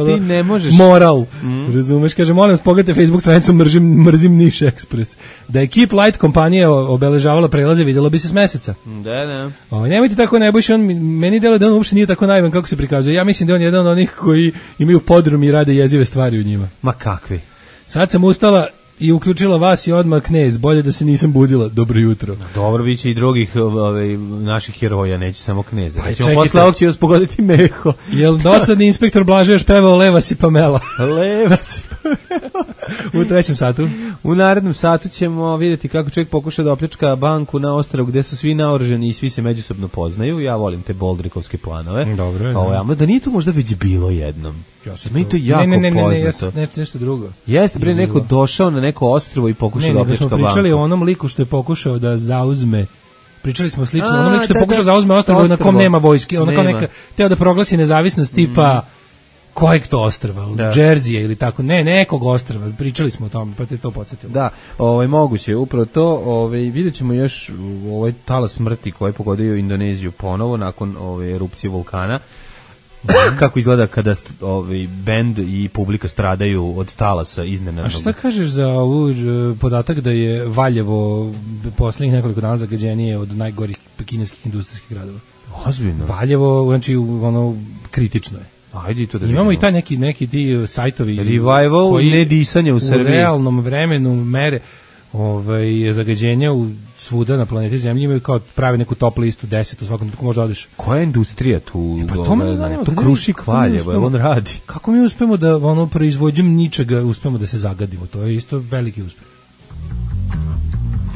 ti ne možeš... Moral, razumeš? Kaže, molim vas, pogledajte Facebook stranicu Mrzim Niš Ekspres. Da je Keep Light kompanija obeležavala prelaze, vidjelo bi se s meseca. Da. Nemojte tako, Nebojša, meni deluje da on uopšte nije tako naivan kako se prikazuje. Ja mislim da on je jedan od onih koji imaju podrum i rade jezive stvari u njima. Ma kakvi? Sad sam ustala i uključila vas i odmah Knez, bolje da se nisam budila. Dobro jutro. Dobro, bit će i drugih naših heroja, neće samo Kneza. Pa, posle ovog će vas pogoditi Meho. Jel dosadni inspektor Blaže još pevao Leva si Pamela? Leva si Pamela. U trećem satu? U narednom satu ćemo vidjeti kako čovjek pokuša da opljačka banku na ostrvu gde su svi naoružani i svi se međusobno poznaju. Ja volim te boldrikovske planove. Dobro. Da nije to možda već bilo jednom. Meni to jako poznato. Ne, nešto drugo. Jeste, bre, neko došao na neko ostrvo i pokušao da opljačka banku. Ne, smo pričali o onom liku što je pokušao da zauzme. Pričali smo slično, onom liku što je pokušao da zauzme ostrvo na kom nema vojske. Ono kao neka, teo da proglasi nezavisnost tipa kojeg to ostrva, Džerzije ili tako, nekog ostrva, pričali smo o tome, pa te to podsjetilo. Da, moguće, upravo to, vidjet ćemo još ovaj talas smrti koji je pogodio Indoneziju ponovo nakon erupcije vulkana. Kako izgleda kada bend i publika stradaju od talasa iznenadnog. A šta kažeš za ovu podatak da je Valjevo poslednjih nekoliko dana zagađenije od najgorih kineskih industrijskih gradova? Ozbiljno. Valjevo, znači, kritično je. Ajde to da imamo i taj neki ti sajtovi revival koji nedisanje u Srbiji u realnom vremenu mere zagađenja u svuda na planeti Zemlji imaju kao prave neku top listu 10 u svakom trenutku možda odeš. Koja je industrija tu? Pa to me zanima. To Krušik Valjevo, on radi. Kako mi uspemo da proizvođenjem ničega uspemo da se zagadimo? To je isto veliki uspeh.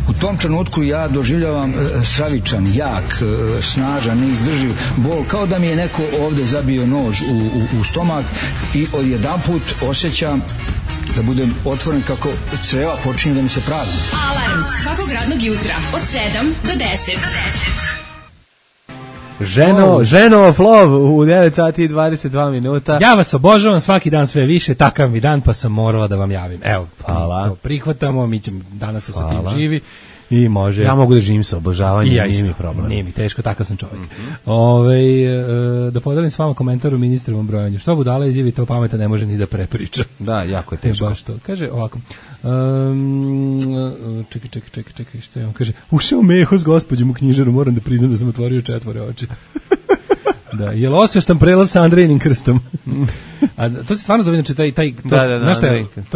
U tom trenutku ja doživljavam stravičan, jak, snažan, neizdrživ bol, kao da mi je neko ovde zabio nož u stomak i odjedanput osjećam da budem otvoren kako creva počinje da mi se prazni. Alarm svakog radnog jutra od 7 do 10. Ženo of love u 9 sati i 22 minuta. Ja vas obožavam svaki dan sve više, takav mi dan pa sam morala da vam javim. Evo, to prihvatamo, mi ćemo danas sa tim živi I može. Ja mogu da živim sa obožavanjem, ja nije mi problem. Nije mi teško, takav sam čovjek. Da podelim s vama komentar u ministrovom brojanju. Što budala izjavi, to pameta ne može ni da prepriča. Da, jako je teško. Baš to. Kaže ovako, čekaj, što je on? Kaže, ušao Meho s gospođom u knjižaru, moram da priznam da sam otvorio 4 oči. Da, je li osveštan prelaz sa Andrejinim krstom? A to se stvarno zove, znači taj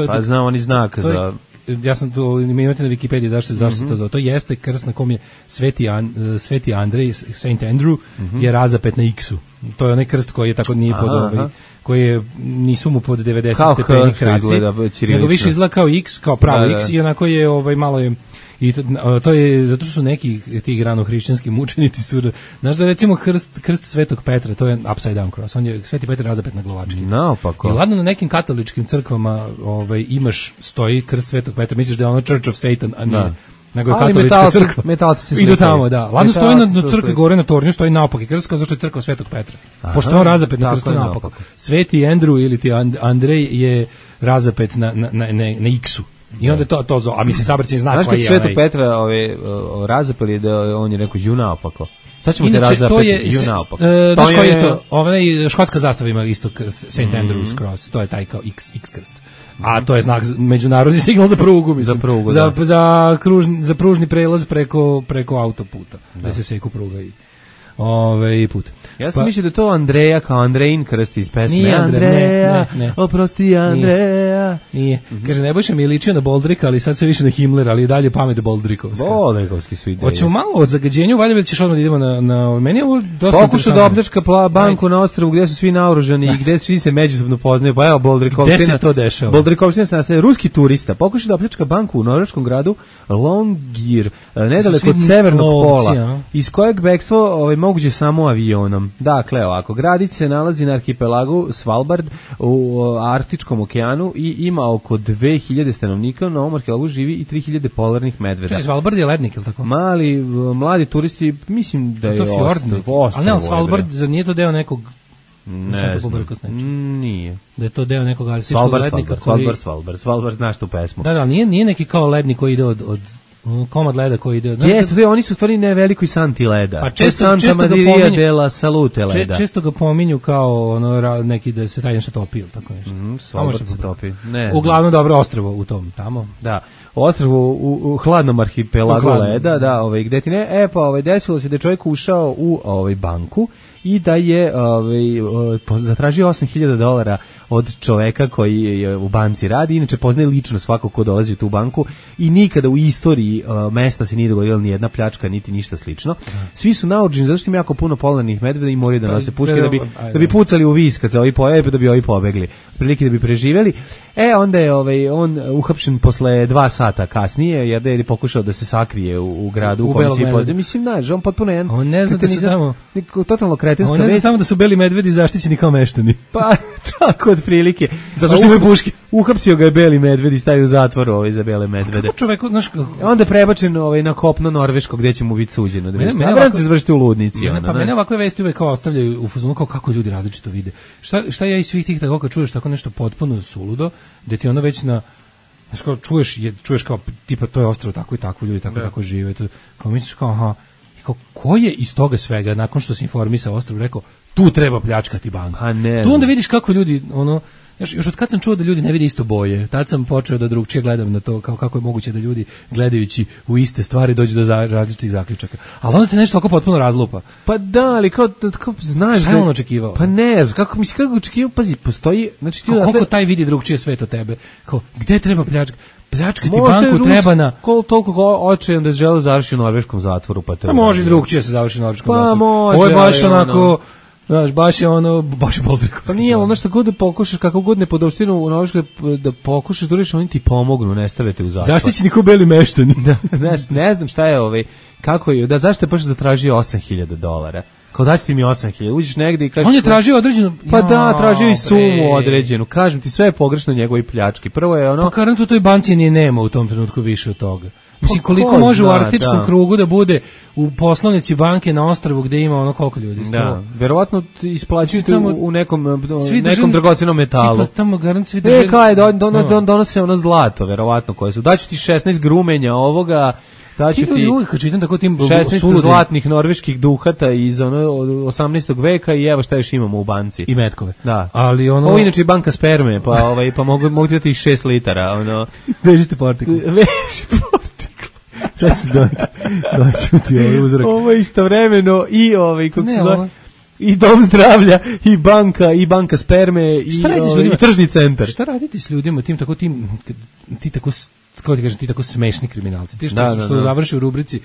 pa znam, oni znak za... Ja sam to, imate na Wikipediji zašto se to zove. To jeste krst na kom je Sveti Andrej, Saint Andrew, je razapet na X-u. To je onaj krst koji je tako nije pod koji je, nisu mu pod 90 stepeni kraci, nego više izgleda kao X, kao pravo X, i onako je malo je. I to je zato što su neki ti ranohrišćanski mučenici su, znaš da recimo krst Svetog Petra, to je upside down cross, on je Sveti Petar razapet na glavački. Naopako. I ladno na nekim katoličkim crkvama stoji krst Svetog Petra, misliš da je ono Church of Satan, a ne. Nego je katolička crkva. Metalci se idu tamo, da. Ladno stoji na crkvi gore na tornju, stoji naopaki krst, kao zašto je crkva Svetog Petra. Pošto on razapet na krstu naopako. Sveti Andrew ili ti Andrej je razapet na X-u. I onda to zo, a mislim sabraćeni znak. Znaš kad Svetog Petra razapeli da on je rekao ju naopako. Sad ćemo te razapeti ju naopako. Znaš koji je to? Škotska zastava ima isto Saint Andrew's Cross, to je taj kao X krst. A to je znak, međunarodni signal za prugu, mislim. Za prugu, za pružni prelaz preko autoputa. Da se seku pruga i put. Ja sam mislio da to Andreja kao Andrejin krst iz pesme. Nije Andreja, oprosti Andreja. Nije. Kaže, Nebojša mi je ličio na Boldrika, ali sad se više na Himmler, ali i dalje pamet Boldrikovska. Boldrikovski su ideje. Hoćemo malo o zagađenju, valjda ćeš odmah da idemo na meni je ovo dosta pokušao da opljačka banku na ostrvu gdje su svi naoružani i gdje svi se međusobno poznaju. Pa evo Boldrikovština. Gde se to dešava? Boldrikovština se nastaje. Ruski turista pokušao da opljačka banku u norveškom gradu Longyear, nedaleko od severnog pola, iz kojeg bekstvo moguće samo avionom. Dakle, ovako, gradić se nalazi na arhipelagu Svalbard u Arktičkom okeanu i ima oko 2000 stanovnika, na ovom arhipelagu živi i 3000 polarnih medveda. Čekaj, Svalbard je lednik, ili tako? Mladi turisti, mislim da je ostrvo. Ali ne, Svalbard, zar nije to deo nekog... Ne znam, nije. Da je to deo nekog arktičkog lednika koji... Svalbard, znaš tu pesmu. Da, nije neki kao lednik koji ide od komad leda koji ide. Jeste, oni su stvari ne veliko i santi leda. Pa često Madirija dela salute leda. Često ga pominju kao neki da se taj nešto topi ili tako nešto. Svalbard se topi. Uglavnom dobro ostrvo u tom tamo. Da. Ostrvo u hladnom arhipelagu leda, da, gde ti ne, desilo se da je čovjek ušao u banku i da je zatražio $8.000 od čoveka koji u banci radi, inače poznaje lično svako ko dolazi u tu banku i nikada u istoriji mesta se nije dogodila ni jedna pljačka, niti ništa slično. Svi su naoružani zato što ima jako puno polarnih medveda i moraju da nose puške da bi pucali u vis kad se ovi pojave, da bi ovi pobegli. Prilike da bi preživjeli. Onda je on uhapšen posle 2 sata kasnije, jer je pokušao da se sakrije u gradu u kojem svi poznaju. Mislim, znaš, on potpuno jedan... On ne zna da su tamo... Totalno kretenska vest. On ne zna tamo da su beli medvedi zaštićeni kao meštani. Pa, tako otprilike. Zato što imaju puške. Uhapsio ga je beli medved i stavio u zatvor za bele medvede. Kako čovek, znaš... Onda je prebačen na kopno Norveško gdje će mu biti suđeno. Mene se završiti u ludnici. Pa mene ovakve vesti uvek kao ostavljaju u fazonu kao kako ljudi različito vide. Šta ja iz svih tih tako kad čuješ tako nešto potpuno suludo, da ti ono već znaš kao čuješ kao tipa to je ostrvo tako i tako, ljudi tako žive. Kao misliš kao aha, kao ko je iz toga svega nakon što se informisao ostrvo rekao tu treba pljačkati banku. Tu onda vidiš kako ljudi još od kad sam čuo da ljudi ne vide isto boje, tad sam počeo da drugčije gledam na to kako je moguće da ljudi gledajući u iste stvari dođu do različitih zaključaka. Ali onda te nešto tako potpuno razlupa. Pa da, ali kao znaš šta je on očekivao? Pa ne znam, kako očekivao, pazi, postoji... Znači, koliko taj vidi drugčije svet od tebe? Kao, gde treba pljačkati banku treba na... Toliko očajan da je želeo završiti u norveškom zatvoru, pa treba... može drugčije se završiti u norveškom zatvoru. Pa može, ovo je baš onako... Znaš, baš je Boldrikovski. Pa nije, ono što god da pokušaš, kako god ne podopštinu u Norveškoj da pokušaš da oni ti pomognu, ne stavite u zatvor. Zaštićeni ko beli meštani. Znaš, ne znam šta je kako je, zašto je baš zatražio $8.000? Kao daći ti mi 8.000, uđeš negdje i kažeš... On je tražio određenu... Pa da, tražio i sumu određenu. Kažem ti, sve je pogrešno njegovoj pljački. Prvo je ono... Pa karantu u toj banci nije nema u tom trenutku više od toga. Mislim, koliko može u arktičkom krugu da bude u poslovnici banke na ostrvu gde ima ono koliko ljudi? Da, verovatno isplaćujete u nekom dragocenom metalu. Tipa tamo garant svi državni... donose ono zlato, verovatno koje su. Daću ti 16 grumenja ovoga, daću ti uvijek kad čitam tako tim 16 zlatnih norveških duhata iz 18. veka i evo šta još imamo u banci. I metkove. Da. Ali ovo inače je banka sperme, pa mogu ti dati 6 litara. Vežite partikl. Sad ću doći ti ovaj uzorak. Ovo je istovremeno i kako se zove, i dom zdravlja, i banka sperme, i tržni centar. Šta raditi s ljudima, ti tako, kako ti kažem, ti tako smešni kriminalci, ti što završi u rubrici,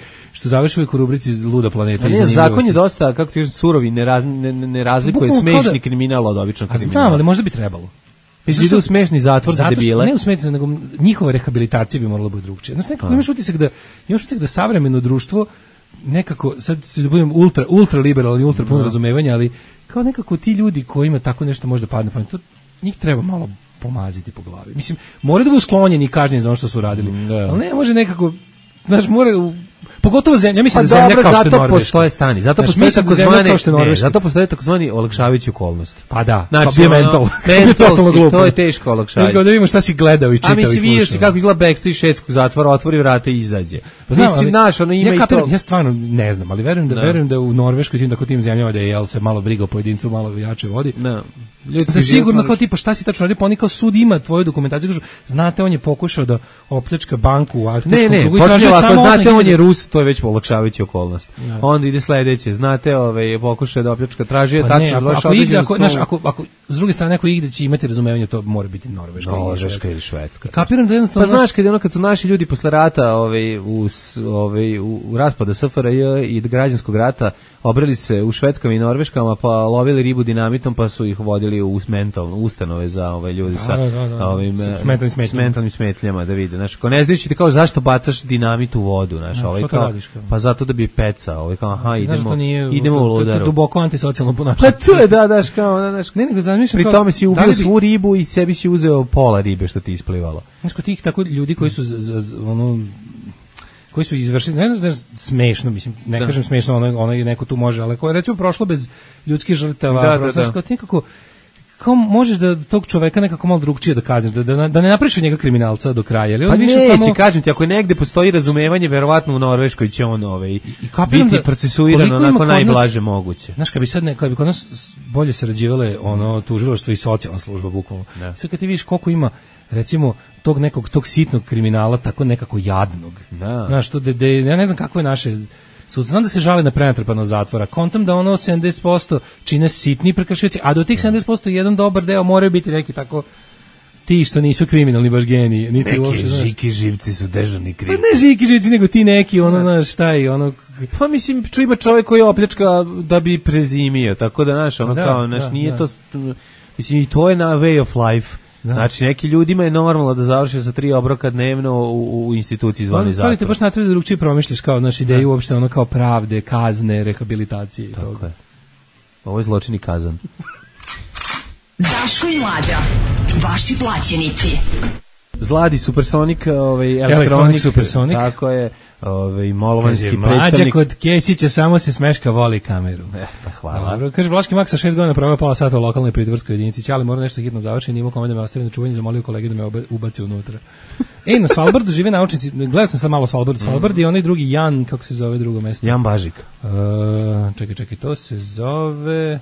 uvijek u rubrici Luda planeta. Ne, zakon je dosta, kako ti kažem, surovi, ne razlikuje smešni kriminal od običnog kriminala. Znam, ali možda bi trebalo. Mislim da u smešni zatvor za debile. Ne u smešni, nego njihova rehabilitacija bi morala biti drugčija. Znaš, nekako imaš utisak da savremeno društvo nekako, sad se budem ultra liberalni, ultra puno razumevanja, ali kao nekako ti ljudi kojima tako nešto može da padne pamet, njih treba malo pomaziti po glavi. Mislim, moraju da budu sklonjeni i kažnjeni za ono što su radili. Ali ne može nekako, znaš, pogotovo zemlja, mislim da zemlja kao što je Norveška. Zato postoje stani, zato postoje takozvani olakšavajući okolnosti. Pa da, znači, bio mental. To je teško olakšavanje. Da vidimo šta si gledao i čitao i slušao. A mislim, vidio si kako izgleda backstreet švedskog zatvora, otvori vrata i izađe. Mislim, naš, ono ima i to. Ja stvarno ne znam, ali verujem da u Norveškoj tim zemljama da je se malo briga o pojedincu, malo jače vodi. Da sigurno kao tipa šta si tačno radio, pa oni kao sud ima tvoju dokumentaciju, kažu, znate, on je pokušao da opljačka banku u Arktičkom krugu i tražio samo 8.000. Znate, on je Rus, to je već olakšavajući okolnost. Onda ide sledeće, znate, pokušao da opljačka, tražio tačno, ako s druge strane neko igde će imati razumevanje, to mora biti Norveška ili Švedska. Kapiram da jednostavno... Pa znaš, kad su naši ljudi posle rata u raspada SFRJ i građanskog rata obrali se u Švedskama i Norveškama, pa lovili ribu dinamitom, pa su ih vodili u ustanove za ljudi sa mentalnim smetnjama, da vide. Znaš, ako ne znajući ti kao zašto bacaš dinamit u vodu, znaš, pa zato da bi pecao, kao aha, idemo u ludaru. To je duboko antisocijalno ponašanje. Pa to je, znaš, kao, pri tome si ubio svu ribu i sebi si uzeo pola ribe što ti isplivalo. Znaš, kod tih tako ljudi koji su koji su izvršili, ne znam, smešno, mislim, ne kažem smešno, ono je neko tu može, ali koje recimo prošlo bez ljudskih žrtava, kao možeš da tog čoveka nekako malo drugčije da kazniš, da ne napraviš od njega kriminalca do kraja. Ali pa neće, kažem ti, ako negde postoji razumevanje, verovatno u Norveškoj će on biti procesuiran onako najblaže moguće. Znaš, kad bi kod nas bolje sarađivale tužilaštvo i socijalna služba, bukvalno. Sad kad ti vidiš koliko ima, recimo, tog sitnog kriminala, tako nekako jadnog. Znaš, ja ne znam kako je naše... Znam da se žale na prenatrpanost zatvora. Kontam da 70% čine sitni prekršioci, a do tih 70% jedan dobar deo moraju biti neki tako ti što nisu kriminalni baš geniji. Neki žiki živci su dežurni krivci. Pa ne žiki živci, nego ti neki, šta je, Pa mislim, ima čovjek koji opljačka da bi prezimio, tako da, nije to... Mislim, i to je na way of life. Znači, neki ljudima je normalno da završe sa 3 obroka dnevno u instituciji zvani zatvor. Te baš natrije da drugčije promišljaš kao ideju uopšte kao pravde, kazne, rehabilitacije i toga. Je. Ovo je zločin i kazan. Daško i Mlađa, vaši plaćenici. Zladi Supersonik, elektronik Supersonik. Tako je. Molovanski predstavnik. Mlađa kod Kesića samo se smeška, voli kameru. Pa hvala. Dobro, kaže Vlaški Mak sa 6 godina proveo pola sata u lokalnoj pritvorskoj jedinici. Ćali mora nešto hitno završiti, nimo kome da me ostavi na čuvanje, zamolio kolege da me ubace unutra. Na Svalbardu žive naučnici, gledao sam sad malo Svalbard i onaj drugi Jan, kako se zove drugo mesto? Jan Bažik. Čekaj, to se zove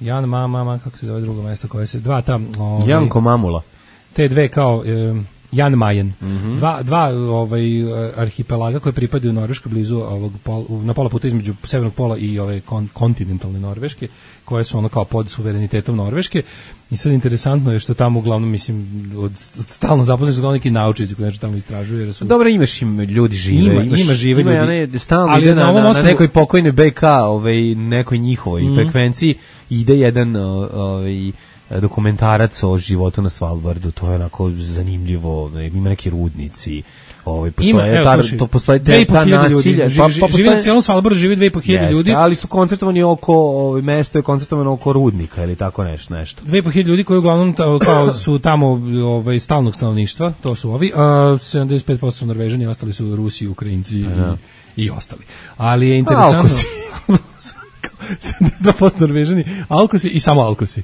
Jan Mama, kako se zove drugo mesto koje se, dva tam. Janko Mamula. Te dve kao... Jan Mayen. Dva arhipelaga koje pripadaju Norveškoj blizu na pola puta između severnog pola i ove kontinentalne Norveške, koje su kao pod suverenitetom Norveške. I sad interesantno je što tamo uglavnom, mislim, od stalno zaposleni su neki naučnici koji nešto tamo istražuju. Dobro, imaš im ljudi žive. Ima žive ljudi. Stalno ide na nekoj pokojnoj BK, nekoj njihovoj frekvenciji, ide jedan dokumentarac o životu na Svalbardu, to je onako zanimljivo, ima neki rudnici, postoje ta nasilja. Živi na cijelom Svalbardu, živi 2.500 ljudi. Ali su koncertovani mesto je koncertovano oko rudnika ili tako nešto. 2.500 ljudi koji uglavnom su tamo stalnog stanovništva, to su ovi, 75% su Norvežani, ostali su Rusi, Ukrajinci i ostali. Ali je interesantno... 72% Norvežani, Alkosi i samo Alkosi.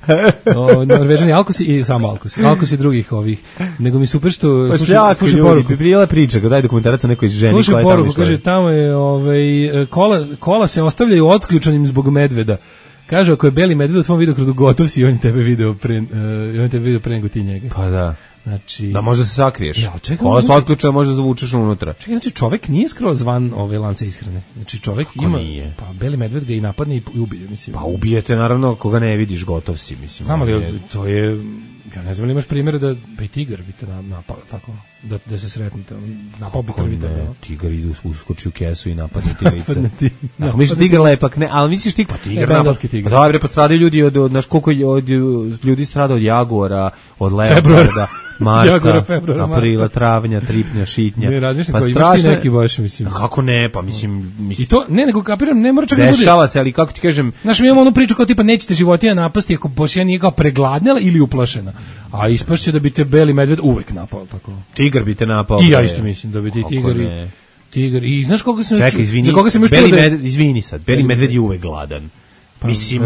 Norvežani, Alkosi i samo Alkosi. Alkosi drugih ovih. Nego mi super što pa slušaj poruku. Bi prijela priča, kad daj dokumentarac o nekoj ženi koja je tamo išla. Slušaj poruku, kaže, tamo je kola se ostavljaju otključanim zbog medveda. Kaže, ako je beli medved u tvom vidokrugu gotov si, on je tebe video pre nego ti njega. Pa da. Znači, da možda se sakriješ. Ja, kola se otključa, možda zavučeš unutra. Čekaj, znači čovek nije skroz van ove lance ishrane. Znači čovek kako ima, nije? Pa beli medved ga i napadne i ubije, mislim. Pa ubijete, naravno, koga ne vidiš, gotov si, mislim. Znam li, to je, ja ne znam li imaš primjere da bi tigar bi te napao, tako, da se sretnete, napao bi prvi tebe. Tigar ide uskoči u kesu i napadne ti lice. Ako misliš tigar lepak, ne, ali misliš tigar, pa tigar bengalski tigar. Dobre, pa stradaju ljudi znaš koliko ljudi strada od jaguara, od leoparda, marta, aprila, travnja, tripnja, šitnja. Ne, razmišljam koji imaš ti neki baš, mislim. Kako ne, pa mislim. I to, ne, nego kapiram, ne mora čak da bude. Dešava se, ali kako ti kažem. Znaš, mi imamo onu priču kao tipa nećete životinja napasti ako poslije nije kao pregladnela ili uplašena. A ispašće da bi te beli medved uvek napao, tako. Tigar bi te napao. I ja isto mislim da bi ti tigar i znaš koga sam čekaj, izvini, za koga sam izvini sad, beli medved je uvek gladan. Pa, mislim,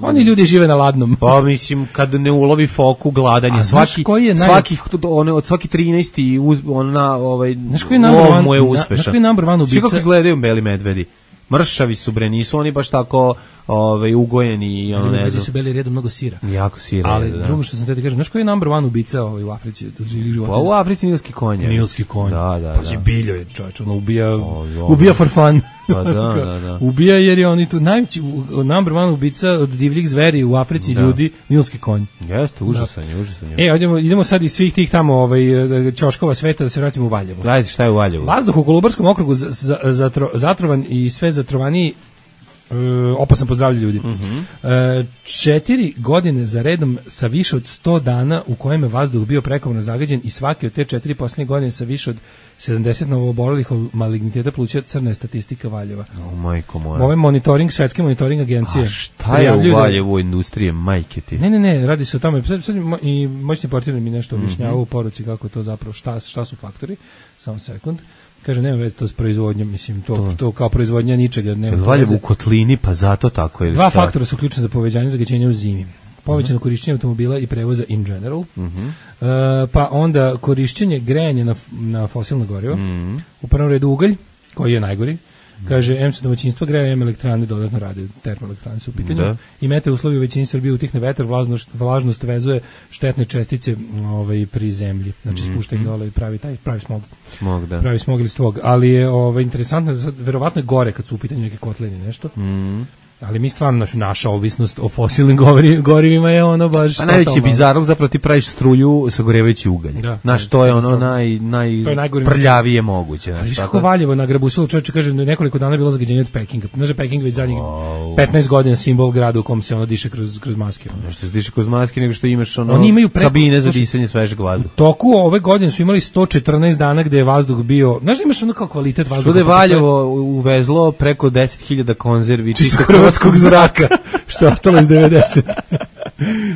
oni ljudi žive na ladnom. Pa mislim, kad ne ulovi foku, gladan je. Svaki 13. lov mu je uspešan. Znaš koji je number one ubica? Svi kako izgledaju beli medvedi. Mršavi su, bre, nisu oni baš tako ugojeni i ono, ne znam. Su beli redom mnogo sira. Jako sira. Ali drugo što sam te kažem, znaš koji je number one ubica u Africi od živih životinja? Pa u Africi nilski konj. Nilski konj. Da. Pa biljo je, čovječ, ono ubija for fun. Pa da. Ubija jer je oni tu najveći number one ubica od divljih zveri u Africi ljudi, nilski konj. Jeste, užasan je. Idemo sad iz svih tih tamo ćoškova sveta da se vratimo u Valjevo. Ajde, šta je u Valjevu? Vazduh u Kolubarskom okrugu zatrovan i sve zatrovaniji, opasan po zdravlje ljudi. 4 godine za redom sa više od 100 dana u kojem je vazduh bio prekomjerno zagađen i svake od te 4 posljednje godine sa više od 70 novoobolelih od maligniteta pluća, crna je statistika Valjeva. Majko moja. Ovo je monitoring, svetske monitoring agencije. A šta je u Valjevu industrije, majke ti? Ne, radi se o tome. Sad i moćni portir mi nešto objašnjavao u poruci kako to zapravo, šta su faktori. Samo sekund. Kaže, nema veze to s proizvodnjom, mislim, to kao proizvodnja ničega. Valjevo u kotlini, pa zato tako je. Dva faktora su ključni za povećanje zagađenja u zimi. Povećano korišćenje automobila i prevoza in general, pa onda korišćenje grejanja na fosilno gorivo, u prvom redu ugalj, koji je najgori, kaže, M se domaćinstva greje, M elektrane dodatno rade, termoelektrane su u pitanju, i mete uslovi u većini Srbije utihne vetar, vlažnost vezuje štetne čestice pri zemlji, znači spušta ih dole i pravi smog. Pravi smog ili stvog, ali je interesantno, verovatno je gore kad su u pitanju neke kotlini nešto, ali mi stvarno, naša ovisnost o fosilnim gorivima je ono baš... Pa najveći bizarog, zapravo ti praviš struju sagorevajući ugalj. Znaš, to je ono najprljavije moguće. Ali viš kako Valjevo nagrabusilo, čovječe kaže, nekoliko dana je bilo zagađenje od Pekinga. Znaš da Peking već zadnjih 15 godina simbol grada u kom se ono diše kroz maske. Nešto se diše kroz maske, nego što imaš kabine za disanje svežeg vazduha. Toku ove godine su imali 114 dana gde je vazduh bio... Znaš da imaš ono kao kvalitet vazduha? Što da je Valjevo uvezlo preko 10.000 konzervi hrvatskog zraka, što je ostalo iz 90.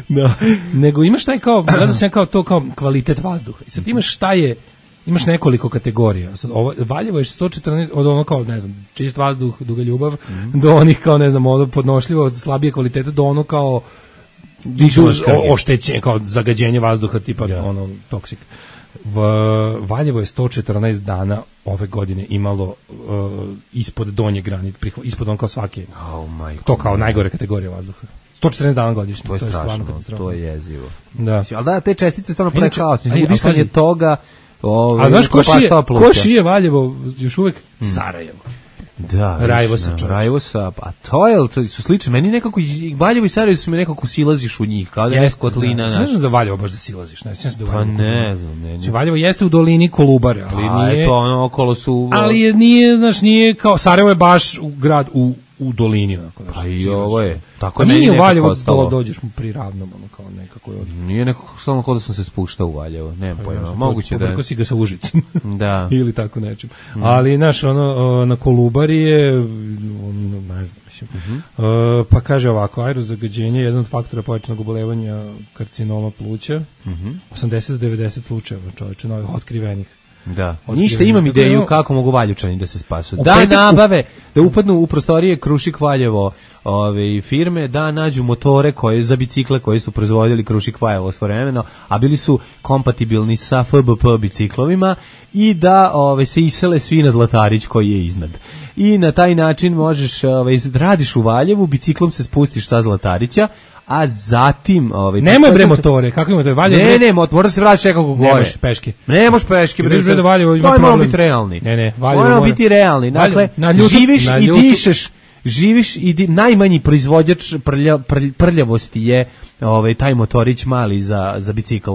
Da. Nego imaš taj kao, gledam se kao to kao kvalitet vazduha. I sad imaš imaš nekoliko kategorija. Sad Valjevo je 114 od ono kao, ne znam, čist vazduh, duga ljubav, do onih kao, ne znam, ono podnošljivo, slabije kvalitete, do ono kao oštećenje, kao zagađenje vazduha, tipa ono toksik. Valjevo je 114 dana ove godine imalo ispod donje granice, ispod on kao svake. To kao najgore kategorija vazduha. 114 dana godišnje. To je strašno, to je jezivo. Da. Ali da, te čestice stvarno pravi kaos. Udisanje toga... A znaš ko šije Valjevo još uvek? Sarajevo. Da, Rajvosa, a to su slične. Meni nekako Valjevo i Sarajevo su mi nekako silaziš u njih, kao da je kotlina. Ne znam za Valjevo baš da silaziš, ne znam se da Valjevo. Pa ne znam. Valjevo jeste u dolini Kolubare, ali nije. A to ono okolo su. Ali nije, znaš, nije kao Sarajevo je baš grad u dolini, onako. Pa i ovo je. Tako nije u Valjevo dođeš mu pri ravnom, ono kao nekako je. Nije nekako samo kao da sam se spuštao u Valjevo, nemam pojma. Moguće da. Kako si ga sa Užicom. Da. Ili tako nečim. Ali znaš, ono na Kolubari je, ne znam, mislim. Pa kaže ovako, aerozagađenje je jedan od faktora povećanog obolevanja karcinoma pluća. 80 do 90 slučajeva, čoveče, novih otkrivenih. Da. Ništa, imam ideju kako mogu Valjučani da se spasu. Da nabave, da upadnu u prostorije Krušik Valjevo firme, da nađu motore za bicikle koje su proizvodili Krušik Valjevo svojevremeno, a bili su kompatibilni sa FBP biciklovima i da se isele svi na Zlatarić koji je iznad. I na taj način možeš, radiš u Valjevu, biciklom se spustiš sa Zlatarića, a zatim nemoj bre motore, kako ima to Valjevo? Ne, moraš se vraćati nekako gore. Ne možeš peške. Ne možeš peške, bre. Moramo biti realni. Moramo biti realni. Dakle, živiš i najmanji proizvođač prljavosti je taj motorić mali za bicikl.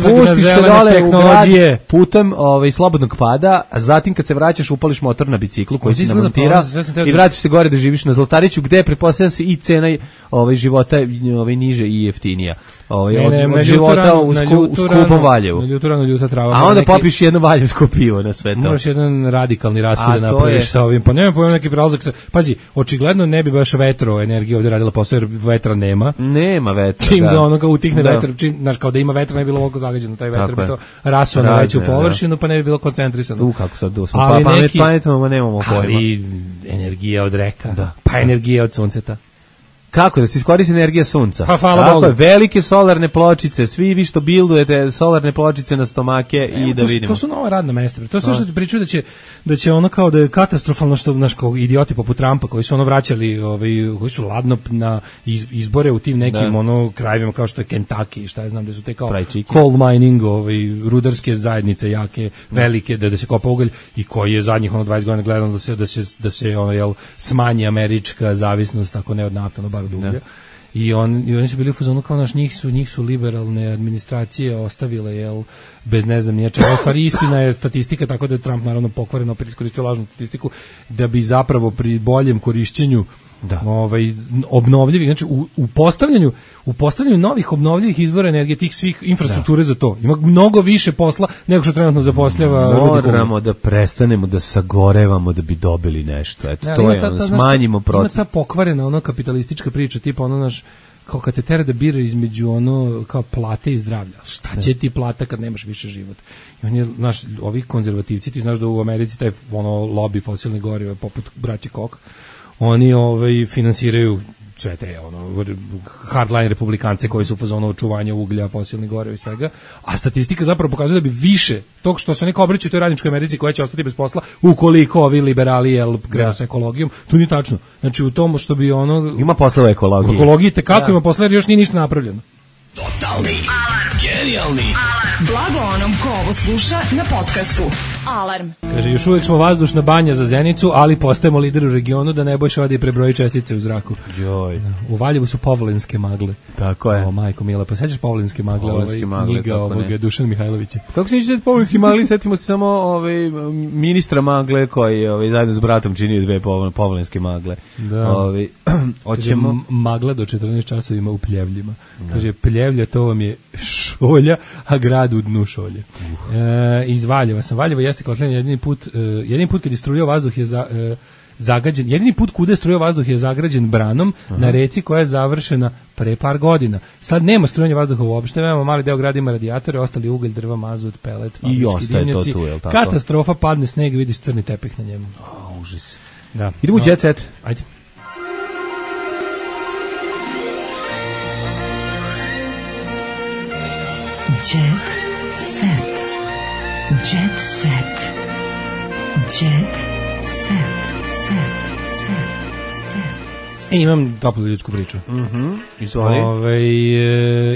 Spustiš se dole u grad putem slobodnog pada, a zatim kad se vraćaš upališ motor na biciklu koji si namontirao i vratiš se gore da živiš na Zlatariću, gde pretpostavljam se i cena života niže i jeftinija. Od života u skupom Valjevu. A onda popiš jedno valjevsko pivo na sve to. Moraš jedan radikalni raskid da napraviš sa ovim. Pa nema pojma neki prelazak. Pazi, očigledno ne bi baš vetroenergija ovdje radila posao, jer vetra nema. Nema vetra. Čim da ono kao utihne vetar, znaš, kao da ima vetra ne bi bilo ovako zagađeno, taj vetar bi to rasuo na veću površinu, pa ne bi bilo koncentrisano. Kako sad smo pametamo, nemamo pojma. Ali energija od reka, pa energija od sunceta. Kako da se iskoristi energija sunca? Pa hvala Bogu. Velike solarne pločice, svi vi što bildujete solarne pločice na stomake i da vidimo. To su nova radna mesta. To su što pričaju da će ono kao da je katastrofalno što naš kao idioti poput Trumpa koji su ono vraćali, koji su ladno na izbore u tim nekim krajevima kao što je Kentucky, šta ja znam da su te kao coal mining, rudarske zajednice jake, velike da se kopa ugalj i koji je zadnjih 20 godina gledano da se smanji američka zavisnost ako ne od nafte, bar od uglja. I oni su bili u fazonu kao njih su liberalne administracije ostavile bez ne znam nečega. Istina je statistika, tako da je Trump naravno pokvareno opet iskoristio lažnu statistiku da bi zapravo pri boljem korišćenju obnovljivih, znači u postavljanju novih obnovljivih izvora energije, tih svih infrastrukture za to. Ima mnogo više posla nego što trenutno zapošljava. Moramo da prestanemo da sagorevamo da bi dobili nešto. Eto, to je smanjimo proces. Ima ta pokvarena kapitalistička priča, tipa kao kad te tera da bira između kao plate i zdravlja. Šta će ti plata kad nemaš više život? I on je, ovi konzervativci, ti znaš da u Americi taj lobby fosilnih goriva poput braće Koch, oni finansiraju sve te hardline republikance koji su u fazonu očuvanja uglja, fosilnih goriva i svega, a statistika zapravo pokazuje da bi više tog što se neko obraća u toj radničkoj Americi koja će ostati bez posla ukoliko ovi liberali krenu sa ekologijom, to nije tačno. Znači u tomu što bi ima posla u ekologiji. U ekologiji tekako ima posla jer još nije ništa napravljeno. Totalni alarm. Genijalni alarm. Blago onom ko ovo sluša na podcastu. Alarm. Kaže, još uvijek smo vazdušna banja za Zenicu, ali postajemo lider u regionu da Nebojša ode i prebroji čestice u zraku. Joj. U Valjevu su povlinske magle. Tako je. O, majko mila, pa sećaš povlinske magle, knjiga ovoga Dušan Mihajlovića. Kako se neće povlinski magli, setimo se samo ministra magle koji zajedno s bratom činio dve povlinske magle. Da. Hoćemo magla do 14 časovima u Pljevljima. Kaže, Pljevlja to vam je šolja, a grad u dnu šolje. Iz Valjeva sam. Valjevo jeste kotljen jedini put kad je strujao vazduh je zagađen. Jedini put kuda je strujao vazduh je zagrađen branom na reci koja je završena pre par godina. Sad nema strujanja vazduha uopšte, imamo mali deo grada ima radijatore, ostali ugalj, drva, mazut, pelet, i ostaje to tu, je li tako? Katastrofa, padne sneg, vidiš crni tepih na njemu. Užas. Da. Idemo u Jet Set. Ajde. Jet Set. Jet Set. Jet Set. Imam toplu ljudsku priču. Izvoli.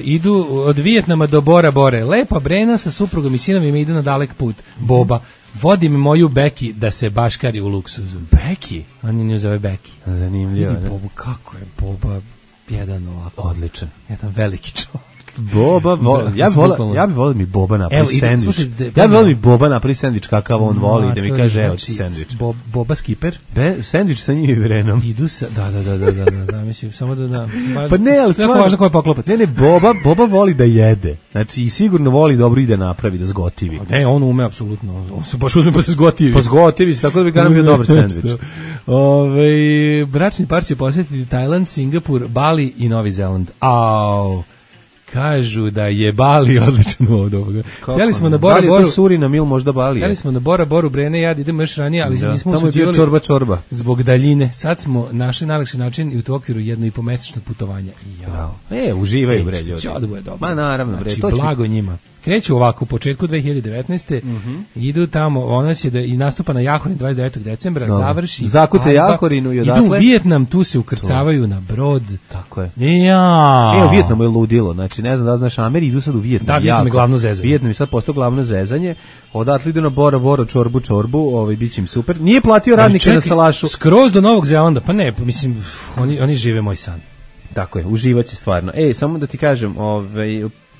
Idu od Vijetnama do Bora Bore. Lepa Brena sa suprugom i sinovima ide na dalek put. Boba. Vodi mi moju Beki da se baškari u luksuzu. Beki? On nju zove Beki. Zanimljivo. Bobu, kako je Boba jedan ovako. Odličan. Jedan veliki čovjek. Boba, ja bih volio mi Boba napravi sendvič. Ja bih volio mi Boba napravi sendvič kakav on voli, da mi kaže evo ti sendvič. Boba Skipper? Sendvič sa njim i Vrenom. Idu sa, da, mislim, samo da. Pa ne, ali stvarno. Jako važno ko je poklopac. Ne, Boba voli da jede. Znači, i sigurno voli dobro i da napravi, da zgotivi. Ne, on ume apsolutno. On se baš uzme pa se zgotivi. Pa zgotivi se, tako da bi ga nam bio dobar sendvič. Bračni par će posjetiti Tajland, Singapur, Bali i Novi Zeland. Kažu da je Bali odličan od ovoga. Htjeli smo na Bora Da li je Boru. to Surinam ili možda Bali? Htjeli smo na Bora Boru, Brene, ja idemo još ranije, ali nismo tamo je bio usuđivali čorba. zbog daljine. Sad smo našli najlakši način i u to okviru 1,5-mesečnog putovanja. Uživaju bre ljudi. Će da bude dobro. Ma naravno bre, znači, to će blago njima. Kreću ovako u početku 2019. Idu tamo, ona će da i nastupa na Jahorin 29. decembra, završi. Zakuca Jahorinu i odatle. Idu u Vijetnam, tu se ukrcavaju na brod. Tako je. Ja. U Vijetnamu je ludilo, znači ne znam da znaš, Ameri idu sad u Vijetnam. Da, Vijetnam je glavno zezanje. Vijetnam je sad postao glavno zezanje. Odatle idu na Bora, čorbu, biće im super. Nije platio radnike na salašu. Skroz do Novog Zelanda, pa ne, mislim, oni žive moj san. Tako je, uživaće stvarno. Samo da ti kažem,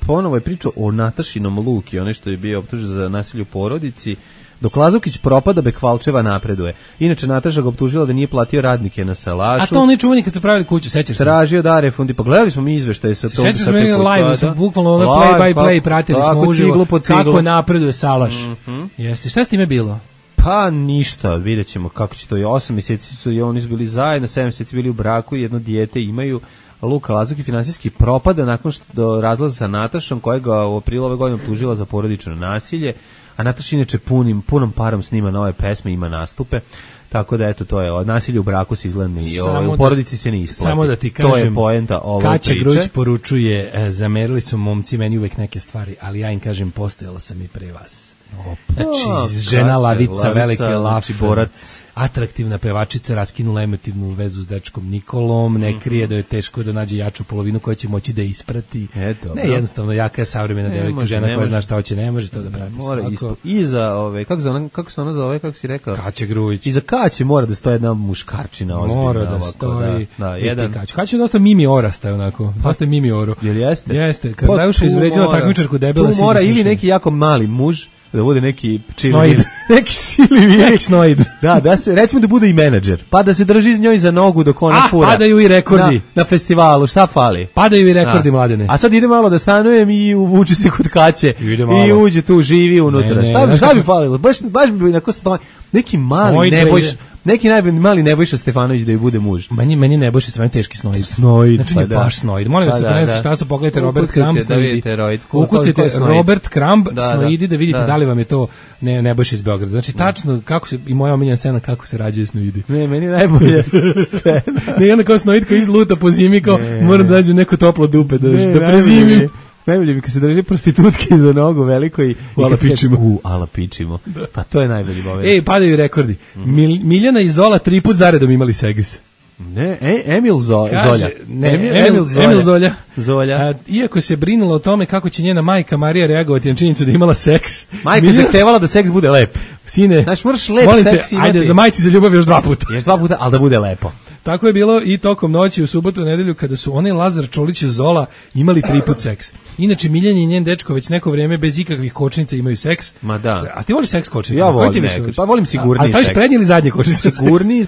ponovo je priča o Natašinom Luki, onaj što je bio optužen za nasilje u porodici. Dok Lazukić propada, Bekvalčeva napreduje. Inače, Nataša ga optužila da nije platio radnike na salašu. A to onaj čuveni kad su pravili kuću, sećaš se? Tražio da refundi, pa gledali smo mi izveštaje sa tom. Sećaš se meni live, sam bukvalno play by play, pratili smo uživo kako napreduje salaš. Jeste, šta s time bilo? Pa ništa, vidjet ćemo kako će to. 8 mjeseci su i oni bili zajedno, 7 mjeseci bili u braku, jedno dijete imaju. Luka Lazuki finansijski propada nakon što razlaza sa Natašom, koja ga u aprilu ove godine optužila za porodično nasilje, a Nataša inače punom parom snima nove pesme, ima nastupe, tako da eto, to je nasilje u braku se izgleda i u porodici se ne isplati. Samo da ti kažem, to je poenta ove priče. Kaća Gruć poručuje, zamerili su momci meni uvek neke stvari, ali ja im kažem, postojala sam i pre vas. Znači, žena lavica, velike lafe, borac, atraktivna pevačica, raskinula emotivnu vezu s dečkom Nikolom, ne krije da je teško da nađe jaču polovinu koja će moći da isprati. Ne, jednostavno, jaka je savremena devojka, žena koja zna šta hoće, ne može to da prati. I za kako se ona zove, kako si rekao? Kaća Grujić. I za Kaće mora da stoji jedna muškarčina ozbiljna. Mora da stoji. Jedan. Kaća je dosta Mimi Orasta, onako. Dosta Mimi Oro. Jel jeste? Jeste. Kad Dajuša izvređala takmičarku debela. Tu mora ili neki jako mali muž, da bude neki snoid. Da se recimo da bude i menadžer, pa da se drži iz njoj za nogu dok ona fura. Padaju i rekordi na festivalu, šta fali? Padaju i rekordi, Mladene. A sad ide malo da stanujem i uvuče se kod Kaće i uđe tu, živi unutra. Šta bi falilo? Baš bi onako neki mali mali Nebojša Stefanović da je bude muž. Meni Nebojša Stefanović teški snoid. Znači on je baš snoid. Molim vas, ako ne znate šta su, pogledajte Robert Crumb snoidi. Ukucajte Robert Crumb snoidi da vidite da li vam je to Nebojša iz Beograda. Znači tačno kako se, i moja omiljena scena kako se rađaju snoidi. Ne, meni najbolja scena. Ne, onda kao snoid koji luta po zimi, kao moram da nađem neko toplo dupe da prezimim. Najbolje mi kad se drži prostitutke za nogu veliko i ala pičimo. Pa to je najbolji moment. Padaju rekordi. Miljana i Zola 3 put zaredom imali seks. Ne, Emil Zolja. Emil Zolja. Iako se brinulo o tome kako će njena majka Marija reagovati na činjenicu da imala seks. Majka zahtevala da seks bude lep. Sine, znači moraš lep seks imati. Ajde, za majci za ljubav još 2 puta. Još 2 puta, ali da bude lepo. Tako je bilo i tokom noći u subotu i nedelju kada su one Lazar Čolić i Zola imali 3 put seks. Inače, Miljan i njen dečko već neko vrijeme bez ikakvih kočnica imaju seks. Ma da. A ti voliš seks kočnica? Ja volim nekad. Pa volim sigurniji seks. Ali to je prednji ili zadnji kočnica? Sigurniji,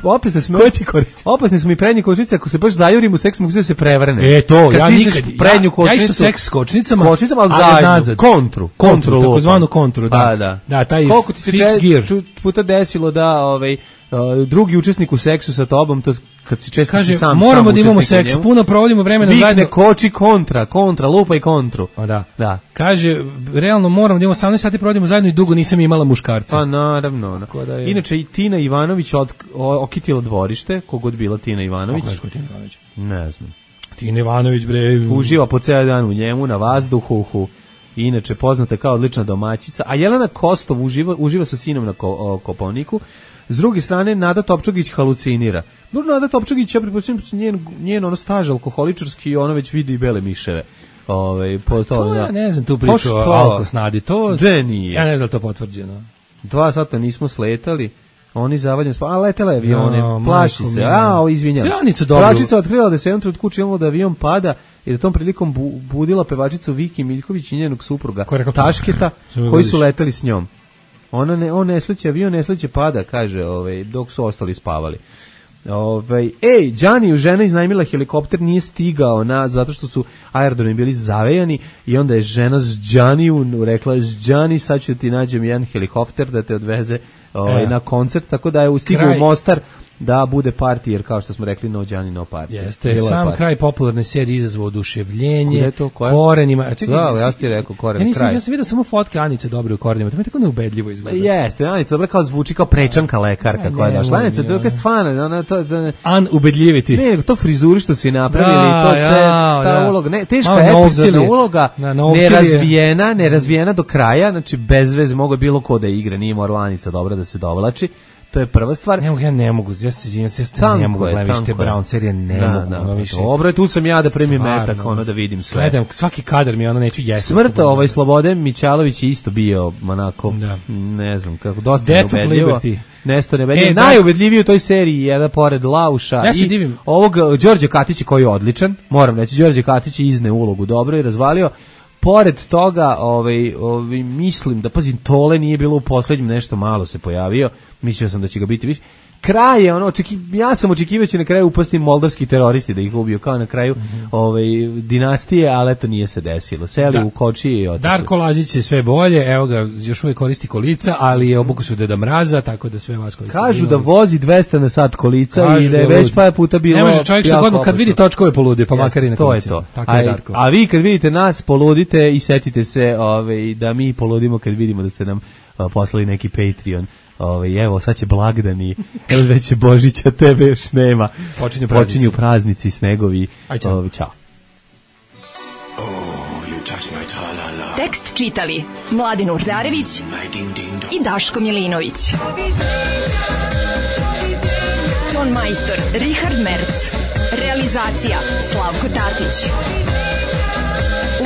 pa opasne smo. Koje ti koristi? Opasne smo i prednji kočnice, ako se baš zajurim u seks, mogu se prevrne. To, ja nikad. Prednju kočnicu. Ja isto seks s kočnicama. Ali zajedno. Kontru. Takozvanu kontru, da. Da, taj fix gear. Puta desilo da drugi učesnik u seksu sa tobom, to kad si često kaže, sam moramo da imamo seks, puno provodimo vremena zajedno. Vikne koči kontra, lupa i kontru. Da. Kaže, realno moramo da imamo 18 sati provodimo zajedno i dugo nisam imala muškarca. Pa naravno. Inače i Tina Ivanović okitila dvorište, kogod bila Tina Ivanović. Kako je Tina Ivanović? Ne znam. Tina Ivanović, bre. Uživa po ceo dan u njemu, na vazduhu. Inače poznata kao odlična domaćica. A Jelena Kostov uživa sa sinom na Kopaoniku. S druge strane, Nada Topčagić halucinira. Nada Topčagić, ja pretpostavljam, njen staž alkoholičarski, ona već vidi i bele miševe. Ja ne znam tu priču o alkosnadi. Nije. Ja ne znam to potvrđeno. 2 sata nismo sletali. Oni zavaljeni letela je avione, plaši se, izvinjam se. Pevačica otkrila da se jednom trenutku učinilo da avion pada i da tom prilikom budila pevačicu Viki Miljković i njenog supruga Tašketa, koji su letali s njom. On nesleće, avion nesleće pada, kaže, dok su ostali spavali. Đaniju žena iznajmila helikopter, nije stigao zato što su aerodromi bili zavejani i onda je žena s Đaniju rekla, Đani, sad ću ti nađem jedan helikopter da te odveze na koncert, tako da je stigao u Mostar da bude party, jer kao što smo rekli, no Gianni, no party. Jeste, sam kraj popularne serije izazvao oduševljenje, to, korenima. Ja ti rekao koren, kraj. Ja sam vidio samo fotke Anice Dobre u korenima, to mi je tako neubedljivo izgleda. Jeste, Anica Dobre kao zvuči kao prečanka lekarka koja je došla. Anica, to je stvarno, ubedljiviti. Ne, to frizuri što su i napravili, to sve, ta uloga, ne, teška epizodna uloga, nerazvijena do kraja, znači bez veze, mogo je bilo ko da igra, nije morala Anica Dobra da se dovlači. To je prva stvar. Ja ne mogu, ja ne mogu gledati te Brown serije, ne mogu. Više. Dobro, tu sam ja da primim metak, da vidim sve. Gledam, svaki kadar mi neću jesti. Smrt Slobode Mićalović je isto bio onako, ne znam, kako dosta neubedljivo. Nestor Nebedljiv. Najubedljiviji u toj seriji je pored Lauša i ovog Đorđe Katića koji je odličan, moram reći, Đorđe Katić je izne ulogu dobro i razvalio. Pored toga, mislim da, pazim, Tole nije bilo u poslednjem, nešto malo se pojavio, mislio sam da će ga biti više. Kraj je ja sam očekivao će na kraju upasti moldavski teroristi da ih ubiju kao na kraju dinastije, ali eto nije se desilo. Seli u kočiji i otišli. Darko Lazić je sve bolje, evo ga, još uvijek koristi kolica, ali je obuku su Deda Mraza, tako da sve vas koristi. Kažu da vozi 200 na sat kolica i da je već pa puta bilo. Ne može čovjek što godinu kad vidi točkove poludi, pa makar i na kolicima. To je to. Tako je Darko. A vi kad vidite nas poludite i setite se da mi poludimo kad vidimo da ste nam poslali neki Patreon. Evo, sad će blagdani, evo već će Božića, tebe još nema. Počinju praznici, snegovi. Ćao. Tekst čitali Mladin Urdarević i Daško Milinović. Ton majstor Richard Merc. Realizacija Slavko Tatić.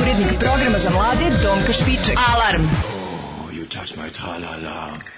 Urednik programa za mlade Donka Špiček. Alarm! You touch my tra-la-la.